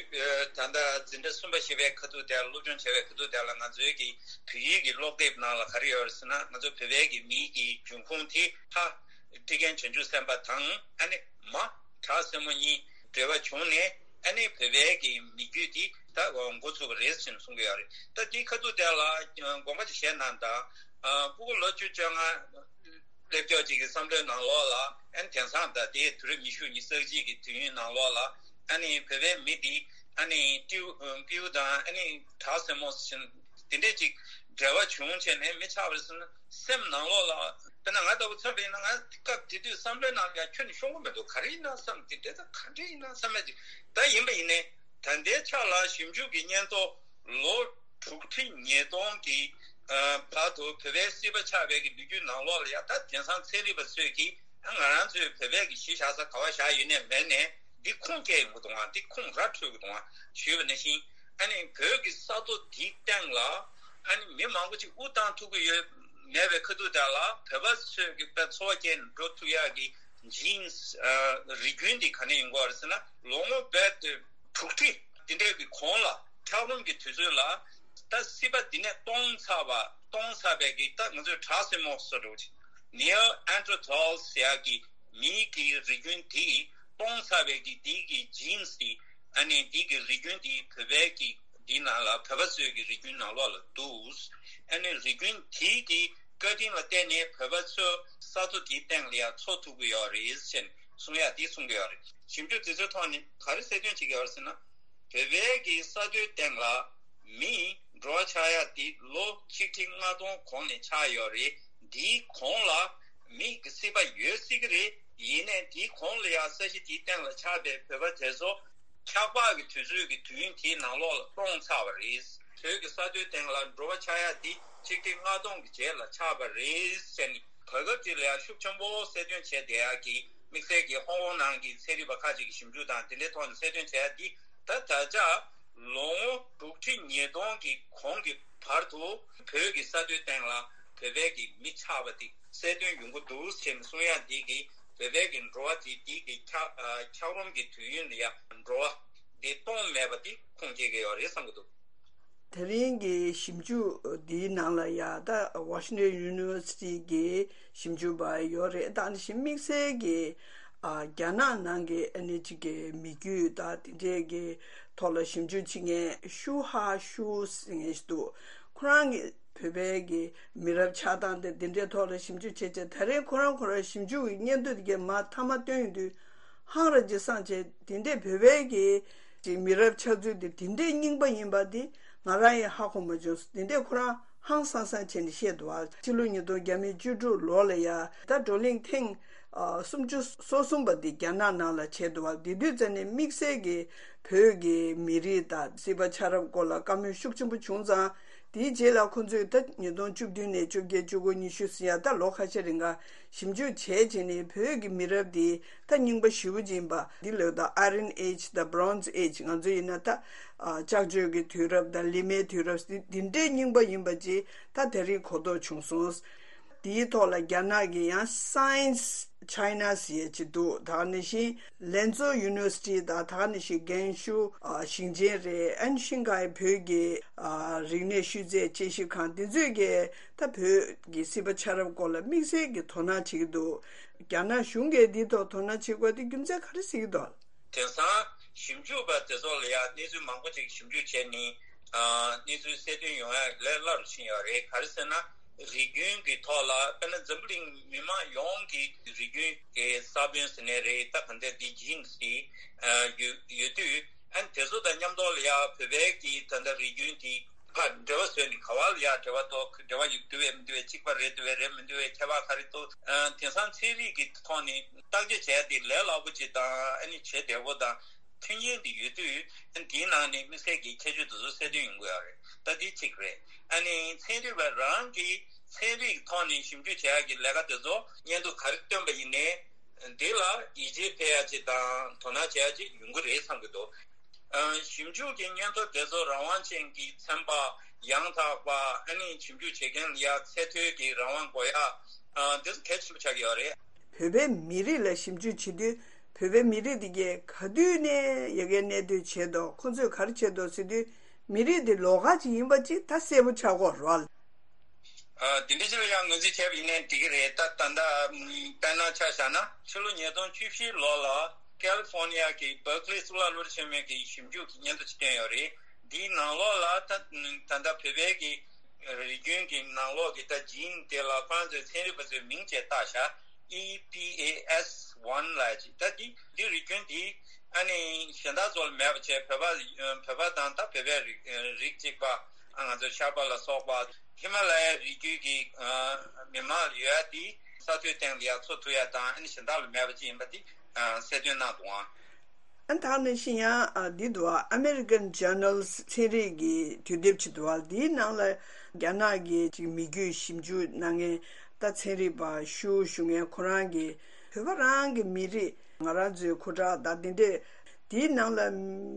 ཨ་ད་ལྟ་འཛིན་གྲྭ་གསུམ་པ་བཞི་པའི་ཁ་ཐུག་དེ་ལ་སློབ་སྦྱོང་བྱས་པའི་ཁ་ཐུག་དེ་ལ་ང་ཚོའི་གི་བོད་ཡིག་གི་ཀློག་དེབ་ནང་ལ་ག་རེ་ཡོད་རེད་ཟེར་ན། ང་ཚོ་བོད་པའི་གི་མིང་གི་འབྱུང་ཁུངས་དེ་ཕ་ཊཱིཀ་ཆེན་བྱང་ཆུབ་སེམས་དཔའ་དང་ཨ་ནི་མ་བྲག་སྲིན་མོ་གཉིས་འབྲེལ་བ་བྱུང་ནས་ཨ་ནི་བོད་པའི་གི་མི་རྒྱུད་འདི་ད་འགོ་ཚུགས་པ་རེད་ཟེར་ནས་གསུང་གི་ཡོད་རེད། ད་འདི་ཁ་ཐུག་དེ་ལ་དགོངས་པ་ཅིག་བཞེས་གནང་དང་། ཨ་སྤུ་གུ་ལོ་བཅུ་བཅོ་ལྔ་སླེབས་ཀྱོག་ཅིག་གི་བསམ་བློའི་ནང་ལོགས་ལ་ཨ་ནི་དེང་སང་ད་ལྟའི་དུས་རབས་ཉི་ཤུ་ཉི་ཤུ་རྩ་གཅིག་གི་དུས་ཡུན་ནང་ལོགས་ལ་ཨ་ནི་བོད་པའི་མི་འདི་ཨ་ནི་སྤྲེའུ་སྤྲེའུ་དང་ཨ་ནི་བྲག་སྲིན་མོ་བཞིན་དེ་འདྲས་ཅིག་འབྲེལ་བ་བྱུང་བྱས་ནས་མི་ཆགས་པ་རེད་ཟེར་ན། སེམས་ནང་ལོགས་ལ་དཔེར་ན་ང་ལྟ་བུ་ཚོ་ཡིན་ན་ང་སྐབས་དེ་དུས་བསམ་བློའི་ནང་ལ་ཡང་ཁྱོན་ནས་ཤོང་གི་མི་འདུག་ག་རེ་ཡིན་ན་བསམ། དེ་འདྲས་ད་ག་འདྲས་ཡིན་ན་བསམ་ཡ་ཅིག་ད་ཡིན་པ་ཡིན་ནའི་ད་ལྟའི་ཆ་ལ་ཞིབ་འཇུག་གི་སྙན་ཐོ་ལོ་དྲུག་ཁྲི་ཉིས་སྟོང་གི་ཨ་བར་དུ་བོད་པའི་སྲིད་པ་ཆགས་པའི་གི་ལོ་རྒྱུས་ནང་ལོགས་ལ་ཡ་ད་དེང་སང་ཚན་རིག་པ་ཚོས་ཀྱིས་ང་རང་ཚོའི་བོད་པའི་གི་གཞིས་བཞག་ས་ག་བ་བཞག་ཡོད་ནའི་མེད་ནའི་འདི་ཁུངས་སྐྱེལ་ཡོང་གི་འདུག་ཨང་། འདི་ཁུངས་ར་འཕྲོད་གི་འདུག་ཨང་ཞུས་པ་ནང་བཞིན། ཨ་ནི་བོད་ཀྱི་ས་མཐོ་འདིའི་སྟེང་ལ་ཨ་ནི་མི་མང་པོ་ཅིག་དབུ་བཏང་ཐུབ་ཀྱི་ཡོད་མེད་པའི་ཁ་ཐུག་དེ་ལ་བོད་པ་ཚོས་ཀྱི་དཔེ་འཚོ་བ་སྐྱེལ་ནས་འགྲོ་ཐུབ་ཡག་གི་ཇིན་སི་ཨ་རིགས་རྒྱུན་འདི་ག་ནས་ཡོང་གི་ཡོད་རེད་ཟེར་ན། ལོ་ངོ་རྦད་དེ་དྲུག་ཁྲི་འདི་འདྲའི་གི་གོང་ལ་འཁྱགས་རོམ་གྱི་དུས་ཚོད་ལ་ད་སྲིད་པ་འདི་ནས་སྟོངས་ཚར་བ་སྟོངས་ཚར་བའི་གི་ད་ང་ཚོའི་བྲག་སྲིན་མོ་བཟོ་འདྲ་བོ་ཅིག་ནིའོ་ཨན་ཏྲོ་ཐོལ་ཟེར་ཡག་གི་མིའི་གི་རིགས་རྒྱུན་དེ་སྟོངས་ཚར་བའི་གི་དེའི་གི་ཇིན་སི་དེ་ཨ་ནི་དེའི་གི་རིགས་རྒྱུན་དེ་བོད་པའི་གི་དེའི་ནང་ལ་བོད་པ་ཚོའི་གི་རིགས་རྒྱུན་ནང་ལོགས་ལ་འདུག་ཨ་ནི་རིགས་རྒྱུན་དེའི་གི་བཀའ་དྲིན་ལ་བརྟེན་ནས་བོད་པ་ཚོ་ས་མཐོ་དེའི་སྟེང་ལ་ཡང་འཚོ་ཐུབ་ཀྱི་ཡོད་རེད་ཟེར་ནས་གསུང་ཡག་དེ་གསུང་གི་ཡོད་རེད། ཞིབ་འཇུག་དེ་ཚོའི་ཐོག་ནས་ག་རེ་གསལ་སྟོན་བྱེད་ཀྱི་ཡོད་རེད་ཟེར་ན། བོད་པའི་གི་ས་མཐོའི་སྟེང་ལ་མི་འགྲོ་བ་ཆགས་ཡག་དེ་ལོ་ཆིག་ཁྲི་ལྔ་སྟོང་གོང་ནས་ཆགས་ཡོད་རེད། འདིའི་གོང་ལ་མི་གི་སྲིད་པ་ཡོད་སྲིད་ཀྱི་རེད། ཡིན་ནའི་འདིའི་གོང་ལ་ཡང་ས་གཞི་དེའི་སྟེང་ལ་ཆགས་པའི་བོད་པ་དེ་ཚོ་འཁྱགས་པ་གི་དུས་ཚོད་ཀྱི་དུས་ཡུན་དེའི་ནང་ལོགས་ལ་སྟོངས་ཚར་བ་རེད། བོད་ཀྱི་ས་མཐོའི་སྟེང་ལ་འགྲོ་བ་ཆགས་ཡག་འདི་ཆིག་ཁྲི་ལྔ་སྟོང་གི་རྗེས་ལ་ཆགས་པ་རེད་ཟེར་ནས་བར་སྐབས་ཅིག་ལ་ཡང་ཤུགས་ཆེན་པོ་གསལ་སྟོན་བྱས་བསྡད་ཡག་གི་དམིགས་བསལ་གྱི་ཧོང་ཀོང་ནང་གི་ཚན་རིག་པ་ཁག་ཅིག་གིས་ཞིབ་འཇུག་དང་དེ་འདྲའི་ཐོག་ནས་གསལ་སྟོན་བྱས་ཡག་འདི་ད་ད་ཆ་ལོ་ངོ་དྲུག་ཁྲི་ཉིས་སྟོང་གི་གོང་གི་བར་དུ་བོད་ཀྱི་ས་མཐོའི་སྟེང་ལ་བོད་པའི་གི་མི་ཆགས་པ་དེ་གསལ་སྟོན་ཡོང་གི་འདུག་ཟེར་ནས་གསུང་ཡག་འདི་གིས་བོད་པའི་གི་འགྲོ་བ་དེ་འདི་གི་འཁྱགས་ཨ་འཁྱགས་རོམ་གྱི་དུས་ཡུན་ལ་ཡ་འགྲོ་བ་འདི་སྟོངས་མེད་པ་དེ་ཁུངས་སྐྱེལ་གྱི་ཡོད་རེད་བསམ་གྱི་འདུག་དེ་རིང་གི་ཞིབ་འཇུག་འདིའི་ནང་ལ་ཡ་ད་Washington University གི་ཞིབ་འཇུག་པ་ཡོད་རེད། ད་ནི་ཞིབ་དམིགས་བསལ་གྱི་ཨ་རྒྱ་ནག་ནང་གི་ཨ་ནི་གཅིག་གི་མི་རྒྱུད་ད་དེ་འདྲས་ཀྱི་ཐོག་ལ་ཞིབ་འཇུག་བྱེད་མཁན་ཤུ་ཧ་ཤུ་ཟེར་མཁན་ཞིག་འདུག་ཁོ་རང་གི་བོད་པའི་གི་མི་རབས་ཆགས་སྟངས་དེ་འདི་འདྲའི་ཐོག་ལ་ཞིབ་འཇུག་བྱེད་ཆེད་ད་རེས་ཁོ་རང་ཁོ་རང་ཞིབ་འཇུག་གི་སྙན་ཐོ་དེ་གའི་མ་མཐའ་མ་བཏོན་ཡོང་དུས་ཧང་ར་ཅིག་སངས་བྱས། དེ་འདྲའི་བོད་པའི་གི་ཅིག་མི་རབས་ཆགས་ཚུལ་དེ་དེ་འདྲའི་རྙིང་པ་ཡིན་པ་དེ་ང་རང་ཡང་ཧ་གོ་མ་བྱུང་། དེ་འདྲའི་ཁོ་རང་ཧང་སང་སང་བྱས་ནས་བཤད་འདུག་ཨ། ཕྱི་ལོ་ཉིས་སྟོང་བརྒྱ་མེད་བཅུ་དྲུག་ལོ་ལ་ཡ་ད་བགྲོ་གླེང་ཐེངས་ ཨ་སུམ་ཅུ་སོ་གསུམ་པ་འདི་རྒྱ་ནག་ནང་ལ་བྱས་འདུག་བ། དེ་དུས་ཙམ་ནས་དམིགས་བསལ་གྱི་བོད་ཀྱི་མི་རིགས་དང་སྲིད་པ་ཆགས་རབས་སྐོར་ལ་བཀའ་མོལ་ཤུགས་ཆེན་པོ་བྱུང་ཙང་། དེའི་རྗེས་ལ་ཁོང་ཚོས་ད་ཉིས་སྟོང་བཅུ་བདུན་ནས་བཅོ་བརྒྱད་བཅུ་དགུ་ཉི་ཤུ་ཟེར་ཡ་ད་ལོ་ཁ་ཤས་རིང་ག་ཞིབ་འཇུག་བྱས་བྱས་ནས་བོད་ཀྱི་མི་རབས་འདི་ད་རྙིང་པ་ཞེ་པོ་ཅིག་ཡིན་པ་འདི་ལོས་ད་Iron Age དང་Bronze Age ང་ཚོ་ཡིན་ན་ད་ཨ་ལྕགས་བཅོས་ཀྱི་དུས་རབས་དང་ལི་མའི་དུས་རབས་འདི་འདི་འདྲའི་རྙིང་པ་ཡིན་པ་ཅིག་ད་དེ་རིང་གོ་རྟོགས་བྱུང་སོང་། དེའི་ཐོག་ལ་རྒྱ་ནག་གི་ཡང་Science China ཟེར་ཡས་ཅིག་འདུག་ད་ག་ནང་བཞིན་ལན་ཙོ་University དང་ད་ག་ནང་བཞིན་རྒན་ཤུ་ཨ་ཞིང་ཆེན་རེད། ཨན་ཤིང་ཀའི་བོད་ཀྱི་ཨ་རིག་གནས་ཤུལ་རྫས་དཔྱད་ཞིབ་ཁང་འདི་ཚོས་ཀྱི་ད་བོད་ཀྱི་སྲིད་པ་ཆགས་རབས་སྐོར་ལ་དམིགས་བསལ་གྱི་དོ་སྣང་བྱེད་ཀྱི་འདུག་རྒྱ་ནག་གཞུང་གིས་འདིའི་ཐོག་དོ་སྣང་བྱེད་དགོས་དེ་རྒྱུ་མཚན་ག་རེ་གཟིགས་ཀྱི་འདུག་དེང་སང་ཞིབ་འཇུག་པ་དེ་ཚོ་ལ་ཡང་གནས་ཚུལ་མང་པོ་ཅིག་ཞིབ་འཇུག་བྱས་ནས་ཨ་གནས་ཚུལ་གསལ་སྟོན་ཡོང་ཡ་ལས་སླ་རུ་ཕྱིན་ཡོད་རེད། ག་རེ་ཟེར་ན། རིགས་རྒྱུན་གྱི་ཐོག་ལ་དཔེར་ན་འཛམ་བུ་གླིང་མི་མང་ཡོངས་ཀྱི་རིགས་རྒྱུན་གྱི་ས་བོན་ཟེར་ནའི་རེད། ད་ག་འདྲ་འདི་genes དེ་ཨ་ཡོད་ཡོད་དུས། ཨ་ནི་དེ་ཚོ་དང་མཉམ་དུ་ལ་ཡ་བོད་པའི་གི་ད་ལྟ་རིགས་རྒྱུན་དེ་ཕར་འབྲེལ་བ་བཟོས་ནས་ག་བ་ལ་ཡ་འབྲེལ་བ་འདུག་འབྲེལ་བ་ཡོད་འདུག་བས་མི་འདུག་བས། གཅིག་པ་རེད་འདུག་བས་རེད་མི་འདུག་བས། ཁྱད་པར་ག་རེ་འདུག་ཨ་དེང་སང་ཚན་རིག་གི་ཐོག་ནས་བརྟག་དཔྱད་བྱས་ཏེ་ལས་སླ་པོ་ཅིག་དང་ཨ་ནི་བྱེད་བདེ་པོ་དང་མཐུན་རྐྱེན་འདི་ཡོད་དུས་ཨ་ནི་དེའི་ནང་ནས་དམིགས་བསལ་གྱི་ཁྱད་ཆོས་དེ་ཚོ་གསལ་སྟོན་ཡོང་གི་ཡོད་རེད། ད་འདི་གཅིག་རེད། ཨ་ནི་ཚན་རིག་པ་རང་གིས་ཚན་རིག་ཐོག་ནས་ཞིབ་འཇུག་བྱེད་ཡག་གི་ལས་ཀ་དེ་ཚོ་སྙན་ཐོ་ག་རེ་བཏོན་པ་ཡིན་ནའི་འདི་ལ་ཡིད་ཆེས་འཕེར་ཡག་ཅིག་དང་དོ་སྣང་བྱེད་ཡག་ཅིག་ཡོང་གི་རེད་བསམ་གྱི་འདུག་ཨ་ཞིབ་འཇུག་གི་སྙན་ཐོ་དེ་ཚོ་རང་དབང་ཅན་གྱི་ཚན་པ་ཡང་དག་པ་ཨ་ནི་ཞིབ་འཇུག་བྱེད་མཁན་ལ་ཡ་ཚད་མཐོའི་གི་རང་དབང་དགོས་ཡ་ཨ་འདི་ཚོ་གལ་ཆེན་པོ་ཆགས་ཀྱི་ཡོད་རེད། བོད་པའི་མི་རིགས་ལ་ཞིབ་འཇུག་བྱེད་དུས་བོད་པའི་མི་རིགས་དེ་གས་ག་དུས་ནས་ཡ་གའི་གནས་སྡོད་བྱས་འདུག་ཁོང་ཚོས་ག་རེ་བྱས་འདུག་ཟེར་དུས་མི་རིགས་དེ་ལོགས་ཀ་ཅིག་ཡིན་པ་ཅིག་ད་གསལ་པོ་ཆགས་ཀྱི་ཡོད་རེད་བ། ཨ་དེ་འདྲ་ཅིག་ལ་ཡང་ངོས་འཛིན་བྱས་པ་ཡིན་ནའི་འགྲིག་གི་རེད། ད་ད་ལྟ་དཔེར་ན་ཆ་བཞག་ན་ཕྱི་ལོ་ཉིས་སྟོང་བཅུ་བཞི་ལོ་ལ་ཀ་ལི་ཧྥོ་ནི་ཡ་གི་བར་ཀ་ལི་གཙུག་ལག་སློབ་གྲྭ་ཆེན་མོའི་གི་ཞིབ་འཇུག་གི་སྙན་ཐོ་ཅིག་བཏོན་ཡོད་རེད། འདིའི་ནང་ལོགས་ལ་ད་ད་ལྟ་བོད་པའི་གི་རིགས་རྒྱུན་གྱི་ནང་ལོགས་ཀྱི་ད་gene དེ་ལ་ཁོ་རང་ཚོའི་ཚན་རིག་པ་ཚོས་མིང་བྱས་བཏགས་ཤག E P A S one ལབ་ཅིག་ད་འདི་འདི་རིགས་རྒྱུན་འདི་ཨ་ནི་གཞན་དག་ཚོ་ལ་མེད་པ་བྱས། བོད་པ་བོད་པ་དང་ད་བོད་པའི་རིགས་རིགས་གཅིག་པ་ཨ་ང་ཚོ་ཤར་པ་ལ་སོགས་པ་ཧི་མ་ལ་ཡའི་རི་རྒྱུད་ཀྱི་ཨ་མི་མང་ལ་ཡོད་ཡ་འདི་ས་མཐོའི་སྟེང་ལ་ཡ་འཚོ་ཐུབ་ཡ་དང་ཨ་ནི་གཞན་དག་ལ་མེད་པ་ཅིག་ཡིན་པ་འདི་ཨ་གསལ་སྟོན་གནང་འདུག་ཨང་། ཨ་ད་ནང་བཞིན་ཡང་ཨ་འདི་འདུག་ཨ་American Journals ཚན་རིག་གི་དུས་དེབ་ཅིག་འདུག་ཨ། འདིའི་ནང་ལ་རྒྱ་ནག་གི་ཅིག་མི་རྒྱུད་ཞིབ་འཇུག་གནང་མཁན་ད་ཚན་རིག་པ་ཞུ་ཞུ་མཁན་ཁོ་རང་གིས་བོད་པ་རང་གི་མི་རིགས་ང་རང་ཚོའི་ཁུ་ཁྲག་དང་དེ་འདྲས་འདིའི་ནང་ལ་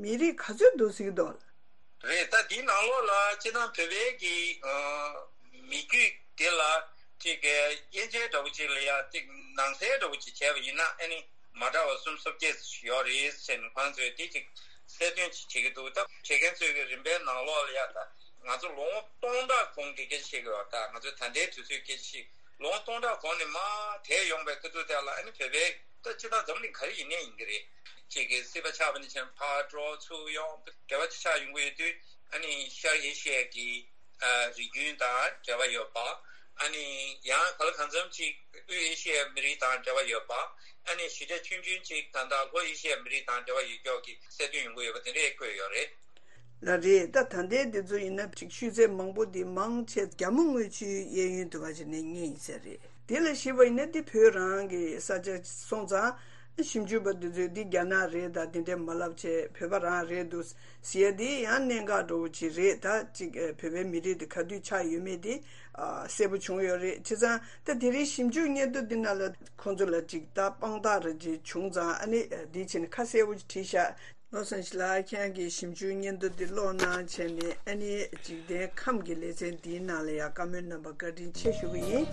མི་རིགས་ག་ཚོད་འདུག་ཟེར་གྱི་འདུག་རེད། ད་འདིའི་ནང་ལོགས་ལ་སྤྱིར་བཏང་བོད་པའི་གི་ཨ་མི་རྒྱུད་དེ་ལ་ཅིག་གི་དབྱེ་འབྱེད་འདྲ་བོ་ཅིག་ལ་ཡ་ཅིག་ནང་གསལ་འདྲ་བོ་ཅིག་བྱས་པ་ཡིན་ན་ཨ་ནི་མ་འདྲ་བ་སུམ་ཅུ་སོ་བརྒྱད་ཙམ་ཞིག་ཡོད་རེད་ཟེར་ནས་ཁོང་ཚོས་དེ་ཅིག་གསལ་སྟོན་ཅིག་བྱེད་ཀྱི་འདུག་ད་བྱེད་མཁན་ཚོའི་གི་རིམ་པའི་ནང་ལོགས་ལ་ཡ་ད་ང་ཚོ་ལོ་ངོ་སྟོང་ཕྲག་གོང་གི་སྐད་ཆ་བཤད་ཀྱི་ཡོད། ད་ང་ཚོ་ད་ལྟའི་དུས་ཚོད་སྐད་ཆ་ཞིག་ལོ་ངོ་སྟོང་ཕྲག་གོང་ནས་མར་དེད་ཡོང་པའི་སྐབས་དུས་དེ་ལ་ཨ་ནི་བོད་པའི་ད་སྤྱིར་བཏང་འཛམ་གླིང་ག་རེ་ཡིན་ནའི་ཡིན་གྱི་རེད། གཅིག་གི་སྲིད་པ་ཆགས་པ་ནས་བྱས་ཕར་འགྲོ་ཚུར་ཡོང་འབྲེལ་བ་ཅིག་ཆགས་ཡོང་གི་ཡོད་དུས་ཨ་ནི་ཤར་ཨེ་ཤི་ཡའི་གི་ཨ་རིགས་རྒྱུན་དང་འབྲེལ་བ་ཡོད་པ། ཨ་ནི་ཡང་ག་ལ་གང་འཚམ་ཅིག་དབུས་ཨེ་ཤི་ཡའི་མི་རིགས་དང་འབྲེལ་བ་ཡོད་པ། ཨ་ནི་ཞེ་དྲག་ཆུང་ཆུང་ཅིག་ད་ལྟ་ལྷོ་ཨེ་ཤི་ཡའི་མི་རིགས་དང་འབྲེལ་བ་ཡོད་ཀྱོག་གི་གསལ་སྟོན་ཡོང་གི་ཡོད་པ་དེ་འདྲས་བཀོད་ཡོད་རེད། ལགས་རེད། ད་ད་ལྟའི་འདི་ཚོ་ཡིན་ན་ཅིག་ཤུལ་ཚད་མང་པོ་འདི་མང་ཆེ་རྒྱ་མོ་དངུལ་ཆུའི་གཡས་གཡོན་དུ་བ་ཞིག་ནས་རྙེད་ཡིན་ས་རེད། དེ་ལ་གཞིགས་པ་ཡིན་ན་འདི་བོད་རང་གི་ས་ཆ་སོང་ཙང་ཞིབ་འཇུག་པ་འདི་ཚོས་འདི་རྒྱ་ནག་རེད་ད་འདི་འདྲས་མ་ལབ་བྱས་བོད་པ་རང་རེད་འདུག་ཟེར་ཡ་འདི་ཡང་གནད་འགག་འདྲ་བོ་ཅིག་རེད། ད་ཅིག་བོད་པའི་མི་རིགས་འདི་ག་དུས་ཆགས་ཡོད་མེད་འདི་གསལ་པོ་བྱུང་ཡོད་རེད། བྱས་ཙང་ད་དེ་རིང་ཞིབ་འཇུག་སྙན་ཐོ་འདི་ནང་ལ་ཁོང་ཚོ་ལ་ཅིག་ད་དཔང་རྟགས་རེ་ཅིག་བྱུང་ཙང་ཨ་ནི་འདི་བྱས་ནས་ཁ་གསལ་པོ་ཅིག་བྲིས་ཤག་ལོ་སན་ཤི་ལགས་ཁྱེད་ཀྱིས་ཞིབ་འཇུག་སྙན་ཐོ་འདི་ཀློག་གནང་བྱས་ནས་ཨ་ནི་འཇིག་རྟེན་ཁམས་ཀྱི་ལེ་ཚན་འདིའི་ནང་ལ་ཡང་བཀའ་མོལ་གནང་བར་བཀའ་དྲིན་ཆེ་ཞུ་གི་ཡིན།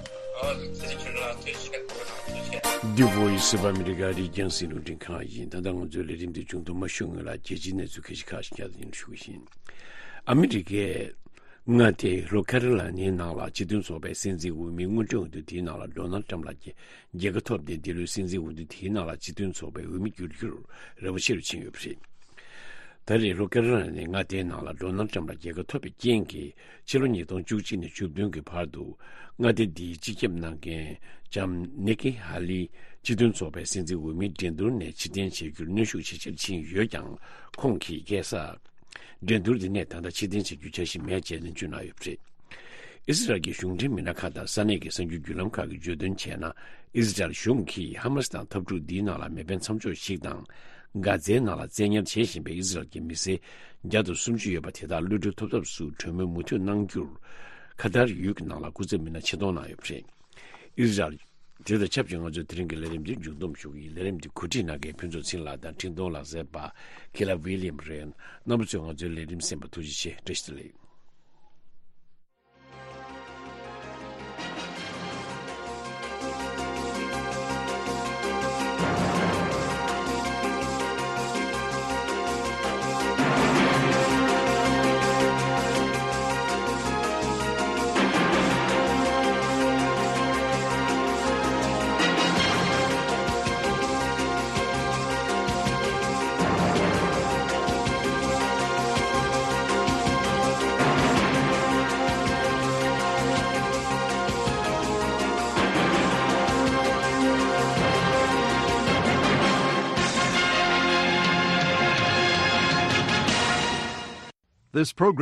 འདི་བོ་ཡི་སི་པ་ཨ་མི་རི་ཀ་རིག་རྒྱང་སྲིད་རླུང་འཕྲིན་ཁང་ཡིན། ད་ལྟ་ང་ཚོའི་ལས་རིམ་འདི་མཇུག་ཏུ་མ་ཞུ་སྔོན་ལ་རྒྱལ་སྤྱིའི་གནས་ཚུལ་ཁ་ཤས་ཁ་ཤས་ཀྱང་ཞུ་གི་ཡིན། ཨ་མི་རི་ཀས་མངའ་སྡེ་ལྷོ་ཁེ་རོ་ལ་ནའི་ནང་ལ་སྤྱི་མཐུན་ཚོགས་པའི་སྲིད་འཛིན་འོས་མི་སྔོན་འགྲོ་འོས་བསྡུ་དེའི་ནང་ལ་ཌོ་ནལ་ཏྲམ་ལགས་ཀྱིས་རྒྱལ་ཁ་ཐོབ་སྟེ་འདི་ལོའི་སྲིད་འཛིན་འོས་བསྡུ་དེའི་ནང་ལ་སྤྱི་མཐུན་ཚོགས་པའི་འོས་མི་བསྒྱུར་རྒྱུར་རེ་བ་ཆེ་རུ་ཕྱིན་ཡོད་པ་རེད། ད་རེས་ལྷོ་ཁེ་རོ་ལ་ནའི་མངའ་སྡེའི་ནང་ལ་ཌོ་ནལ་ཏྲམ་ལ་རྒྱལ་ཁ་ཐོབ་པའི་རྐྱེན་གྱིས་ཕྱི་ལོ་ཉིས་སྟོང་བཅུ་གཅིག་ནས་བཅུ་བདུན་གྱི་བར་དུ་མངའ་སྡེ་འདིའི་སྤྱི་ཁྱབ་གནང་མཁན་ལྕམ་ནིག་ཀི་ཧ་ལི་སྤྱི་མཐུན་ཚོགས་པའི་སྲིད་འཛིན་འོས་མིའི་འགྲན་བསྡུར་ནས་ཕྱིར་འཐེན་བྱེད་རྒྱུར་གནོན་ཤུགས་ཇེ་ཆེར་ཕྱིན་ཡོད་ཀྱང་ཁོང་གིས་རྒྱལ་ས་འགྲན་བསྡུར་འདི་ནས་ད་ལྟ་ཕྱིར་འཐེན་བྱེད་རྒྱུའི་འཆར་གཞི་མེད་ཅེས་ནན་བརྗོད་གནང་ཡོད་པ་རེད། ཨི་སི་རལ་གྱི་གཞུང་འབྲེལ་མི་སྣ་ཁག་དང་ས་གནས་ཀྱི་གསར་འགྱུར་བརྒྱུད་ལམ་ཁག་གིས་བརྗོད་དོན་བྱས་ན། ཨི་སི་རལ་གཞུང་གིས་ཧ་མ་སི་དང་འཐབ་འཁྲུག་འདིའི་ནང་ལ་མེ་འཕེན་མཚམས་འཇོག་ཞིག་དང་། གྷ་ཛའི་ནང་ལ་བཙན་ཉར་བྱེད་བཞིན་པའི་ཨི་སི་རལ་གྱི་མི་སེར་བརྒྱ་དང་སུམ་ཅུ་ཡོད་པ་དེ་དག་གློད་གྲོལ་ཐོབ་ཐབས་སུ་གྲོས་མོལ་མུ་མཐུད་གནང་རྒྱུར། ཁ་ཐར་ཡུལ་གྱི་ནང་ལ་སྐུ་ཚབ་མི་སྣ་ཆེད་གཏོང་གནང་ཡོད་པ་རེད། ཨི་སི་རལ། དེ་དང་ཆབས་ཅིག་ང་ཚོའི་དེ་རིང་གི་ལས་རིམ་འདི་མཇུག་བསྡོམས་ཞུ་གི་ཡིན། ལས་རིམ་འདི་གོ་སྒྲིག་གནང་མཁན་ཕུན་ཚོགས་ཚེ་རིང་ལགས་དང་འཕྲིན་གཏོང་ལག་རྩལ་པ་ཁི་ལ་ཝི་ལི་ཡམ་རེད། རྣམ་པ་ཚོས་ང་ཚོའི་ལས་རིམ་གསན་པར་ཐུགས་རྗེ་ཆེ། བཀྲ་ཤིས་བདེ་ལེགས། This program